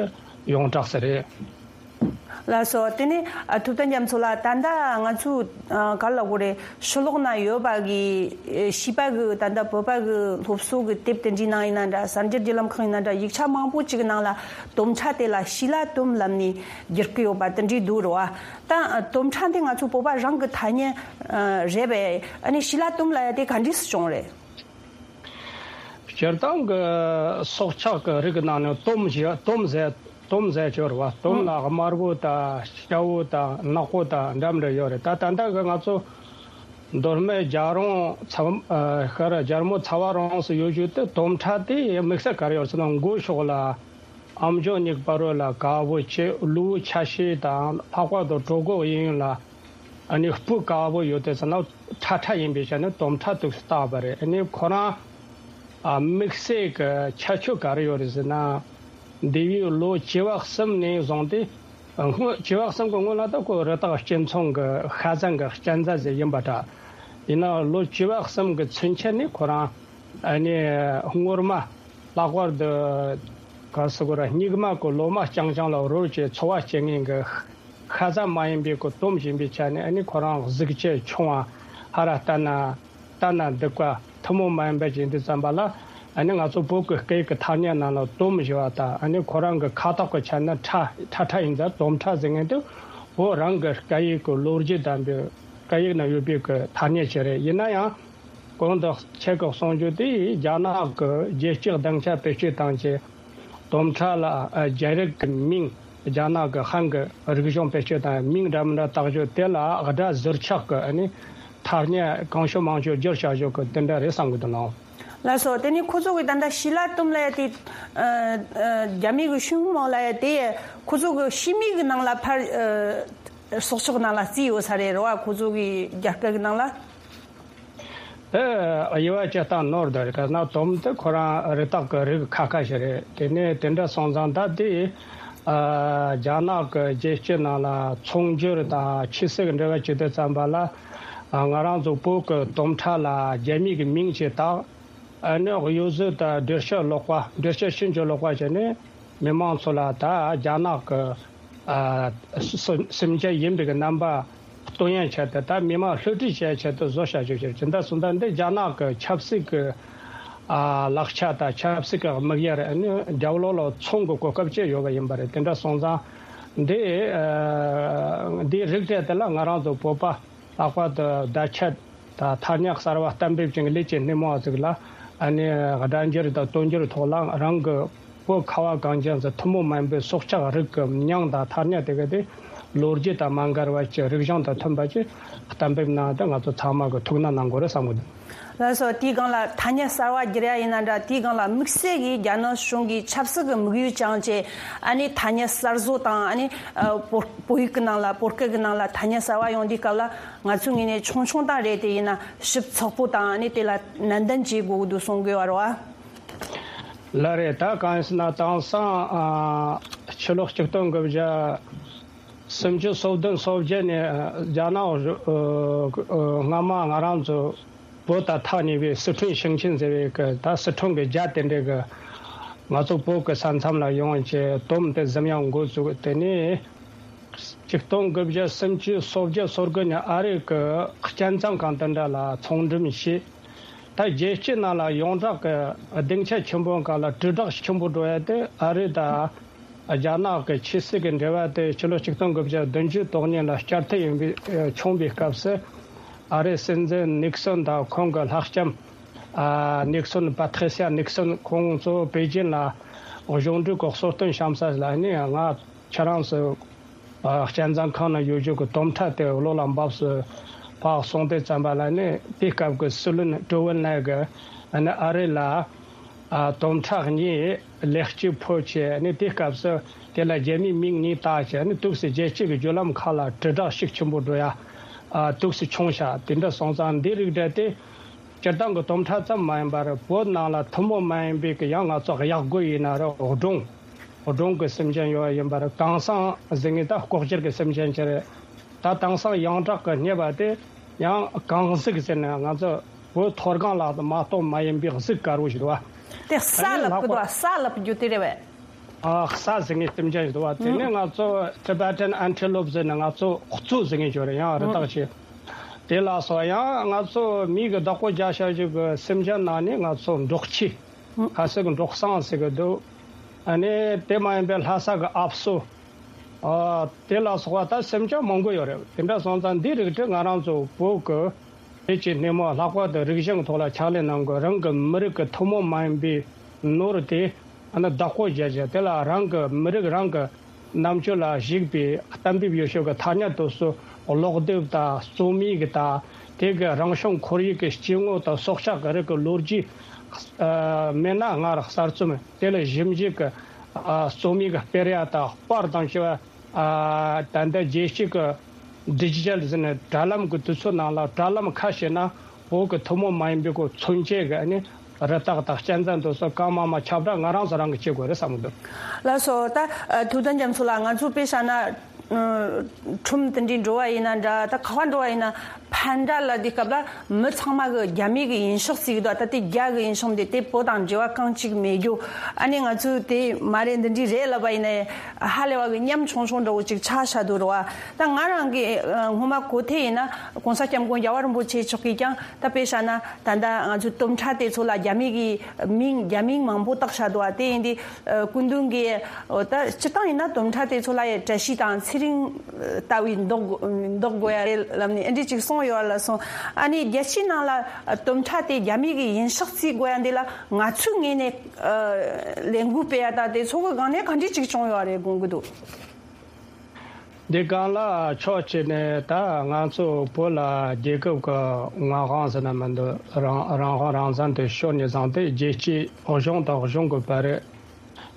ཡོངས་གྲགས་སུ་རེད། ལགས་སོ། དེ་ནས་ཨ་ཐུབ་བསྟན་རྒྱ་མཚོ་ལགས། ད་ལྟ་ང་ཚོ་ཨ་ག་ལ་གོ་རེད། ཕྱི་ལོགས་ན་ཡོད་པ་གི་ཨེ་བྱིས་པ་གི་ད་ལྟ་བོད་པ་གི་སློབ་གསོ་གི་དེབ་དེ་འདྲའི་ནང་ཡིན་ན་འདྲ། གསར་འགྱུར་བརྒྱུད་ལམ་ཁག་ཡིན་ན་འདྲ། ཡིག་ཆ་མང་པོ་ཅིག་ནང་ལ་དོམ་ཁྲ་དེ་ལ་ཤི་ལ་དོམ་ལབ་ནས་བསྒྱུར་གི་ཡོད་པ་དེ་འདྲའི་འདུག་རེད་བ། ད་ཨ་དོམ་ཁྲ་འདི་ང་ཚོ་བོད་པ་རང་གི་ཐ་སྙད་ཨ་རེད་པས། ཨ་ནི་ཤི་ལ་དོམ་ལབ་ཡ་དེ་ག་འདྲས་སུ་བྱུང་རེད། སྤྱིར་བཏང་གི་སྲོག་ཆགས་ཀྱི་རིགས་ནང་ནས་དོམ་ཞེས་དོམ་ཟེར་དོམ་ཟེར་གྱི་ཡོད་རེད་བ། དོམ་ལ་དམར་པོ་དང་སྐྱ་བོ་དང་ནག་པོ་དང་འདྲ་མི་འདྲ་ཡོད་རེད། ད་ད་ལྟ་གི་ང་ཚོ་མདོ་སྨད་རྒྱལ་རོང་ཚ་ཨ་ཤར་རྒྱལ་མོ་ཚ་བ་རོང་སུ་ཡོད་རྒྱུ་དེ་དོམ་ཁྲ་དེ་དམིགས་བསལ་ག་རེ་ཡོད་ཟེར་ན། མགོ་ཕྱོགས་ལ་ཨམ་ཅོག་གཉིས་པ་རོ་ལ་དཀར་པོ་བྱས། ལུས་ཆ་ཤས་དང་ལྷག་པར་དུ་གྲོད་ཁོག་གཡས་གཡོན་ལ་ཨ་ནི་སྤུ་དཀར་པོ་ཡོད་དེ་ཟེར་ན་ཁྲ་ཁྲ་ཡིན་པའི་ཆ་ནས་དོམ་ཁྲ་དུ་བཏགས་པ་རེད། ཨ་ནི་ཁོ་རང་ཨ་དམིགས་བསལ་གྱི་ཁྱད་ཆོས་ག་རེ་ཡོད་རེད་ཟེར་ན། འདས་པའི་ལོ་བཅུ་པ་གསུམ་ནས་བཟུང་སྟེ། སྔོན་བཅུ་པ་གསུམ་གྱི་སྔོན་ལ་ད་ཁོ་རི་དྭགས་སྤྱི་ཚོགས་ཀྱི་ཤ་ཟན་གྱི་གཅན་གཟན་ཟིག་ཡིན་པ་འདྲ། ཡིན་ནའང་ལོ་བཅུ་པ་གསུམ་གྱི་ཚུན་ཆད་ནས་ཁོ་རང་ཨ་ནི་སྔོན་མ་ལྷག་པར་དུ་ག་ཟེར་དགོས་རེད། སྙིགས་མ་གི་ལོ་མ་རྐྱང་རྐྱང་ལ་རོལ་བྱས་འཚོ་བ་སྐྱེལ་མཁན་གྱི་ཤ་ཟ་མ་ཡིན་པའི་གི་དོམ་ཡིན་པའི་ཆ་ནས། ཨ་ནི་ཁོ་རང་གཟུགས་ཆེ་ཆུང་བ། ཧ་ར་ལྟ་ན་ལྟ་ན་སྡུག་པ་ཐུན་མོང་མ་ཡིན་པ་ཅིག་ཡིན་དུས་ཙམ་པ་ལ། ཨ་ནི་ང་ཚོ་བོད་ཀྱི་སྐད་ཀྱི་ཐ་སྙད་ནང་ལ་དོམ་ཞེས་པ་དང་། ཨ་ནི་ཁོ་རང་གི་ཁ་དོག་གི་ཆ་ནས་ཁྲ་ཁྲ་ཁྲ་ཡིན་ཙང་དོམ་ཁྲ་ཟེར་མཁན་དེ་བོད་རང་གི་སྐད་ཡིག་གི་ལོ་རྒྱུས་དང་པོའི་སྐད་ཡིག་ནང་ཡོད་པའི་གི་ཐ་སྙད་ཅིག་རེད། ཡིན་ན་ཡང་གོང་དུ་ཁྱེད་ཀྱིས་གསུངས་རྒྱུ་དེ་རྒྱ་ནག་གི་རྒྱལ་སྤྱིའི་སྡིངས་ཆ་བེད་སྤྱོད་བཏང་བྱས། དོམ་ཁྲ་ལ་ཨ་རྒྱ་རིགས་ཀྱི་མིང་། རྒྱ་ནག་གི་ཧན་གྱི་རིག་གཞུང་བེད་སྤྱོད་དང་མིང་འདྲ་མི་འདྲ་བཏགས་རྒྱུ་དེ་ལ་སྒྲ་ཟུར་ཆག་གི་ཨ་ནི་ཐ་སྙད་གང་བྱུང་མང་བྱུང་བསྒྱུར་བྱ་རྒྱུ་གི་དེ་འདྲ་རེད་བསམ་གི་འདུག་ལགས། ལགས་སོ། དེ་ནས་ཁོ་ཚོ་གི་ད་ལྟ་ཤི་ལ་དོམ་ལབ་ཡ་དེ། ཨ་ཨ་རྒྱ་མི་གི་ཤུན་མོ་ལབ་ཡ་དེ་ཁོ་ཚོ་གི་ཤི་མིག་གི་ནང་ལ་ཕར་ཨ་སྲོག་ཆགས་ནང་ལ་བརྩིས་ཡོད་ས་རེད་རེད་བ། ཁོ་ཚོ་གི་རྒྱ་སྐད་གི་ནང་ལ། དེ་དབྱེ་བ་བཅད་སྟངས་ནོར་འདུག་རེད། ག་ན་དོམ་དེ་ཁོ་རང་རི་དྭགས་ཀྱི་རིགས་ཁ་ཁ་ཞིག་རེད། དེ་ནས་དེ་འདྲ་སོང་ཙང་ད་དེ་ཨ་རྒྱ་ནག་གི་རྒྱལ་སྤྱི་ནང་ལ་ཚོང་སྒྱུར་དང་ཆོས་སྲིད་ཀྱི་འབྲེལ་བ་བྱེད་དུས་ཙམ་པ་ལ། ཨ་ང་རང་ཚོ་བོད་ཀྱི་དོམ་ཁྲ་ལ་རྒྱ་མིའི་གི་མིང་ཅིག་བཏགས། ཨ་ནི་གཡོ་ཟོལ་དང་འགྲེལ་བཤད་ལོག་པ། འགྲེལ་བཤད་ཕྱིན་ཅི་ལོག་པ་བྱས་ནས་མི་མང་ཚོ་ལ་ད་རྒྱ་ནག་གི་ཨ་སེམས་ཅན་ཡིན་པའི་གི་རྣམ་པ་སྟོན་ཡ་ཆེད་དུ། ད་མི་མང་བསླུ་བྲིད་བྱེད་ཡ་ཆེད་དུ་བཟོ་བྱ་རྒྱུ་ཞིག་རེད། ད་སོང་ཙང་འདི་རྒྱ་ནག་གི་ཆབ་སྲིད་ཀྱི་ཨ་ལག་ཆ་དང་ཆབ་སྲིད་ཀྱི་དམིགས་ཡུལ་རེད། ཨ་ནི་རྒྱབ་ལོགས་ལ་ཚོང་གི་གོ་སྐབས་སྤྱད་ཡོད་པ་ཡིན་པ་རེད། དེ་འདྲ་སོང་ཙང་འདི་ཨ་འདིའི་རིགས་དེ་དེ་ལ་ང་རང་ཚོ་བོད་པ་ལྷག་པར་དུ་བརྡ་ཆད་དང་ཐ་སྙད་གསར་བ་གཏན་འབེབས་ཀྱི་ལས་ཀྱི་སྣེ་མོ་བ་ཟིག་ལ། ཨ་ནི་སྒྲ་འགྱུར་དང་དོན་འགྱུར་ཐོག་ལ་རང་གི་བོད་ཁ་བ་གངས་ཅན་ཟེར་ཐུན་མོང་མ་ཡིན་པའི་སྲོག་ཆགས་རིགས་ཀྱི་མིང་དང་ཐ་སྙད་དེ་ག་དེ་ལོ་རྒྱུས་དང་མ་འགལ་བ་ཅིག་རིག་གཞུང་དང་མཐུན་པ་ཅིག་གཏན་འབེབས་གནང་སྟེ་ང་ཚོ་ཚང་མ་གི་ཐུགས་སྣང་གནང་དགོས་རེད་བསམ་གི་འདུག། ལགས་སོ། དེའི་སྒང་ལ་ཐ་སྙད་གསར་བ་བསྒྱུར་ཡ་ཡིན་ན་འདྲ། དེའི་སྒང་ལ་དམིགས་བསལ་གྱིས་རྒྱ་ནག་གཞུང་གིས་ཆབ་སྲིད་ཀྱི་དམིགས་ཡུལ་བཅངས་བྱས། ཨ་ནི་ཐ་སྙད་གསར་བཟོ་དང་། ཨ་ནི་ཨ་བོད་བོད་ཡིག་གི་ནང་ལ་བོད་སྐད་ཀྱི་ནང་ལ་ཐ་སྙད་གསར་བ་ཡོང་དུས་སྐབས་ལ། ང་ཚོའི་ངོས་ནས་ཆུང་ཆུང་དང་རེད། དེ་ཡིན་ན་ཞིབ་ཚགས་པོ་དང་ནི་དེ་ལ་ནན་ཏན་བྱེད་དགོས་ཀྱི་འདུག་གསུང་དགོས་པ་རེད་བ། ལགས་རེད། ད་གང་ཡིན་ཟེར་ན་དེང་སང་ཨ་ཕྱི་ལོ་ཆིག་སྟོང་དགུ་བརྒྱ་སུམ་ཅུ་སོ་བདུན་སོ་བརྒྱད་ནས་ཨ་རྒྱ་ནག་ཨ་ཨ་སྔ་མ་ང་རང་ཚོ་བོད་དང་ཐག་ཉེ་བའི་སི་ཁྲོན་ཞིང་ཆེན་ཟེར་བའི་གི་ད་སི་ཁྲོན་གི་རྒྱ་དེ་འདྲའི་གི་ང་ཚོ་བོད་གི་ས་མཚམས་ལ་ཡོང་བྱས་དོམ་དེ་གཟིམ་ཡག་འགོ་བཙུགས། དེ་ནས་ཆིག་སྟོང་དགུ་བརྒྱ་སུམ་ཅུ་སོ་བརྒྱད་སོ་དགུ་ནས་ཨ་རི་གི་སྤྱན་གཙང་ཁང་དེ་འདྲ་ལ་ཚོང་འགྲེམས་བྱས། ད་རྒྱལ་སྤྱི་ནང་ལ་ཡོངས་གྲགས་ཀྱི་སྡིངས་ཆ་ཆེན་པོའི་སྒང་ལ་དྲིལ་བསྒྲགས་ཆེན་པོ་འགྲོ་ཡ་དེ་ཨ་རི་དང་རྒྱ་ནག་གི་ཆོས་སྲིད་ཀྱི་འབྲེལ་བ་དེ་ཕྱི་ལོ་ཆིག་སྟོང་དགུ་བརྒྱ་བདུན་ཅུ་དོན་གཉིས་ལ་བསྐྱར་མཐུད་ཡིན་པའི་བྱུང་བའི་སྐབས་སུ། ཨ་རིའི་སྲིད་འཛིན་ནིག་སོན་དང་ཁོང་གི་ལྷག་བསམ་ཨ་ནིག་སོན། པ་ཏྲི་སི་ཡ་ནིག་སོན། ཁོང་ཚོ་པེ་ཅིན་ལ་གཞུང་འབྲེལ་གྱི་གསོལ་སྟོན་བཤམས་ས་ལ་ནི་ང་ཁྱེད་རང་ཚོ་ཨ་སྤྱན་གཙང་ཁང་ནང་ཡོད་རྒྱུ་གི་དོམ་ཁྲ་དེ་བློ་ལ་འབབས་སུ་ཕར་སོང་དུས་ཙམ་པ་ལ་ནི་དེའི་སྐབས་ཀྱི་སྲིད་བློན་ཀྲོ་ཝུན་ལའེ་གིས་ཨ་ནི་ཨ་རི་ལ་ཨ་དོམ་ཁྲ་གཉིས་ལེགས་སྐྱེས་ཕུལ་བྱས། ཨ་ནི་དེའི་སྐབས་སུ་དེ་ལ་རྒྱ་མིའི་མིང་གཉིས་བཏགས་བྱས། ཨ་ནི་དུས་སུ་རྒྱལ་སྤྱི་གི་བརྒྱུད་ལམ་ཁག་ལ་དྲིལ་བསྒྲགས་ཤུགས་ཆེན་པོ་འགྲོ་ཡ་ཨ་དུས་སུ་བྱུང་ཤག། དེ་འདྲ་སོང་ཙང་འདི་རིགས་འདྲ་དེ། སྤྱིར་བཏང་གི་དོམ་ཁྲ་ཙམ་མ་ཡིན་པར་བོད་ནང་ལ་ཐུན་མོང་མ་ཡིན་པའི་གི་ཡང་ང་ཚོ་གཡག་རྒོད་ཡིན་ན་རེད། སྦྲང་སྦྲང་གི་སེམས་ཅན་ཡོད་ཡིན་པར། གངས་སེང་ཟེར་མཁན་ད་ལྐོག་གྱུར་གྱི་སེམས་ཅན་ཅིག་རེད། ད་དེང་སང་ཡོངས་གྲགས་ཀྱི་རྙེད་པ་དེ་ཡང་གངས་གཟིག་ཟེར་ནས་ང་ཚོ་བོད་མཐོ་སྒང་ལ་མ་གཏོགས་མ་ཡིན་པའི་གཟིག་དཀར་པོ་ཞིག་འདུག་བ། དེ་ས་ཨ་ནི་ལབ་ལྷག་གི་པ་འདུག་བ། ས་ལབ་རྒྱུ་དེ་རེད་པས། ཨ་གསའ་ཟེར་མཁན་སེམས་ཅན་ཞིག་འདུག་བ། དེ་ནས་ང་ཚོ་Tibetan antelope་ཟེར་ནས་ང་ཚོ་གཙོད་ཟེར་མཁན་ཞིག་ཡོད་རེད། ཡང་རི་དྭགས་ཤིག་དེ་ལ་སོགས། ཡང་ང་ཚོ་མི་གི་བདག་པོ་རྒྱག་བྱ་ཞིག་གི་སེམས་ཅན་ནང་ནས་ང་ཚོ་འབྲོག་ཁྱི། ཁ་སང་གི་འབྲོག་སྲང་ཟེར་གི་འདུག་ཨ་ནི་དེ་མ་ཡིན་པའི་ལྷ་ས་གི་ཨབ་སོ། ཨ་དེ་ལ་སོགས་པ་ད་སེམས་ཅན་མང་པོ་ཡོད་རེད། དེ་འདྲ་སོང་ཙང་འདི་རིགས་དེ་ང་རང་ཚོ་བོད་ཀྱི་དེ་ཅི་སྣེ་མོ་ལྷག་པར་དུ་རིག་གཞུང་ཐོག་ལ་ཕྱག་ལས་གནང་དགོས། རང་གི་མི་རིགས་ཀྱི་ཐུན་མོང་མ་ཡིན་པའི་ནོར་དེ་ཨ་ནི་བདག་པོ་རྒྱག་བྱ། དེ་ལ་རང་གི་མི་རིགས་རང་གི་རྣམ་དཔྱོད་ལ་གཞིགས་པའི་གཏན་འབེབས་ཡོད་ཤོས་ཀྱི་ཐ་སྙད་དེ་ཚོ་ཀློག་དེབ་དང་རྩོམ་ཡིག་དང་དེ་གི་རང་བྱུང་ཁོར་ཡུག་གི་སྐྱེ་དངོས་དང་སྲོག་ཆགས་ཀྱི་རིགས་ཀྱི་ལོ་རྒྱུས། ཨ་མེད་ན་སྔར་གསར་རྩོམ། དེ་ལ་ཞིབ་འཇུག་གི་ཨ་རྩོམ་ཡིག་སྤེལ་ཡ་དང་པར་དང་བཅས་པ། ཨ་ད་ལྟ་རྒྱལ་སྤྱི་གི་ཌི་ཇི་ཊལ་ཟེར་ནས་དྲ་ལམ་གི་དུས་ཚོད་ནང་ལ་དྲ་ལམ་ཁ་ཕྱེ་ན་བོད་ཀྱི་ཐུན་མོང་མ་ཡིན་པའི་གོ་མཚོན་བྱེད་ཀྱི་ཨ་ནི་རི་དྭགས་དང་གཅན་གཟན་དེ་ཚོ་གང་མང་མང་ཁྱབ་བསྒྲགས་ང་རང་ཚོ་རང་གིས་བྱེད་དགོས་རེད་བསམ་གི་འདུག་ལགས་སོ། ད་ཨ་ཐུབ་བསྟན་རྒྱ་མཚོ་ལགས། ང་ཚོ་དཔེ་བཞག་ན་ཨ་ཁྲོམ་དེ་འདྲའི་འགྲོ་བ་ཡིན་ན་འདྲ། ད་ག་པར་འགྲོ་བ་ཡིན་ན་ཕར་འདྲ་ལ་དེ་སྐབས་ལ་མི་ཚང་མ་གི་རྒྱ་མི་གི་ཡིན་ཤག་ཟེར་གི་འདུག་ད་དེ་རྒྱ་གི་ཡིན་ཤག་འདི་དེ་བོད་དང་འབྲེལ་བ་རྐང་གཅིག་མེད་རྒྱུ། ཨ་ནི་ང་ཚོས་དེ་མ་རེད་འདི་འདྲའི་རེད་ལབ་པ་ཡིན་ན་ཧ་ལས་པ་གི་ཉམ་ཆུང་ཆུང་འདྲ་བོ་ཅིག་ཆགས་བཞག་འདུག་རེད་བ། ད་ང་རང་གི་ཨ་སྔོན་མ་གོ་ཐོས་ཡིན་ན་༸གོང་ས་༸སྐྱབས་མགོན་རྒྱལ་བ་རིན་པོ་ཆེ་མཆོག་གིས་ཀྱང་ད་དཔེ་བཞག་ན་ད་ལྟ་ང་ཚོའི་དོམ་ཁྲ་དེ་ཚོ་ལ་རྒྱ་མི་གི་མིང་རྒྱ་མིང་མང་པོ་བཏགས་བཞག་འདུག་བ། དེ་ཡིན་དུས་ཨ་སྐུ་མདུན་གྱིས་ཨོ་ད་སྤྱིར་བཏང་ཡིན་ན་དོམ་ཁྲ་དེ་ཚོ་ལ་ཡང་བཀྲ་ཤིས་དང་ཚེ་རིང་ལྟ་བུའི་འདོགས་དགོས་འདོགས་དགོས་ཡ་རེད་ལབ་ནས་ཨ་འདྲས་ཅིག་གསུངས་ཡོད་ལ་སོང་། ཨ་ནི་རྒྱལ་སྤྱིའི་ནང་ལ་དོམ་ཁྲ་དེ་རྒྱ་མི་གི་ཡིན་ཤག་བརྩི་དགོས་ཡ་འདི་ལ་ང་ཚོའི་ངོས་ནས་ཨ་ལས་འགུལ་སྤེལ་ཡ་དང་དེ་ཚོ་གི་སྒང་ནས་ག་འདྲས་ཅིག་བྱུང་ཡོད་རེད་དགོངས་ཀྱི་འདུག་འདི་སྒང་ལ་ཕྱོགས་གཅིག་ནས་ད་ང་ཚོ་བོད་ལ་རྒྱལ་ཁབ་ཀྱི་མངའ་དབང་ཟེར་ན་མི་འདུག་རང་རང་དབང་རང་བཙན་དེ་ཤོར་ནས་བཟུང་སྟེ་རྒྱལ་སྤྱིའི་གཞུང་དང་གཞུང་གི་བར།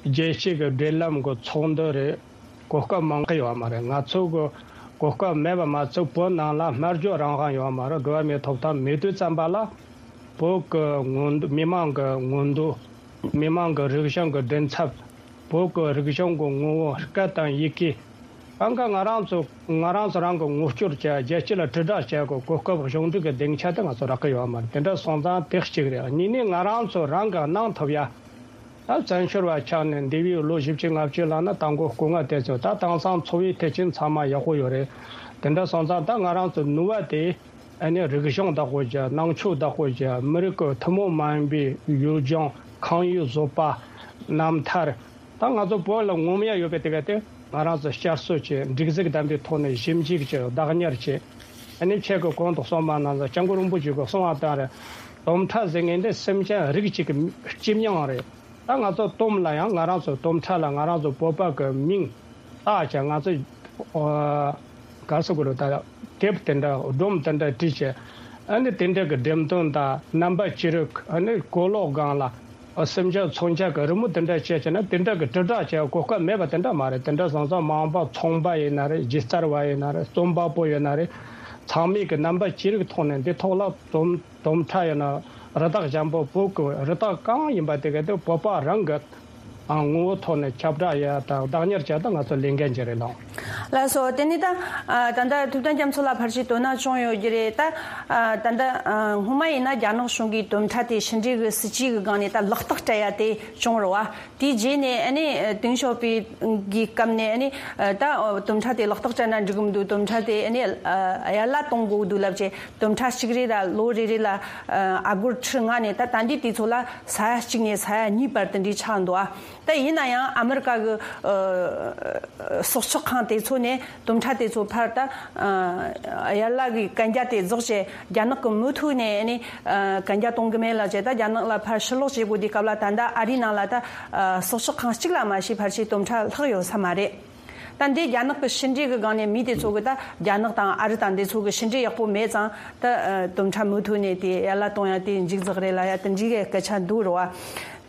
རྒྱལ་སྤྱི་གི་འབྲེལ་ལམ་གྱི་ཚོགས་འདུ་རེད། གོ་སྐབས་མང་པོ་ཡོད་མ་རེད། ང་ཚོ་གི་གོ་སྐབས་མེད་པ་མ་ཚད་བོད་ནང་ལ་སྨྲ་བརྗོད་རང་དབང་ཡོད་མ་རེད། འགྲོ་བ་མིའི་ཐོབ་ཐང་མེད་དུས་ཙམ་པ་ལ་བོད་ཀྱི་མངོན་མི་མང་གི་མངོན་འདོད། མི་མང་གི་རིག་གཞུང་གི་མགྲིན་ཚབ། བོད་ཀྱི་རིག་གཞུང་གི་ངོ་བོ་སྐད་དང་ཡི་གེ། ཨང་ཀ་ང་རང་ཚོ་ང་རང་ཚོ་རང་གི་ངོ་སྐྱོར་བྱ། རྒྱལ་སྤྱི་ལ་དྲིལ་བསྒྲགས་བྱ་དགོས་གོ་སྐབས་གཞུང་འབྲེལ་གྱི་སྡིངས་ཆ་དེ་ང་ཚོ་རག་གི་ཡོད་མ་རེད། དེ་འདྲ་སོང་ཙང་དེ་གཅིག་རེད། གཉིས་ནས་ང་རང་ཚོ་རང་གི་གནང་ཐུབ་ཡ། ད་བཙན་བྱོལ་བ་ཆགས་ནས་འདས་པའི་ལོ་བཞི་བཅུ་ལྔ་བཅུ་ལ་ན་ད་མགོ་སྐུ་ངལ་དེ་ཚོ་ད་དེང་སང་འཚོ་བའི་ཐེག་ཆེན་ཚང་མ་ཡག་པོ་ཡོད་རེད། དེ་འདྲ་སོང་ཙང་ད་ང་རང་ཚོ་ནུས་པ་དེ་ཨ་ནི་རིག་གཞུང་བདག་པོ་བྱ། ནང་ཆོས་བདག་པོ་བྱ། མི་རིགས་ཀྱི་ཐུན་མོང་མ་ཡིན་པའི་ཡུལ་ལྗོངས། ཁང་ཡུལ་བཟོ་པ། རྣམ་ཐར། ད་ང་ཚོ་བོད་ལ་ངོམ་ཡ་ཡོད་པའི་དེ་ག་དེ་ང་རང་ཚོ་བསྐྱར་གསོ་བྱེད། སྒྲིག་གཟུགས་ལྡན་པའི་ཐོག་ནས་ཞིབ་འཇུག་བྱེད། བདག་གཉེར་བྱེད། ཨ་ནི་ཁྱེད་ཀྱི་གོང་དུ་གསུངས་པ་ནང་བཞིན་སྐྱབས་མགོན་རིན་པོ་ཆེ་གིས་གསུངས་པ་ལྟར་དོམ་ཁྲ་ཟེར་མཁན་འདི་སེམས་ཅན་རིགས་གཅིག་གི་སྤྱི་མིང་རེད། ད་ང་ཚོ་དོམ་ལ་ཡང་ང་རང་ཚོ་དོམ་ཁྲ་ལ་ང་རང་ཚོ་བོད་པ་གི་མིང་བཏགས་བྱས། ང་ཚོ་ཨ་ག་རེ་ཟེར་དགོས་རེད། ད་དེབ་དེ་འདྲ་སྒྲོམ་དེ་འདྲ་བྲིས་བྱས། ཨ་ནི་དེ་འདྲ་གི་འགྲེམས་སྟོན་དང་རྣམ་པ་ཅི་རིགས། ཨ་ནི་གོས་ལོག་སྒང་ལ་ཨ་སེམས་ཅན་མཚོན་ཆ་གི་རི་མོ་དེ་འདྲ་བྱས་བྱས་ན་དེ་འདྲ་གི་དྲིལ་བསྒྲགས་བྱས་གོ་སྐབས་མེད་པ་དེ་འདྲ་མ་རེད། དེ་འདྲ་སོང་ཙང་མ་འོངས་པ་ཚོང་པ་ཡིན་ན་རེད། སྒྱུ་རྩལ་བ་ཡིན་ན་རེད། རྩོམ་པ་པོ་ཡིན་ན་རེད། ཚང་མས་གི་རྣམ་པ་ཅི་རིགས་ཐོག་ནས་འདི་ཐོག་ལ་རྩོམ། དོམ་ཁྲ་ཡིན་ན་རི་དྭགས་འཇམ་པོ། བོད་ཀྱི་རི་དྭགས་གང་ཡིན་པ་དེ་ག་དེ་བོད་པ་རང་གི་ཨ་ངོ་བོ་ཐོག་ནས་ཁྱབ་བསྒྲགས་ཡ་དང་བདག་གཉེར་བྱ་ད་ང་ཚོ་ལས་འགན་ཅིག་རེད་ལགས། ལགས་སོ། དེ་ནས་ད་ཨ་ད་ལྟ་ཐུབ་བསྟན་རྒྱ་མཚོ་ལགས་ཕལ་ཆེར་དོ་སྣང་བྱུང་ཡོད་ཀྱི་རེད། ད་ཨ་ད་ལྟ་ཨ་སྔོན་མ་ཡིན་ན་རྒྱ་ནག་གཞུང་གིས་དོམ་ཁྲ་དེ་ཕྱི་འབྲེལ་གྱི་སྲིད་ཇུས་ཀྱི་སྒང་ནས་ད་ལག་རྟགས་སྤྲད་ཡ་དེ་བྱུང་རེད་བ། དེའི་རྗེས་ནས་ཨ་ནི་ཏེང་ཞའོ་ཕིང་གི་སྐབས་ནས་ཨ་ནི་ད་དོམ་ཁྲ་དེ་ལག་རྟགས་སྤྲད་ན་འགྲིག་གི་མི་འདུག་དོམ་ཁྲ་དེ་ཨ་ནི་ཨ་ཡར་ལ་གཏོང་དགོས་འདུག་ལབ་བྱས། དོམ་ཁྲ་གཅིག་རེ་ལ་ལོ་རེ་རེ་ལ་ཨ་སྒོར་ཁྲི་ལྔ་ནས་ད་ད་འདི་དུས་ཚོད་ལ་ས་ཡ་གཅིག་ནས་ས་ཡ་གཉིས་བར་དེ་འདྲའི་ཆགས་འདུག་ཨ་ད་ཡིན་ན་ཡང་ཨ་མི་རི་ཀ་གི་ཨ་སྲོག་ཆགས་ཁང་དེ་ཚོ་ནས་དོམ་ཁྲ་དེ་ཚོ་ཕར་ད་ཨ་ཡར་ལ་གི་གན་རྒྱ་དེ་རྫོགས་བྱས། རྒྱ་ནག་གི་མུ་མཐུད་ནས་ཨ་ནི་ཨ་གན་རྒྱ་གཏོང་གི་མེད་ལབ་བྱས། ད་རྒྱ་ནག་ལ་ཕར་ཕྱིར་ལོག་བྱེད་དགོས་དུས་སྐབས་ལ་ད་ལྟ་ཨ་རིའི་ནང་ལ་ད་ཨ་སྲོག་ཆགས་ཁང་གཅིག་ལ་མ་ཞིག་ཕལ་ཆེར་དོམ་ཁྲ་ལྷག་ཡོད་ས་མ་རེད། ད་འདི་རྒྱ་ནག་གི་ཕྱི་འབྲེལ་གྱི་སྒང་ནས་མི་དེ་ཚོ་གི་ད་རྒྱ་ནག་དང་ཨ་རི་དང་འདི་ཚོ་གི་ཕྱི་འབྲེལ་ཡག་པོ་མེད་ཙང་ད་ཨ་དོམ་ཁྲ་མུ་མཐུད་ནས་དེ་ཡར་ལ་གཏོང་ཡ་དེ་མཇུག་རྫོགས་རེད་ལབ་ཡ་དེ་འདྲའི་གི་སྐད་ཆ་འདུག་རེད་བ།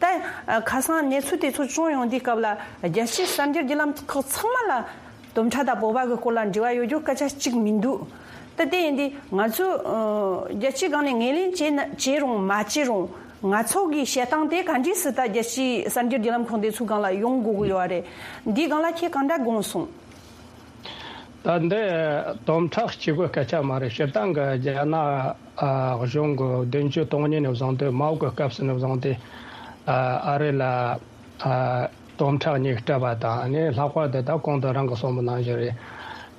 ད་ཨ་ཁ་སང་གནས་ཚུལ་དེ་ཚོ་བྱུང་ཡོང་དུས་སྐབས་ལ་རྒྱལ་སྤྱིའི་གསར་འགྱུར་བརྒྱུད་ལམ་ཁག་ཚང་མ་ལ་དོམ་ཁྲ་དང་བོད་པ་གི་སྐོར་ལ་འབྲེལ་བ་ཡོད་རྒྱུ་སྐད་ཆ་གཅིག་མི་འདུག་ད་དེ་ཡིན་དུས་ང་ཚོས་ཨ་རྒྱལ་སྤྱིའི་སྒང་ནས་ངོས་ལེན་བྱས་ན་བྱས་རུང་མ་བྱས་རུང་། ང་ཚོ་གི་བཤད་སྟངས་དེ་ག་འདྲས་སེ་ད་རྒྱལ་སྤྱིའི་གསར་འགྱུར་བརྒྱུད་ལམ་ཁག་འདི་ཚོའི་སྒང་ལ་ཡོང་དགོས་ཀྱི་ཡོད་རེད། འདིའི་སྒང་ལ་ཁྱེད་གང་འདྲ་དགོངས་སོང་། ད་འདི་དོམ་ཁྲ་གཅིག་པོའི་སྐད་ཆ་མ་རེད། སྤྱིར་བཏང་གི་རྒྱ་ནག་ཨ་གཞུང་གི་བདུན་ཅུ་དོན་གཉིས་ནས་བཟུང་སྟེ་མའོ་གི་སྐབས་སུ་ནས་བཟུང་སྟེ་ཨ་ཨ་རི་ལ་ཨ་ དོམ་ཁྲ་གཉིས་སྤྲད་པ་དང་། ཨ་ནི་ལྷག་པར་དུ་ད་གོང་དུ་རང་གི་གསུངས་པ་ནང་བཞིན་རེད།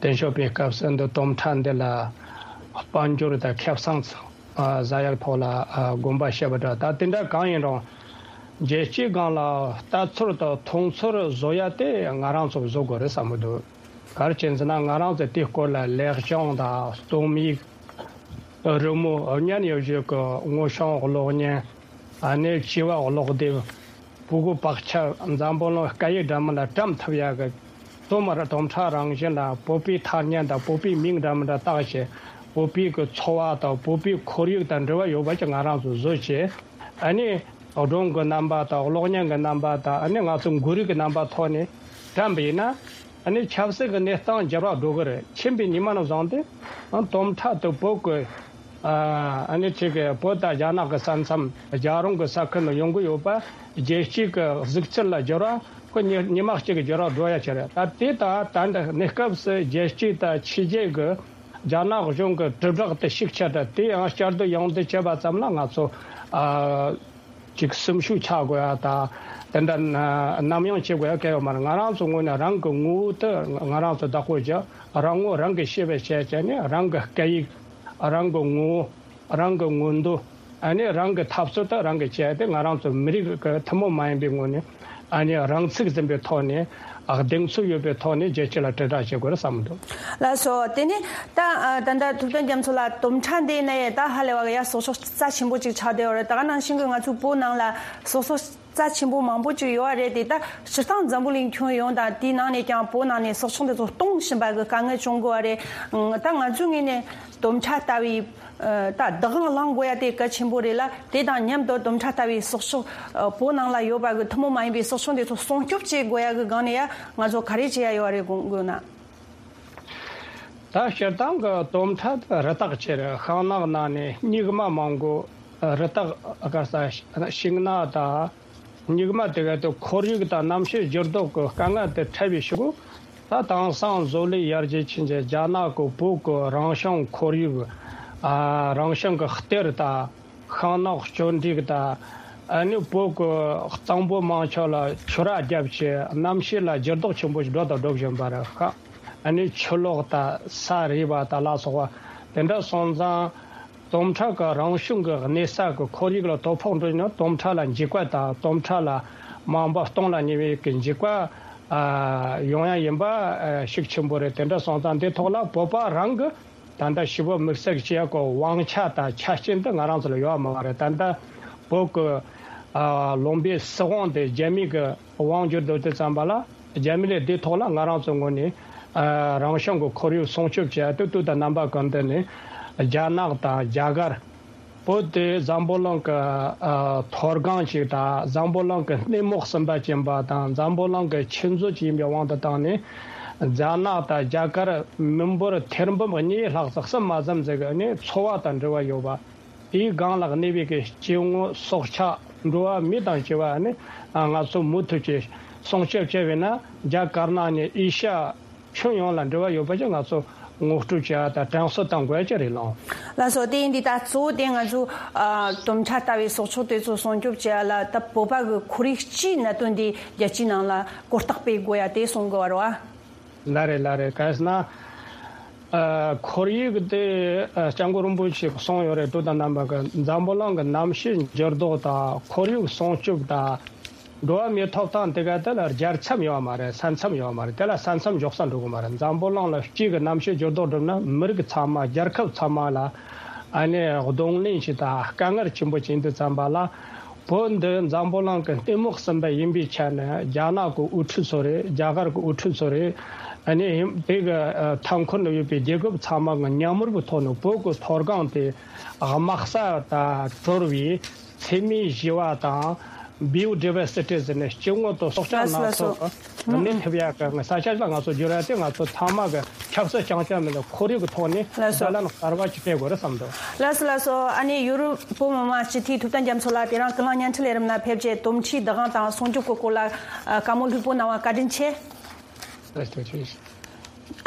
དེ་ཞོགས་པའི་སྐབས་སུ་འདི་དོམ་ཁྲ་འདི་ལ་དཔལ་འབྱོར་དང་ཁེ་བཟང་ཨ་ཟ་ཡག་ཐོག་ལ་ཨ་དགོངས་པ་བཞེས་པ་འདྲ། ད་དེ་འདྲ་གང་ཡིན་རུང་རྒྱལ་སྤྱིའི་སྒང་ལ་ལྟ་ཚུལ་དང་མཐོང་ཚུལ་བཟོ་ཡ་དེ་ང་རང་ཚོ་བཟོ་དགོས་རེད་བསམ་གི་འདུག་ག་རེ་བྱས་ཟེར་ན། ང་རང་ཚོ་དེའི་སྐོར་ལ་ལེགས་བྱུང་དང་རྩོམ་ཡིག་རི་མོ་བརྙན་ཡོད་བཞིན་གྱི་དངོས་བྱུང་གློག་བརྙན། ཨ་ནི་བྱིས་པ་ཀློག་དེབ། ཕྲུ་གུ་བག་ཆགས། འཛམ་བུ་གླིང་སྐད་ཡིག་འདྲ་མིན་ལ་བཀྲམ་ཐུབ་ཡག་གི་དོམ་ཁྲ་རང་བཞིན་ལ་བོད་པའི་ཐ་སྙད་དང་བོད་པའི་མིང་འདྲ་མི་འདྲ་བཏགས་བྱས། བོད་པའི་གི་འཚོ་བ་དང་བོད་པའི་ཁོར་ཡུག་དང་འབྲེལ་བ་ཡོད་པ་ཅིག་ང་རང་ཚོ་བཟོས་བྱས། ཨ་ནི་སྒྲུང་གི་རྣམ་པ་དང་གློག་བརྙན་གྱི་རྣམ་པ་དང་། ཨ་ནི་ང་ཚོ་མགོ་རིལ་གྱི་རྣམ་པ་ཐོག་ནས་བཀྲམ་པ་ཡིན་ན། ཨ་ནི་ཆབ་སྲིད་ཀྱི་གནས་སྟངས་འགྱུར་བ་འགྲོ་གི་རེད། ཕྱིན་པའི་ཉི་མ་ནས་བཟུང་སྟེ་ཨ་དོམ་ཁྲ་དེ་བོད་ཀྱི་ཨ་ཨ་ནི་ཅིག་གི་བོད་དང་རྒྱ་ནག་གི་ས་མཚམས། རྒྱལ་རོང་གི་ས་ཁུལ་ནས་ཡོང་གི་ཡོད་པ། རྒྱལ་སྤྱིའི་གི་གཟིགས་ཚུལ་ལ་འགྱུར་བ་ཁོ་ཉི་ཉི་མ་གཅིག་གི་འགྱུར་བ་འགྲོ་ཡ་ཆེ་རེད། ད་དེ་ད་ད་འདི་གནས་སྐབས་སུ་རྒྱལ་སྤྱི་དང་ཕྱི་རྒྱལ་གྱི་རྒྱ་ནག་གཞུང་གི་དྲིལ་བསྒྲགས་དེ་ཤུགས་ཆེ་དྲགས། དེ་ཡང་བསྐྱར་ཟློས་ཡང་ཟློས་བྱས་པ་ཙམ་ལ་ང་ཚོ་ཨ་ཅིག་སེམས་ཤུགས་ཆག་དགོས་ཡ་དང་། དེ་འདྲ་ན་ནམ་ཡང་བྱེད་དགོས་ཡ་གལ་ཡོད་མ་རེད། ང་རང་ཚོ་ངོས་ནས་རང་གི་ངོ་བོ་དེ་ང་རང་ཚོ་བདག་པོ་བྱ། རང་ངོ་རང་གིས་ཤེས་པ་བྱས་བྱས་ནས། རང་གི་སྐད་ཡིག་རང་གི་ངོ་བོ། རང་གི་མངོན་འདོད། ཨ་ནི་རང་གི་འཐབ་རྩོད་དེ་རང་གིས་བྱས་ཏེ། ང་རང་ཚོ་མི་རིགས་ཀྱི་ཐུན་མོང་མ་ཡིན་པའི་ངོས་ནས་ཨ་ནི་རང་ཚུགས་འཛིན་པའི་ཐོག་ནས། ཨ་གདེང་ཚོད་ཡོད་པའི་ཐོག་ནས་རྒྱལ་སྤྱི་ལ་དྲིལ་བསྒྲགས་བྱེད་དགོས་རེད་བསམ་འདུག་ལགས་སོ། དེ་ནས་ད་ཨ་ད་ལྟ་ཐུབ་བསྟན་རྒྱ་མཚོ་ལགས། དོམ་ཁྲ་འདི་ནས་ད་ཧ་ལས་པ་གི་ཡ་སྲོག་ཆགས་རྩ་ཆེན་པོ་ཅིག་ཆགས་བསྡད་ཡོད་རེད། ད་ག་ནང་བཞིན་གྱི་ང་ཚོའི་བོད་ནང་ལ་སྲོག་ཆགས་རྩ་ཆེན་པོ་མང་པོ་ཅིག་ཡོད་རེད། དེ་ད་སྤྱིར་བཏང་འཛམ་བུ་གླིང་ཁྱོན་ཡོངས་དང་དེའི་ནང་ནས་ཀྱང་བོད་ནང་ནས་སྲོག་ཆགས་འདི་ཚོ་སྟོང་བཞིན་པ་གི་དཀའ་ངལ་བྱུང་གི་ཡོད་རེད། ད་ང་ཚོའི་ངོས་ནས་དོམ་ཁྲ་ལྟ་བུའི་ད་བདག་དབང་བླང་དགོས་ཡ་དེ་གལ་ཆེན་པོ་རེད་ལ། དེ་དང་མཉམ་དུ་དོམ་ཁྲ་ལྟ་བུའི་སྲོག་ཆགས་བོད་ནང་ལ་ཡོད་པ་གི་ཐུན་མོང་མ་ཡིན་པའི་སྲོག་ཆགས་འདི་ཚོ་སྲུང་སྐྱོབ་བྱེད་དགོས་ཡ་གི་སྒང་ནས་ཡ་ང་ཚོ་ག་རེ་བྱེད་ཡ་ཡོད་རེད་དགོངས་དགོས་ན། ད་སྤྱིར་བཏང་གི་དོམ་ཁྲ་དེ་རི་དྭགས་ཆེ་རེད། ཤིང་ནགས་ནང་ནས་སྨྱུག་མ་མང་པོ། རི་དྭགས་ག་ས་ཤིང་ནགས་དང་སྨྱུག་མ་དེ་ག་དེ་ཁོར་ཡུག་དང་གནམ་གཤིས་འགྱུར་ལྡོག་གི་དཀའ་ངལ་དེ་འཕྲད་པའི་ཤུགས། ད་དེང་སང་བཟོ་ལས་ཡར་རྒྱས་ཕྱིན་བྱས་རྒྱ་ནག་གི་བོད་ཀྱི་རང་བྱུང་ཁོར་ཡུག་ཨ་རང་བྱུང་གི་གཏེར་དང་། ཤིང་ནགས་གཅོད་འབྲེག་དང་། ཨ་ནི་བོད་ཀྱི་གཙང་པོ་མང་ཆེ་ལ་ཆུ་རགས་བརྒྱབ་བྱས་གནམ་གཤིས་ལ་འགྱུར་ལྡོག་ཆེན་པོ་ཞིག་འགྲོ་དང་འགྲོ་བཞིན་པ་རེད་ཤག་ཨ་ནི་ཆུ་ལོག་དང་ས་རུབ་པ་དང་ལ་སོགས་པ་དེ་འདྲ་སོང་ཙང་། དོམ་ཁྲ་གི་རང་བྱུང་གི་གནས་ས་གི་ཁོར་ཡུག་ལ་དོ་ཕོག་འགྲོ་ན། དོམ་ཁྲ་ལ་འཇིགས་པ་དང་། དོམ་ཁྲ་ལ་མ་འོངས་པ་སྟོང་ལ་ཉེ་བའི་གི་འཇིགས་པ་ཨ་ཡོང་ཡ་ཡིན་པ་ཨ་ཤུགས་ཆེན་པོ་རེད། དེ་འདྲ་སོང་ཙང་འདི་ཐོག་ལ་བོད་པ་རང་གི་ད་ལྟ་ཞི་བ་དམིགས་བསལ་གྱི་བྱེད་ཡག་གི་དབང་ཆ་དང་ཆ་རྐྱེན་དེ་ང་རང་ཚོ་ལ་ཡོད་མ་རེད། ད་ལྟ་བོད་ཀྱི་ཨ་ལུང་པའི་སྲིད་དབང་དེ་རྒྱ་མི་གི་དབང་བསྒྱུར་འགྲོ་དུས་ཙམ་པ་ལ། རྒྱ་མི་ལས་དེ་ཐོག་ལ་ང་རང་ཚོའི་ངོས་ནས་ཨ་རང་བྱུང་གི་ཁོར་ཡུག་སྲུང་སྐྱོབ་བྱེད་ཡ་དེ་དུས་དང་རྣམ་པ་ཀུན་ཏུ་ནས་རྒྱ་ནག་དང་རྒྱ་གར། བོད་དེ་འཛམ་བུ་གླིང་གི་ཨ་མཐོ་སྒང་ཅིག་དང་། འཛམ་བུ་གླིང་གི་གནས་མོ་གསུམ་པ་ཅན་པ་དང་། འཛམ་བུ་གླིང་གི་ཆུ་མཛོད་ཅིག་ཡིན་པའི་དབང་དུ་བཏང་ནས། རྒྱ་ནག་དང་རྒྱ་གར་མི་འབོར་ཐེར་འབུམ་གཉིས་ལྷག་ཙམ་གསུམ་མ་ཙམ་ཟིག་གི་ནི་འཚོ་བ་དང་འབྲེལ་བ་ཡོད་པ། དེའི་སྒང་ལ་གནས་པའི་གི་སྐྱེ་དངོས་སྲོག་ཆགས་འགྲོ་བ་མི་དང་བཅས་པ་ནི་ང་ཚོ་མུ་མཐུད་ཀྱིས་སྲུང་སྐྱོབ་བྱས་པས་ན། རྒྱ་དཀར་ནག་ནས་ཨེ་ཤ་ཡ་ཁྱོན་ཡོངས་ལ་འབྲེལ་བ་ཡོད་པ་ཅིག་ང་ཚོ་ངོ་སྤྲོད་བྱེད་ཡ་དང་དྲན་གསོ་གཏང་དགོས་ཡ་ཅིག་རེད་ལགས། ལགས་སོ། དེ་ཡིན་དུས་ད་གཙོ་བོ་དེ་ང་ཚོ་ཨ་དོམ་ཁྲ་ལྟ་བུའི་སྲོག་ཆགས་དེ་ཚོ་སྲུང་སྐྱོབ་བྱེད་ཡ་ལ། ད་བོད་པ་གི་ཁོར་ཡུག་སྤྱིའི་གནད་དོན་དེ་རྒྱལ་སྤྱིའི་ནང་ལ་གོ་རྟོགས་སྤེལ་དགོས་ཡ་དེ་གསུང་དགོས་པ་རེད་བ། ལགས་རེད། ལགས་རེད། ག་རེ་ཟེར་ན། ཨ་ཁོར་ཡུག་དེ་ཨ་སྐྱབས་མགོན་རིན་པོ་ཆེས་གསུངས་ཡོད་རེད། དུས་དང་རྣམ་པ་གི་འཛམ་བུ་གླིང་གི་གནམ་གཤིས་འགྱུར་ལྡོག་དང་། ཁོར་ཡུག་སྲུང་སྐྱོབ་དང་། འགྲོ་བ་མིའི་ཐོབ་ཐང་དེ་ག་དེ་ལ་རྒྱལ་མཚམས་ཡོད་མ་རེད། ས་མཚམས་ཡོད་མ་རེད། དེ་ལ་ས་མཚམས་འཇོག་ས་འགྲོ་གི་མ་རེད། འཛམ་བུ་གླིང་ལ་སྤྱི་གི་གནམ་གཤིས་འགྱུར་ལྡོག་འགྲུབ་ན། མི་རིགས་ཚང་མ། རྒྱལ་ཁབ་ཚང་མ་ལ་ཨ་ནི་གདོང་ལེན་ཞིག་དང་དཀའ་ངལ་ཆེན་པོ་ཅིག་ཡིན་དུས་ཙམ་པ་ལ། བོད་འདི་འཛམ་བུ་གླིང་གི་གནས་མོ་གསུམ་པ་ཡིན་པའི་ཆ་ནས། རྒྱ་ནག་གི་དབུ་ཁྲིད་ཚོ་རེད། རྒྱ་གར་གི་དབུ་ཁྲིད་ཚོ་རེད། ཨ་ནི་དེ་གི་ཨ་མཐའ་འཁོར་ན་ཡོད་པའི་རྒྱལ་ཁབ་ཚང་མ་གི་མཉམ་རུབ་ཐོག་ནས་བོད་ཀྱི་མཐོ་སྒང་དེ་དམག་ས་དང་གྲོལ་བའི་འཚེ་མེད་ཞི་བ་དང་། བྷི་ཡོ་ཌི་ཝར་སི་ཊི་ཟེར་ནས་སྐྱེ་དངོས་དང་སྲོག་ཆགས་ལགས་སོ། སྣ་ཚོགས་ལགས་སོ། གནས་ཐུབ་ཡག་གི་ས་ཆ་ཞིག་ལ་ང་ཚོ་བསྒྱུར་ཡ་དེ་ང་ཚོ་ཚང་མ་གི་ཆབ་སྲིད་རྐྱང་རྐྱང་མིན་པར་ཁོར་ཡུག་གི་ཐོག་ནས། ལགས་སོ། བརྡ་ལན་གསར་པ་ཅིག་སྤྲད་དགོས་རེད་བསམ་འདུག་ལགས་སོ། ལགས་སོ། ཨ་ནི་ཡུ་རོབ་བོད་མི་མང་སྤྱི་འཐུས་ཐུབ་བསྟན་རྒྱ་མཚོ་ལགས་དེ་རིང་ཀུན་གླེང་བརྙན་འཕྲིན་ལས་རིམ་ལ་ཕེབས་རྗེས་དོམ་ཁྲའི་བདག་དབང་དང་སྲུང་སྐྱོབ་ཀྱི་སྐོར་ལ་ཨ་བཀའ་མོལ་ལྷུག་པོ་གནང་བ་བཀའ་དྲིན་ཆེ། ལགས་སོ། ཐུགས་རྗེ་ཆེ།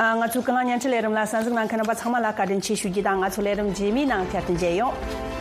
ཨ་ང་ཚོའི་ཀུན་གླེང་བརྙན་འཕྲིན་ལས་རིམ་ལ་གསན་གཟིགས་གནང་མཁན་རྣམ་པ་ཚང་མ་ལ་བཀའ་དྲིན་ཆེ་ཞུ་རྒྱུ་དང་། ང་ཚོ་ལས་རིམ་རྗེས་མའི་ནང་བསྐྱར་དུ་མཇལ་ཡོང་།